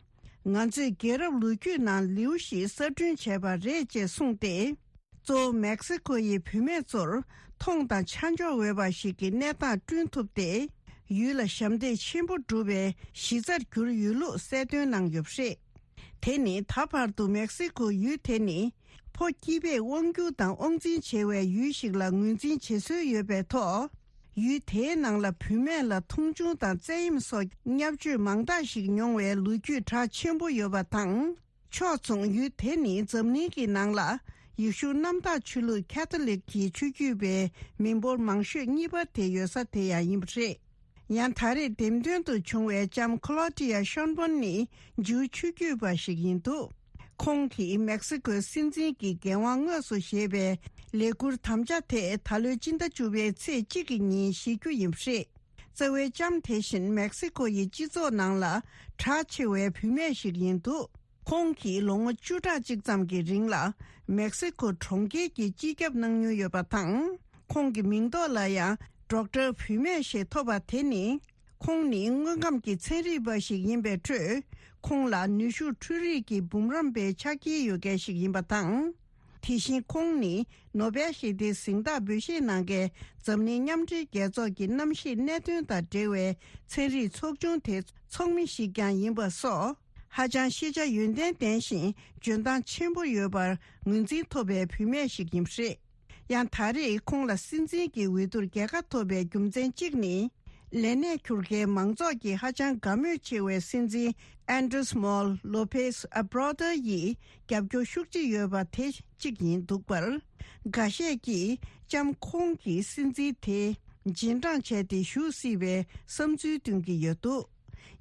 ང་ཚོས་རྒྱལ་རབས་ལོ་རྒྱུས་ནང་ལེའུ་ཞིག་གསར་སྐྲུན་བྱས་པ་རེད་ཅེས་གསུངས་ཏེ། གཙོ་བོ་མེག་སི་ཀོ་ཡི་བུད་མེད་ཚོར་མཐོང་དང་ཆ་འཇོག་འོས་པ་ཞིག་གི་གནས་སྟངས་བསྐྲུན་ཐུབ་སྟེ། ཡུལ་ལ་ཞབས་འདེགས་ཆེན་པོ་བསྒྲུབས་པའི་གཞི་རྩར་གྱུར་ཡོད་ལུགས་གསལ་སྟོན་གནང་ཡོད་པ་རེད། དེ་ནི་ད་བར་དུ་མེག་སི་ཀོ་ཡུལ་དེ་ནི་ཕོ་སྐྱིད་པས་དབང་སྒྱུར་དང་དབང་འཛིན་བྱེད་པའི་ཡུལ་ཞིག་ལ་ངོས་འཛིན་བྱེད་སྲོལ་ཡོད་པའི་ཐོག་ཡུལ་དེའི་ནང་ལ་བུད་མེད་ལ་མཐོང་ཆུང་དང་བཙན་གཡེམ་སོགས་བརྙས་བཅོས་མང་དག་ཞིག་མྱོང་བའི་ལོ་རྒྱུས་གྲགས་ཆེན་པོ་ཡོད་པ་དང་། ཕྱོགས་མཚུངས་ཡུལ་དེ་ནི་འཛམ་གླིང་གི་ནང་ལ་ཡེ་ཤུ་གནམ་བདག་ཆོས་ལུགས་ཁ་ཐོ་ལིག་གི་ཆོས་བརྒྱུད་པའི་མི་འབོར་མང་ཤོས་གཉིས་པ་དེ་ཡོད་ས་དེ་ཡང་ཡིན་པ་རེད། ཡང་ད་རེས་འདེམས་ཐོན་དུ་བྱུང་བའི་ལྕམ་ཁློ་ཏི་ཡ་ཤོན་བོན་ནི་ཇུའུ་ཆོས་བརྒྱུད་པ་ཞིག་ཡིན་འདུག་ཁོང་གིས་མེག་སི་ཀོའི་སྲིད་འཛིན་གྱི་འགན་དབང་དངོས་སུ་བཞེས་པའི་ལས་འཁུར་དམ་བཅའ་དེ་ད་ལོའི་སྤྱི་ཟླ་བཅུ་པའི་ཚེས་གཅིག་གི་ཉིན་བཞེས་རྒྱུ་ཡིན་པ་རེད། རྩ་བའི་ལྕམ་དེ་བཞིན་མེག་སི་ཀོ་ཡི་སྤྱི་ཚོགས་ནང་ལ་གྲགས་ཆེ་བའི་བུད་མེད་ཞིག་ཡིན་འདུག་ཁོང་གིས་ལོ་ངོ་བཅུ་ཕྲག་གཅིག་ཙམ་གྱི་རིང་ལ་མེག་སི་ཀོ་གྲོང་ཁྱེར་གྱི་སྤྱི་ཁྱབ་གནང་མྱོང་ཡོད་པ་དང་། ཁོང་གི་མིང་ཐོག་ལ་ཡང་ཌོག་ཊར་བུད་མེད་ཞེས་ཐོབ་པ་དེ་ནི། ཁོང་ནི་དངོས་ཁམས་ཀྱི་ཚན་རིག་པ་ཞིག་ཡིན་པའི་ཁྲོད། ཁོང་ལ་ནུས་ཤུགས་འཕྲུལ་རིག་གི་འབུམ་རམས་པའི་ཕྱག་འཁྱེར་ཡོད་མཁན་ཞིག་ཡིན་པ་དང་། དེ་བཞིན་ཁོང་ནི་ནོ་བེལ་ཞི་བདེའི་གཟེངས་རྟགས་འབུལ་བཞེས་གནང་མཁན་འཛམ་གླིང་མཉམ་འབྲེལ་རྒྱལ་ཚོགས་ཀྱི་གནམ་གཤིས་གནད་དོན་དང་འབྲེལ་བའི་ཚན་རིག་ཚོགས་ཆུང་དེའི་ཚོགས་མི་ཞིག་ཀྱང་ཡིན་པ་སོགས། ཧ་ཅང་ཤེས་བྱ་ཡོན་ཏན་ལྡན་ཞིང་འཇོན་ཐང་ཆེན་པོ་ཡོད་པར་ངོས་འཛིན་ཐོབ་པའི་བུད་མེད་ཞིག་ཡིན་པ་རེད། ཡང་ད་རེས་ཁོང་ལ་སྲིད་འཛིན་གྱི་འོས་བསྡུར་རྒྱལ་ཁ་ཐོབ་པའི་རྒྱུ་མཚན་གཅིག་ནི། ལས་གནས་འཁུར་མཁན་མང་ཚོགས་ཀྱིས་ཧ་ཅང་དགའ་མོས་ཆེ་བའི་སྲིད་འཛིན་ཨན་ཌྲེས་མོལ་ལོ་པེས་ཨ་བྷ་རོ་ཏོ་ཡིས་རྒྱབ་སྐྱོར་ཤུགས་ཆེ་ཡོད་པ་དེ་གཅིག་ཡིན་འདུག་པར། འགའ་ཤས་ཀྱིས་ལྕམ་ཁོང་གིས་སྲིད་འཛིན་དེ་རྗེས་འབྲང་བྱས་ཏེ་བཞུགས་སྲིད་པའི་བསམ་ཚུལ་བཏོན་གྱི་ཡོད་འདུག་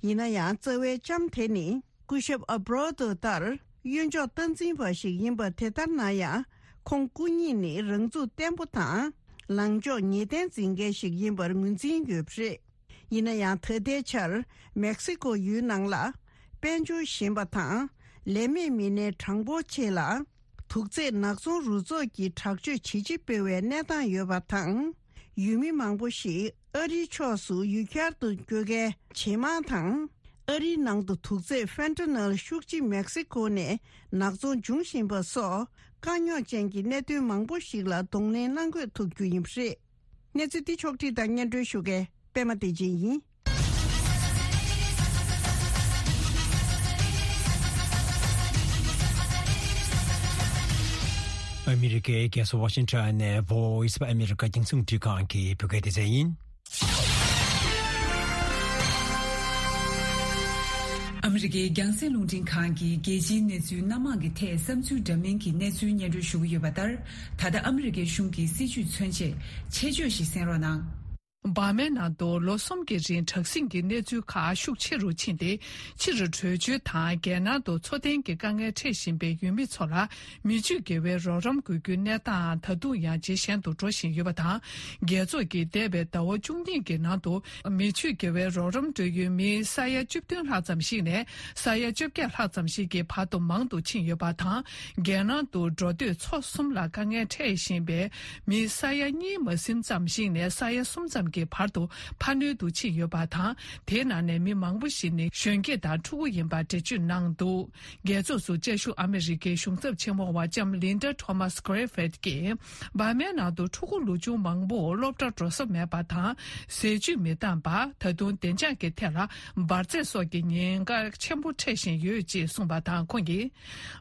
ཡིན་ན་ཡང་རྩ་བའི་ལྕམ་དེ་ནི་སྐུ་ཞབས་ཨ་བྷ་རོ་ཏོ་ལྟར་གཡོན་ཕྱོགས་སྟངས་འཛིན་པ་ཞིག་ཡིན་པ་དེ་ལྟར་ན་ཡང་། ཁོང་སྐུ་ཉིད་ནི་རང་ཚུགས་བརྟན་པོ་དང་། ལངས་ཕྱོགས་ངེས་གཏན་འཛིན་མཁན་ཞིག་ཡིན་པར་ངོས་འཛིན་ཡོད་པ་རེད། ཡིན་ན་ཡང་ད་ལྟའི་ཆར་མེག་སི་ཀོ་ཡུལ་ནང་ལ་དཔལ་འབྱོར་ཞན་པ་དང་ལས་མེད་མི་སྣའི་གྲངས་འབོར་ཆེ་ལ། དུག་རྫས་ནག་ཚོང་རུ་ཚོགས་ཀྱིས་དྲག་སྤྱོད་ཇེ་ཆེ་སྤེལ་བའི་གནས་སྟངས་ཡོད་པ་དང་། ཡུལ་མི་མང་པོ་ཞིག་ཨ་རིའི་ཕྱོགས་སུ་ཡུལ་གྱར་དུ་བསྐྱོད་མཁན་ཇེ་མང་དང་། ཨ་རིའི་ནང་དུ་དུག་རྫས་ཕེན་ཏ་ནོལ་ཤུགས་ཆེ་མེག་སི་ཀོ་ནས་ནག་ཚོང་འབྱུང་བཞིན་པ་སོགས་དཀའ་རྙོག་ཅན་གྱི་གནད་དོན་མང་པོ་ཞིག་ལ་གདོང་ལེན་གནང་དགོས་ཐུག་རྒྱུ་ཡིན་པ་རེད། གནས་ཚུལ་འདི་ཕྱོགས་བསྒྲིགས་དང་སྙན་སྒྲོན་ཞུ་མཁན་པད་མ་བདེ་ཆེན་ཡིན། ཨ་མི་རི་ཀའི་རྒྱལ་ས་ཝ་ཤིང་ཊོན་ནས་Voice of America རྒྱང་སྲིང་རླུང་འཕྲིན་ཁང་གི་བོད་སྐད་སྡེ་ཚན་ཡིན། ཨ་མི་རི་ཀའི་རྒྱང་སྲིང་རླུང་འཕྲིན་ཁང་གིས་རྒྱལ་སྤྱིའི་གནས་ཚུལ་སྣ་མང་གི་ཐད་བསམ་ཚུལ་འདྲ་མིན་གྱི་གནས་ཚུལ་སྙན་སྒྲོན་ཞུ་གི་ཡོད་པ་ལྟར། ད་ལྟ་ཨ་མི་རི་ཀའི་གཞུང་གི་སྲིད་བྱུས་མཚོན་ཆེད་ཆེད་བརྗོད་ཞིག་གསན་རོགས་གནང་། འབར་མའི་ནང་དུ་ལོ་གསུམ་གྱི་རིང་དྲག་ཟིང་གི་གནས་ཚུལ་ཁག་ཤུགས་ཆེ་རུ་ཕྱིན་ཏེ། ཕྱིར་བྲོས་བྱོལ་དང་རྒྱལ་ནང་དུ་འཚོ་རྟེན་གྱི་དཀའ་ངལ་འཕྲད་བཞིན་པའི་ཡུལ་མི་ཚོ་ལ་མི་ཆོས་དགེ་བའི་རོགས་རམ་དགོས་རྒྱུའི་གནས་སྟངས་ད་དུང་ཡང་ཇེ་ཞན་དུ་འགྲོ་བཞིན་ཡོད་པ་དང་། རྒྱལ་ཚོགས་ཀྱིས་འདས་པའི་ཟླ་བ་བཅུ་གཉིས་ཀྱི་ནང་དུ་མི་ཆོས་དགེ་བའི་རོགས་རམ་སྤྲོད་ཡུལ་མི་ས་ཡ་བཅུ་བདུན་ལྷག་ཙམ་ཞིག་ནས་ས་ཡ་བཅོ་བརྒྱད་ལྷག་ཙམ་ཞིག་གི་བར་དུ་མང་དུ་ཕྱིན་ཡོད་པ་དང་། རྒྱལ་ནང་དུ་འགྲོ་སྡོད་ཚོ་གསུམ་ལ་དཀའ་ངལ་འཕྲད་བཞིན་པའི་མི་ས་ཡ་གཉིས་མ་ཟིན་ཙམ་ཞིག་ནས་ས་ཡ་གསུམ་ཙམ་གྱི་བར་དུ་འཕར་སྣོན་དུ་ཕྱིན་ཡོད་པ་དང་། དེའི་ནང་ནས་མི་མང་པོ་ཞིག་ནི་གཞོན་སྐྱེས་དང་ཕྲུ་གུ་ཡིན་པ་འགྲེལ་བརྗོད་གནང་འདུག་རྒྱལ་ཚོགས་སུ་བཅའ་བཞུགས་ཨ་མི་རི་ཀའི་གཞུང་ཚབ་ཆེན་མོ་བ་ལྕམ་ལིན་ཌ་ཐོ་མཱ་སི་ཀེ་རེ་ཕེད་ཀྱིས། འབར་མའི་ནང་དུ་ཕྲུ་གུ་ལོ་ཆུང་མང་པོ་སློབ་གྲྭར་འགྲོ་ས་མེད་པ་དང་། ཟས་བཅུད་མི་འདང་པ། ད་དུང་བདེ་འཇགས་ཀྱི་ཐད་ལ་འབར་རྫས་སོགས་ཀྱི་ཉེན་ཁ་ཆེན་པོ་འཕྲད་བཞིན་ཡོད་ཅེས་གསུངས་པ་དང་། ཁོང་གིས།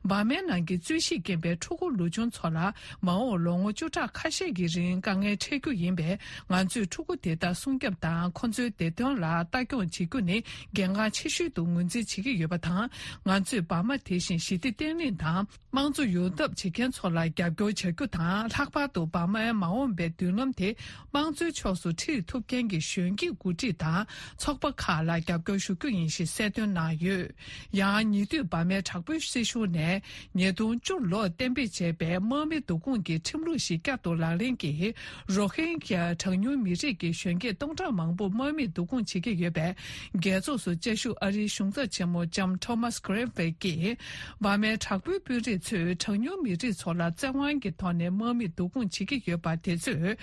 འབར་མའི་ནང་གི་རྩོད་གཞིས་རྐྱེན་པས་ཕྲུ་གུ་ལོ་ཆུང་ཚོ་ལ་མ་འོངས་ལོ་ངོ་བཅུ་ཕྲག་ཁ་ཤས་ཀྱི་རིང་དཀའ་ངལ་འཕྲད་རྒྱུ་ཡིན་པས། ང་ཚོས་ཕྲུ་གུ་དེ་དག་སྲུང་སྐྱོབ་དང་ཁོ་ཚོའི་བདེ་དོན་ལ་ལྟ་སྐྱོང་བྱེད་རྒྱུ་ནི་གལ་འགངས་ཆེ་ཤོས་དུ་ངོས་འཛིན་བྱེད་ཀྱི་ཡོད་པ་དང་། ང་ཚོས་འབར་མ་དེ་བཞིན་ཞི་བདེ་བརྟན་ལྷིང་དང་། དམངས་གཙོ་ཡོང་ཐབས་བྱེད་མཁན་ཚོ་ལ་རྒྱབ་སྐྱོར་བྱ་རྒྱུ་དང་། ལྷག་པར་དུ་འབར་མའི་མ་འོངས་པའི་མདུན་ལམ་དེ་དམངས་གཙོའི་ཕྱོགས་སུ་ཁྲིད་ཐུབ་མཁན་གྱི་གཞོན་སྐྱེས་འགོ་ཁྲིད་དང་ཚོགས་པ་ཁག་ལ་རྒྱབ་སྐྱོར་ཞུ་རྒྱུ་ཡིན་ཞེས་གསལ་སྟོན་གནང་ཡོད། ཡང་ཉེ་དུས་འབར་མའི་དྲག་པོའི་སྲིད་གཞུང་ནས་ཉིས་སྟོང་བཅུ་ལོར་གཏན་འབེབས་བྱས་པའི་དམག་མི་བསྡུ་སྐོང་གི་ཁྲིམས་ལུགས་ཤིག་བསྐྱར་དུ་ལག་ལེན་གྱིས། རོ་ཧིན་གྱ་གྲངས་ཉུང་མི་རིགས་ཀྱི་གཞོན་སྐྱེས་སྟོང་ཕྲག་མང་པོ་དམག་མིས་བསྡུ་སྐོང་བྱེད་ཀྱི་ཡོད་པས། རྒྱལ་ཚོགས་སུ་བཅའ་བཞུགས་ཨ་རིའི་གཞུང་ཚབ་ཆེན་མོ་ལྕམ་ཐོ་མཱ་སི་གྷི་རིན་ཕི་ཡིས། འབར་མའི་དྲག་པོའི་དཔོན་རིགས་ཚོས་གྲངས་ཉུང་མི་རིགས་ཚོ་ལ་བཙན་དབང་གི་ཐོག་ནས་དམག་མིས་བསྡུ་སྐོང་བྱེད་ཀྱི་ཡོད་པ་དེ་ཚོས།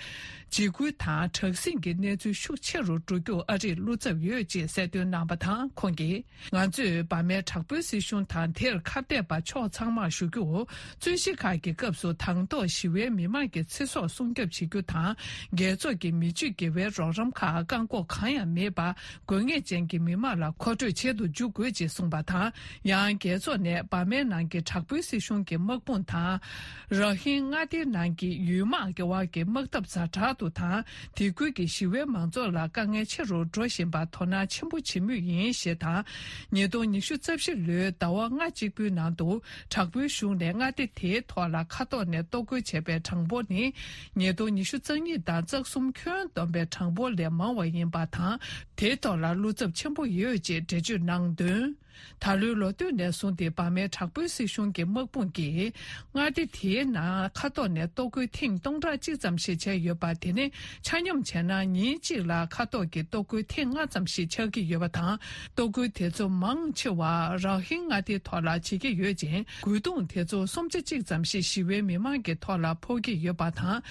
འཇིགས་སྐུལ་དང་དྲག་ཟིང་གི་གནས་ཚུལ་ཤུགས་ཆེ་རུ་འགྲོ་རྒྱུར་ཨ་རིས་བློ་འཚབ་ཡོད་ཅེས་གསལ་སྟོན་གནང་བ་དང་། ཁོང་གིས། ང་ཚོས་འབར་མའི་དྲག་པོའི་སྲིད་གཞུང་དང་དེར་ཁ་གཏད་པ་ཕྱོགས་ཚང་མར་ཞུ་རྒྱུ། རྩོད་གཞི་ཁག་གི་སྐབས་སུ་དང་ཐོག་ཞི་བའི་མི་མང་གི་ཚེ་སྲོག་སྲུང་སྐྱོབ་བྱེད་རྒྱུ་དང་། རྒྱལ་ཚོགས་ཀྱི་མི་ཆོས་དགེ་བའི་རོགས་རམ་ཁག་བཀག་འགོག་གང་ཡང་མེད་པར། དགོས་ངེས་ཅན་གྱི་མི་མང་ལ་མཁོ་སྤྲོད་བྱེད་དུ་འཇུག་དགོས་ཅེས་གསུངས་པ་དང་། ཡང་རྒྱལ་ཚོགས་ནས་འབར་མའི་ནང་གི་དྲག་པོའི་སྲིད་གཞུང་གི་དམག་དཔུང་དང་། ར་ཧིན་མངའ་སྡེའི་ནང་གི་ཡུལ་དམག་གི་དབར་གྱི་དམག་འཐབ་ཛ་དྲག་ཏུ་དང་། དེ་ཁུལ་གྱི་ཞི་བའི་མང་ཚོགས་ལ་དཀའ་ངལ་ཆེ་རུ་འགྲོ་བཞིན་པར་དོ་སྣང་ཆེན་པོ་བྱེད་མུས་ཡིན་ཞེས་དང་། ཉིས་སྟོང་ཉི་ཤུ་རྩ་བཞི་ལོའི་ཟླ་བ་ལྔ་གཅིག་པུའི་ནང་དུ། དྲག་པོའི་གཞུང་ནས་མངའ་སྡེ་དེའི་ཐོག་ལ་མཁའ་ཐོག་ནས་གཏོར་རྒོལ་བྱས་པའི་གྲངས་འབོར་ནི། ཉིས་སྟོང་ཉི་ཤུ་རྩ་གཉིས་དང་རྩ་གསུམ་ཁྱོན་བསྡོམས་པའི་གྲངས་འབོར་ལས་མང་བ་ཡིན་པ་དང་། དེའི་ཐོག་ལ་བློ་འཚབ་ཆེན་པོ་ཡོད་ཅེས་འགྲེལ་བརྗོད་གནང་དོན། ད་ལོའི་ལོ་སྟོད་ནས་བཟུང་སྟེ་འབར་མའི་དྲག་པོའི་སྲིད་གཞུང་གི་དམག་དཔུང་གིས། མངའ་སྡེ་དེའི་ནང་མཁའ་ཐོག་ནས་གཏོར་རྒོལ་ཐེངས་སྟོང་ཕྲག་གཅིག་ཙམ་ཞིག་བྱས་ཡོད་པ། དེ་ནི་ཆ་སྙོམས་བྱས་ན་ཉིན་གཅིག་ལ་མཁའ་ཐོག་གི་གཏོར་རྒོལ་ཐེངས་ལྔ་ཙམ་ཞིག་ཆགས་ཀྱི་ཡོད་པ་དང་། གཏོར་རྒོལ་དེ་ཚོ་མང་ཆེ་བ་ར་ཧིན་མངའ་སྡེའི་ཐོག་ལ་བྱེད་ཀྱི་ཡོད་ཅིང་། རྒོལ་རྡུང་དེ་ཚོ་སུམ་ཆ་གཅིག་ཙམ་ཞིག་ཞི་བའི་མི་མང་གི་ཐོག་ལ་ཕོག་གི་ཡོད་པ་དང་།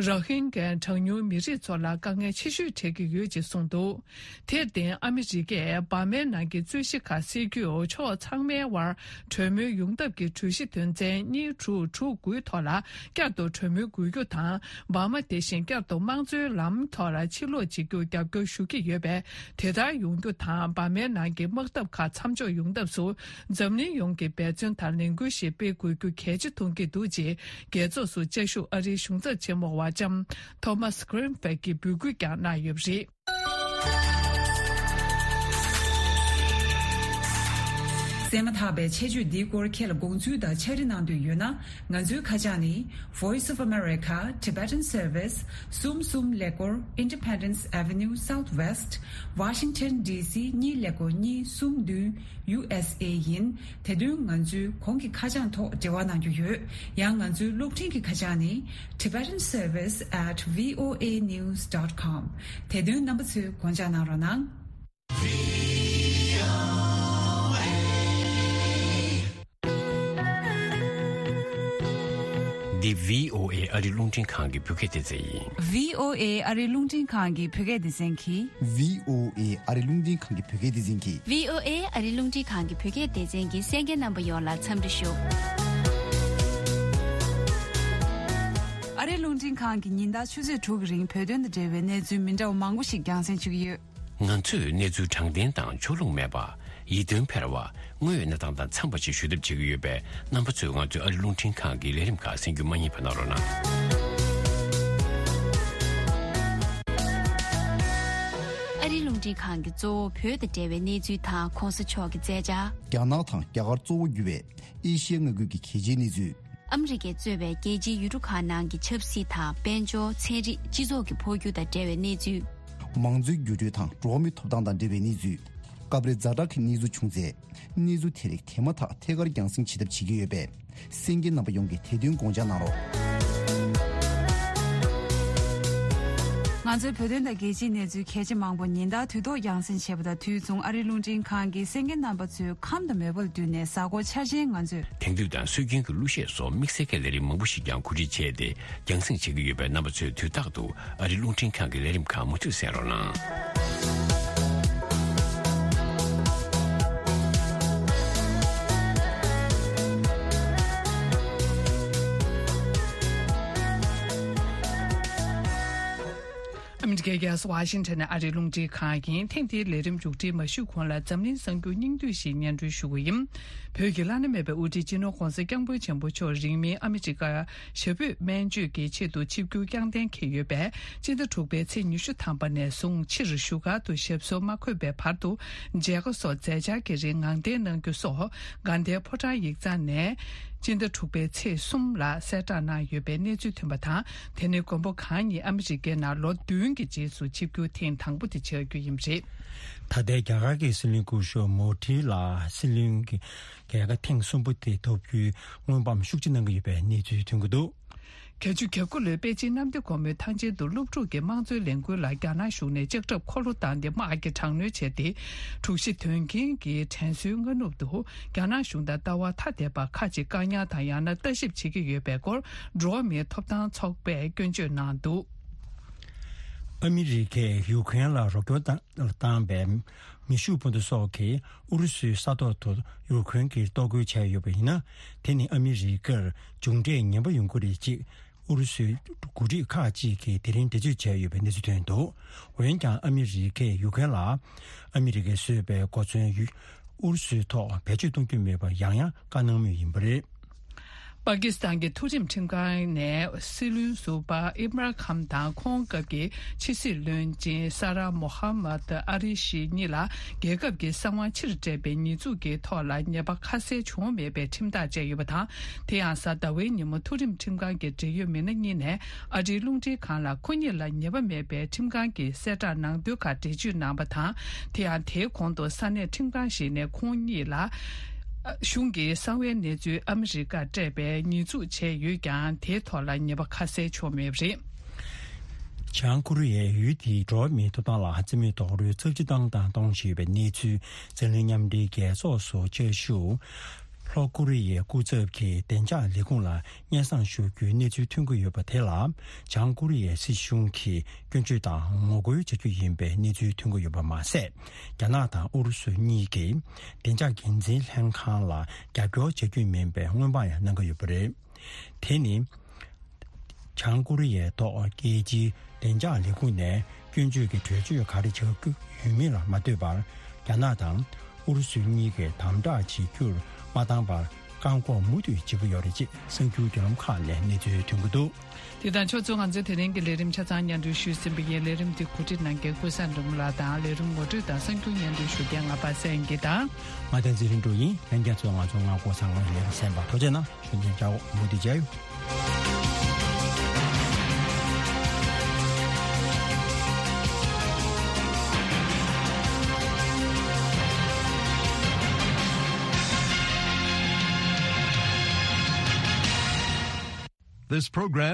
ར་ཧིན་གྱི་གྲངས་ཉུང་མི་རིགས་ཚོ་ལ་དཀའ་ངལ་ཆེ་ཤོས་འཕྲད་ཀྱི་ཡོད་ཅེས་གསུངས་འདུག་དེར་བརྟེན་ཨ་མི་རི་ཀས་འབར་མའི་ནང་གི་རྩོད་གཞི་ཁག་སེལ་ བརྒྱུད་ཕྱོགས་ཚང་མའི་དབར་གྲོས་མོལ་ཡོང་ཐབས་ཀྱི་གྲོས་གཞི་དོན་ཚན་གཉིས་དྲུག་དྲུག་དགུའི་ཐོག་ལ་བསྐྱར་དུ་གྲོས་མོལ་དགོས་རྒྱུ་དང་། འབར་མ་དེ་བཞིན་བསྐྱར་དུ་དམངས་གཙོའི་ལམ་ཐོག་ལ་ཕྱིར་ལོག་བྱེད་རྒྱུར་རྒྱབ་སྐྱོར་ཞུ་གི་ཡོད་པས། དེ་ལྟར་ཡོང་རྒྱུ་དང་། འབར་མའི་ནང་གི་དམག་འཐབ་ཁག་མཚམས་འཇོག་ཡོང་ཐབས་སུ་འཛམ་གླིང་ཡོངས་ཀྱིས་འབད་བརྩོན་དང་ལས་འགུལ་ཞིག་སྤེལ་དགོས་རྒྱུ་གལ་ཆེ་མཐོང་གི་འདུག་ཅེས། རྒྱལ་ཚོགས་སུ་བཅའ་བཞུགས་ཨ་རིའི་གཞུང་ཚབ་ཆེན་མོ་བ་ལྕམ་ཐོ་མཱས་གྷི་རིན་ཕེལ་གྱིས་འབོད་སྐུལ་ཀྱང་གནང་ཡོད་པ་རེད། གསན་མ་ཐག་པའི་ཆེད་བརྗོད་འདིའི་སྐོར་ཁྱེད་ལ་དགོངས་ཚུལ་དང་ཕྱག་བྲིས་གནང་འདོད་ཡོད་ན། ང་ཚོའི་ཁ་བྱང་ནི། Voice of America Tibetan Service གསུམ་གསུམ་ཀླད་ཀོར། Independence Avenue Southwest Washington D C གཉིས་ཀླད་ཀོར་གཉིས་གསུམ་བདུན། U S A ཡིན། དེ་དོན་ང་ཚོའི་གོང་གི་ཁ་བྱང་ཐོག་འབྲེལ་བ་གནང་རྒྱུ་ཡོད། ཡང་ང་ཚོའི་གློག་འཕྲིན་གྱི་ཁ་བྱང་ནི། Tibetan Service at V O A news dot com། དེ་དོན་རྣམ་པ་ཚོས་དགོངས་འཇགས་གནང་རོགས་གནང་། འདི་V O A ཨ་རི་རླུང་འཕྲིན་ཁང་གི་བོད་སྐད་སྡེ་ཚན་ཡིན། V O A ཨ་རི་རླུང་འཕྲིན་ཁང་གི་བོད་སྐད་སྡེ་ཚན་གྱིས། V O A ཨ་རི་རླུང་འཕྲིན་ཁང་གི་བོད་སྐད་སྡེ་ཚན་གྱིས། V O A ཨ་རི་རླུང་འཕྲིན་ཁང་གི་བོད་སྐད་སྡེ་ཚན་གྱི་གསན་མཁན་རྣམ་པ་ཡོངས་ལ་འཚམས་འདྲི་ཞུ། ཨ་རི་རླུང་འཕྲིན་ཁང་གིས་ཉིན་ལྟར་ཆུ་ཚོད་དྲུག་གི་རིང་བོད་དོན་དང་འབྲེལ་བའི་གནས་ཚུལ་མི་འདྲ་བ་མང་པོ་ཞིག་རྒྱང་སྲིང་ཞུ་གི་ཡོད། ང་ཚོས་གནས་ཚུལ་དྲང་བདེན་དང་ཕྱོགས་ལྷུང་མེད་པ། ཡིད་རྟོན་འཕེར་བ། དངོས་ཡོད་གནས་སྟངས་དང་འཚམས་པ་ཞིག་ཞུ་ཐབས་བྱེད་ཀྱི་ཡོད་པས། རྣམ་པ་ཚོས་ང་ཚོའི་ཨ་རི་རླུང་འཕྲིན་ཁང་གི་ལས་རིམ་ཁག་གསན་རྒྱུ་མ་བསྙེལ་བ་གནང་རོགས་གནང་། ཨ་རི་རླུང་འཕྲིན་ཁང་གི་གཙོ་བོ་བོད་དང་འབྲེལ་བའི་གནས་ཚུལ་དང་གོང་ས་མཆོག་གི་མཛད་འཆར། རྒྱ་ནག་དང་རྒྱ་གར་གཙོ་བོ་གྱུར་བའི་ཨེ་ཤི་ཡའི་མངའ་ཁུལ་གྱི་གལ་ཆེའི་གནས་ཚུལ། ཨ་མི་རི་ཀས་གཙོས་པའི་རྒྱལ་སྤྱིའི་ཡུལ་གྲུ་ཁག་ནང་གི་ཆབ་སྲིད་དང་། དཔལ་འབྱོར། ཚན་རིག་སྤྱི་ཚོགས་ཀྱི་འཕོ་འགྱུར་དང་འབྲེལ་བའི་གནས་ཚུལ། མང་གཙོའི་འགྱུར་འགྲོས་དང་འགྲོ་བ་མིའི་ཐོབ་ཐང་དང་འབྲེལ་བའི་གནས་ཚུལ། སྐབས་རེ་ཛ་དྲག་གི་གནས་ཚུལ་བྱུང་ཚེ། གནས་ཚུལ་དེ་རིགས་དེ་མ་ཐག་ཐད་ཀར་རྒྱང་སྲིང་བྱེད་ཐབས་བྱེད་ཀྱི་ཡོད་པས། གསན་མཁན་རྣམ་པ་ཡོངས་ཀྱིས་དེ་དོན་དགོངས་འཇགས་གནང་རོགས། ང་ཚོའི་བོད་དོན་དང་རྒྱལ་སྤྱིའི་གནས་ཚུལ་གལ་ཆེ་མང་པོ་ཉིན་ལྟར་དུས་ཐོག་རྒྱང་སྲིང་བྱེད་པ་དང་། དུས་མཚུངས་ཨ་རིའི་རླུང་འཕྲིན་ཁང་གིས་གསན་མཁན་རྣམ་པ་ཚོའི་ཁམས་དང་མོས་པ་ལ་བསྟུན་ནས་གཟའ་འཁོར་འཆར་ཅན་ང་ཚོས། དེང་དུས་དང་སྲོལ་རྒྱུན་གྱི་གླུ་གཞས་སོགས་དམིགས་བསལ་གྱི་ལས་རིམ་མང་པོ་ཞིག་ཀྱང་གོ་སྒྲིག་བྱས་ཏེ་རྒྱང་སྲིང་བྱེད་ཀྱི་ཡོད་པས། རྣམ་པ་ཚོས་དུས་རྟག་ཏུ་ཨ་རིའི་རླུང་འཕྲིན་ཁང་གི་ལས་རིམ་ཁག་མུ་མཐུད་གསན་རོགས་གནང་། ཨ་མི་རི་ཀའི་རྒྱལ་ས་ཝ་ཤིང་ཊོན་ནས་ཨ་རིའི་རླུང་འཕྲིན་ཁང་ཡིན། ཐེངས་འདིའི་ལས་རིམ་མཇུག་སྒྲིལ་མ་ཞུས་གོང་ལ་འཛམ་གླིང་གསར་འགྱུར་སྙིང་བསྡུས་ཤིག་སྙན་སྒྲོན་ཞུ་གི་ཡིན། བོད་ཀྱི་བླ་ན་མེད་པའི་དབུ་ཁྲིད་སྤྱི་ནོར་༸གོང་ས་༸སྐྱབས་མགོན་ཆེན་པོ་མཆོག་རིང་མིན་ཨ་མི་རི་ཀར་ཞབས་པུས་སྨན་བཅོས་ཀྱི་ཆེད་དུ་ཆིབས་བསྒྱུར་བསྐྱངས་གཏན་འཁེལ་ཡོད་པས། སྤྱི་ཟླ་དྲུག་པའི་ཚེས་ཉི་ཤུ་ཐམ་པ་ནས་བཟུང་ཕྱིར་བཞུགས་སྒར་དུ་ཞབས་སོར་མ་འཁོད་པའི་བར་དུ་མཇལ་ཁ་སོགས་མཛད་འཆར་གྱི་རིང་ངང་བརྟན་གནང་རྒྱུ་སོགས་དགའ་ལྡན་ཕོ་བྲང་ཡིག་ཚང་ནས་སྤྱི་ཟླ་དྲུག་པའི་ཚེས་གསུམ་ལ་གསལ་བསྒྲགས་གནང་ཡོད་པའི་གནས་ཚུལ་ཐོན་པ་དང་། དེ་ནི་མགོན་པོ་གང་ཉིད་ཨ་མི་རི་ཀའི་ནང་ལོ་བདུན་གྱི་རྗེས་སུ་ཆིབས་བསྒྱུར་ཐེངས་དང་པོ་དེ་བྱ་རྒྱུ་ཡིན་པ་རེད། ད་ལྟའི་རྒྱ་གར་གྱི་སྲིད་བློན་སྐུ་ཞབས་མོ་དྷི་ལ་སྲིད་བློན་གྱི་རྒྱལ་ཁ་ཐེངས་གསུམ་པོ་དེ་ཐོབ་རྒྱུའི་སྔོན་དཔག་ཤུགས་ཆེ་གནང་གི་ཡོད་པའི་གནས་ཚུལ་ཐོན་གྱི་འདུག། བརྒྱད་ཅུ་གྱ་དགུ་ལོའི་པེ་ཅིན་གནམ་བདེ་སྒོ་མོའི་ཐང་ཆེན་དུ་སློབ་ཕྲུག་གི་དམངས་གཙོའི་ལས་འགུལ་ལ་རྒྱ་ནག་གཞུང་ནས་ལྕགས་ཁྲབ་འཁོར་ལོ་བཏང་སྟེ་དམག་གི་དྲག་གནོན་བྱས་ཏེ། དྲུག་བཞི་དོན་རྐྱེན་གྱི་དྲན་གསོའི་སྔ་ནུབ་ཏུ། རྒྱ་ནག་གཞུང་དང་ལྟ་བ་ཐ་དད་པ་ཁག་ཅིག་བཀག་ཉར་དང་ཡང་ན་ལྟ་ཞིབ་བྱེད་ཀྱི་ཡོད་པའི་སྐོར་འགྲོ་བ་མིའི་ཐོབ་ཐང་ཚོགས་པས་སྐྱོན་བརྗོད་གནང་འདུག། ཨ་མི་རི་ཀས་ཡུ་ཁུ་རེན་ལ་རོགས་སྐྱོར་བཏང་བཏང་བའི་མེ་ཤུགས་འཕུར་མདའ་སོགས་ཀྱིས་ཨུ་རུ་སུའི་ས་ཐོག་ཏུ་ཡུ་ཁུ་རེན་གྱིས་གཏོར་རྒོལ་བྱས་ཡོད་པ་ཡིན་ན། དེ་ནི་ཨ་མི་རི་ཀར་མཇུག་འབྲས་ངན་པ་ཡོང་གི་རེད་ཅེས་ཨུ་རུ་སུའི་འགོ་ཁྲིད་ཁག་ཅིག་གིས་དེ་རིང་འགྲེལ་བརྗོད་བྱས་ཡོད་པའི་གནས་ཚུལ་ཐོན་འདུག། འོན་ཀྱང་ཨ་མི་རི་ཀས་ཡུ་ཁུ་རེན་ལ་ཨ་མི་རི་ཀས་བཟོས་པའི་གོ་མཚོན་ཡུ་ཨུ་རུ་སུའི་ཐོག་བེད་སྤྱོད་གཏོང་རྒྱུ་མེད་པར་ཡང་ཡང་བཀའ་གནང་མུས་ཡིན་པ་རེད། པ་ཀི་སི་ཐན་གྱི་མཐོ་རིམ་ཁྲིམས་ཁང་ནས་སྲིད་བློན་ཟུར་པ་ཨིམ་རཱན་ཁཱན་དང་ཁོང་སྐབས་ཀྱི་ཕྱི་སྲིད་བློན་ཆེན་ས་ར་མོ་ཧ་མད་ཨ་རི་ཤི་གཉིས་ལ་རྒྱལ་ཁབ་ཀྱི་གསང་བ་ཕྱིར་སྤྲད་པའི་ཉེས་འཛུགས་ཀྱི་ཐོག་ལ་ཉེས་པ་ཁ་གསལ་བྱུང་མེད་པའི་ཁྲིམས་ཐག་བཅད་ཡོད་པ་དང་། དེ་ཡང་གཟའ་ཟླ་བའི་ཉིན་མོ་མཐོ་རིམ་ཁྲིམས་ཁང་གི་འབྲེལ་ཡོད་མི་སྣ་གཉིས་ནས་ཨ་རིའི་རླུང་འཕྲིན་ཁང་ལ་ཁོ་གཉིས་ལ་ཉེས་པ་མེད་པའི་ཁྲིམས་ཁང་གི་གསལ་བསྒྲགས་ནང་དོན་ཁག་འགྲེལ་བརྗོད་གནང་བ་དང་། དེ་ཡང་དེའི་གོང་དུ་ས་གནས་ཁྲིམས་ཁང་ཞིག་ནས་ཁོང་གཉིས་ལ། གཞུང་གིས་གསང་བའི་གནས་ཚུལ་ཨ་མི་རི་ཀར་སྤྲད་པའི་ཉེས་འཛུགས་བྱས་ཡོད་ཀྱང་། དེའི་ཐོག་ལ་ཉེས་པ་ཁ་གསལ་བྱུང་མེད་པ་རེད། བྱང་ཀོ་རི་ཡའི་ཡུལ་དེའི་འགྲོ་བ་མིའི་ཐོབ་ཐང་ལ་རྩིས་མེད་རྡོག་རོལ་ཚབས་ཆེ་བཏང་དང་གཏོང་བཞིན་ཡོད་པའི་གནས་ཚུལ་འཛམ་གླིང་མཉམ་འབྲེལ་རྒྱལ་ཚོགས་སུ་བཅའ་བཞུགས། ལྷོ་ཀོ་རི་ཡའི་སྐུ་ཚབ་ཀྱིས་བདེ་འཇགས་ལས་ཁུངས་ལ་སྙན་སེང་ཞུ་རྒྱུའི་གནས་ཚུལ་ཐོན་གྱི་ཡོད་པ་དེ་ལ། བྱང་ཀོ་རི་ཡའི་སྲིད་གཞུང་གིས་སྐྱོན་བརྗོད་དང་ངོ་རྒོལ་བྱ་རྒྱུ་ཡིན་པའི་གནས་ཚུལ་ཐོན་གྱི་ཡོད་པ་མ་ཟད། རྒྱ་ནག་དང་ཨུ་རུ་སུ་གཉིས་ཀྱིས་བདེ་འཇགས་འགན་འཛིན་ལྷན་ཁང་ལ་རྒྱབ་སྐྱོར་བྱ་རྒྱུ་མིན་པའི་སྔོན་དཔག་ཡང་གནང་གི་ཡོད་པ་རེད། དེ་ནི། བྱང་ཀོ་རི་ཡའི་ཐོག་རྒྱལ་སྤྱིའི་བདེ་འཇགས་ལས་ཁུངས་ནས་སྐྱོན་བརྗོད་ཀྱི་གྲོས་ཆོད་ག་རེ་བྱ་རྒྱུ་ཡོད་མིན་ལ་མ་ལྟོས་པར། རྒྱ་ནག་དང་ཨུ་རུ་སུ་གཉིས་ཀས་དམ་དྲག་བྱེད་རྒྱུར་མ་བཏང་བར་བཀག་འགོག་མུ་མཐུད་བྱེད་ཀྱི་ཡོད་རེད་ཅེས་གསར་འགྱུར་བརྒྱུད་ལམ་ཁག་ནས་གནས་ཚུལ་ཐོན་གྱི་འདུག། དེ་དང་ཕྱོགས་མཚུངས། ང་ཚོས་དེ་རིང་གི་ལས་རིམ་ཆ་ཚང་སྙན་སྒྲོན་ཞུས་ཟིན་པ་ཡིན། ལས་རིམ་འདི་གོ་སྒྲིག་གནང་མཁན་ཀུན་བཟང་སྒྲོལ་མ་ལགས་དང་། ལས་རིམ་ངོ་སྤྲོད་དང་གསར་འགྱུར་སྙན་སྒྲོན་ཞུ་མཁན་ང་པ་སངས་སྐྱིད་དང་། ང་བསྟན་འཛིན་རིག་འབྱུང་ཡིན། ལྷན་རྒྱས་ཚོས་ང་ཚོ་སྔ་དགོང་གསར་ཁང་ལས་རིམ་གསན་པར་ཐུགས་རྗེ་གནང་། ཞུ་མཁན་ཅག་མུ་མཐུད་མཇལ་ཡོང་། This program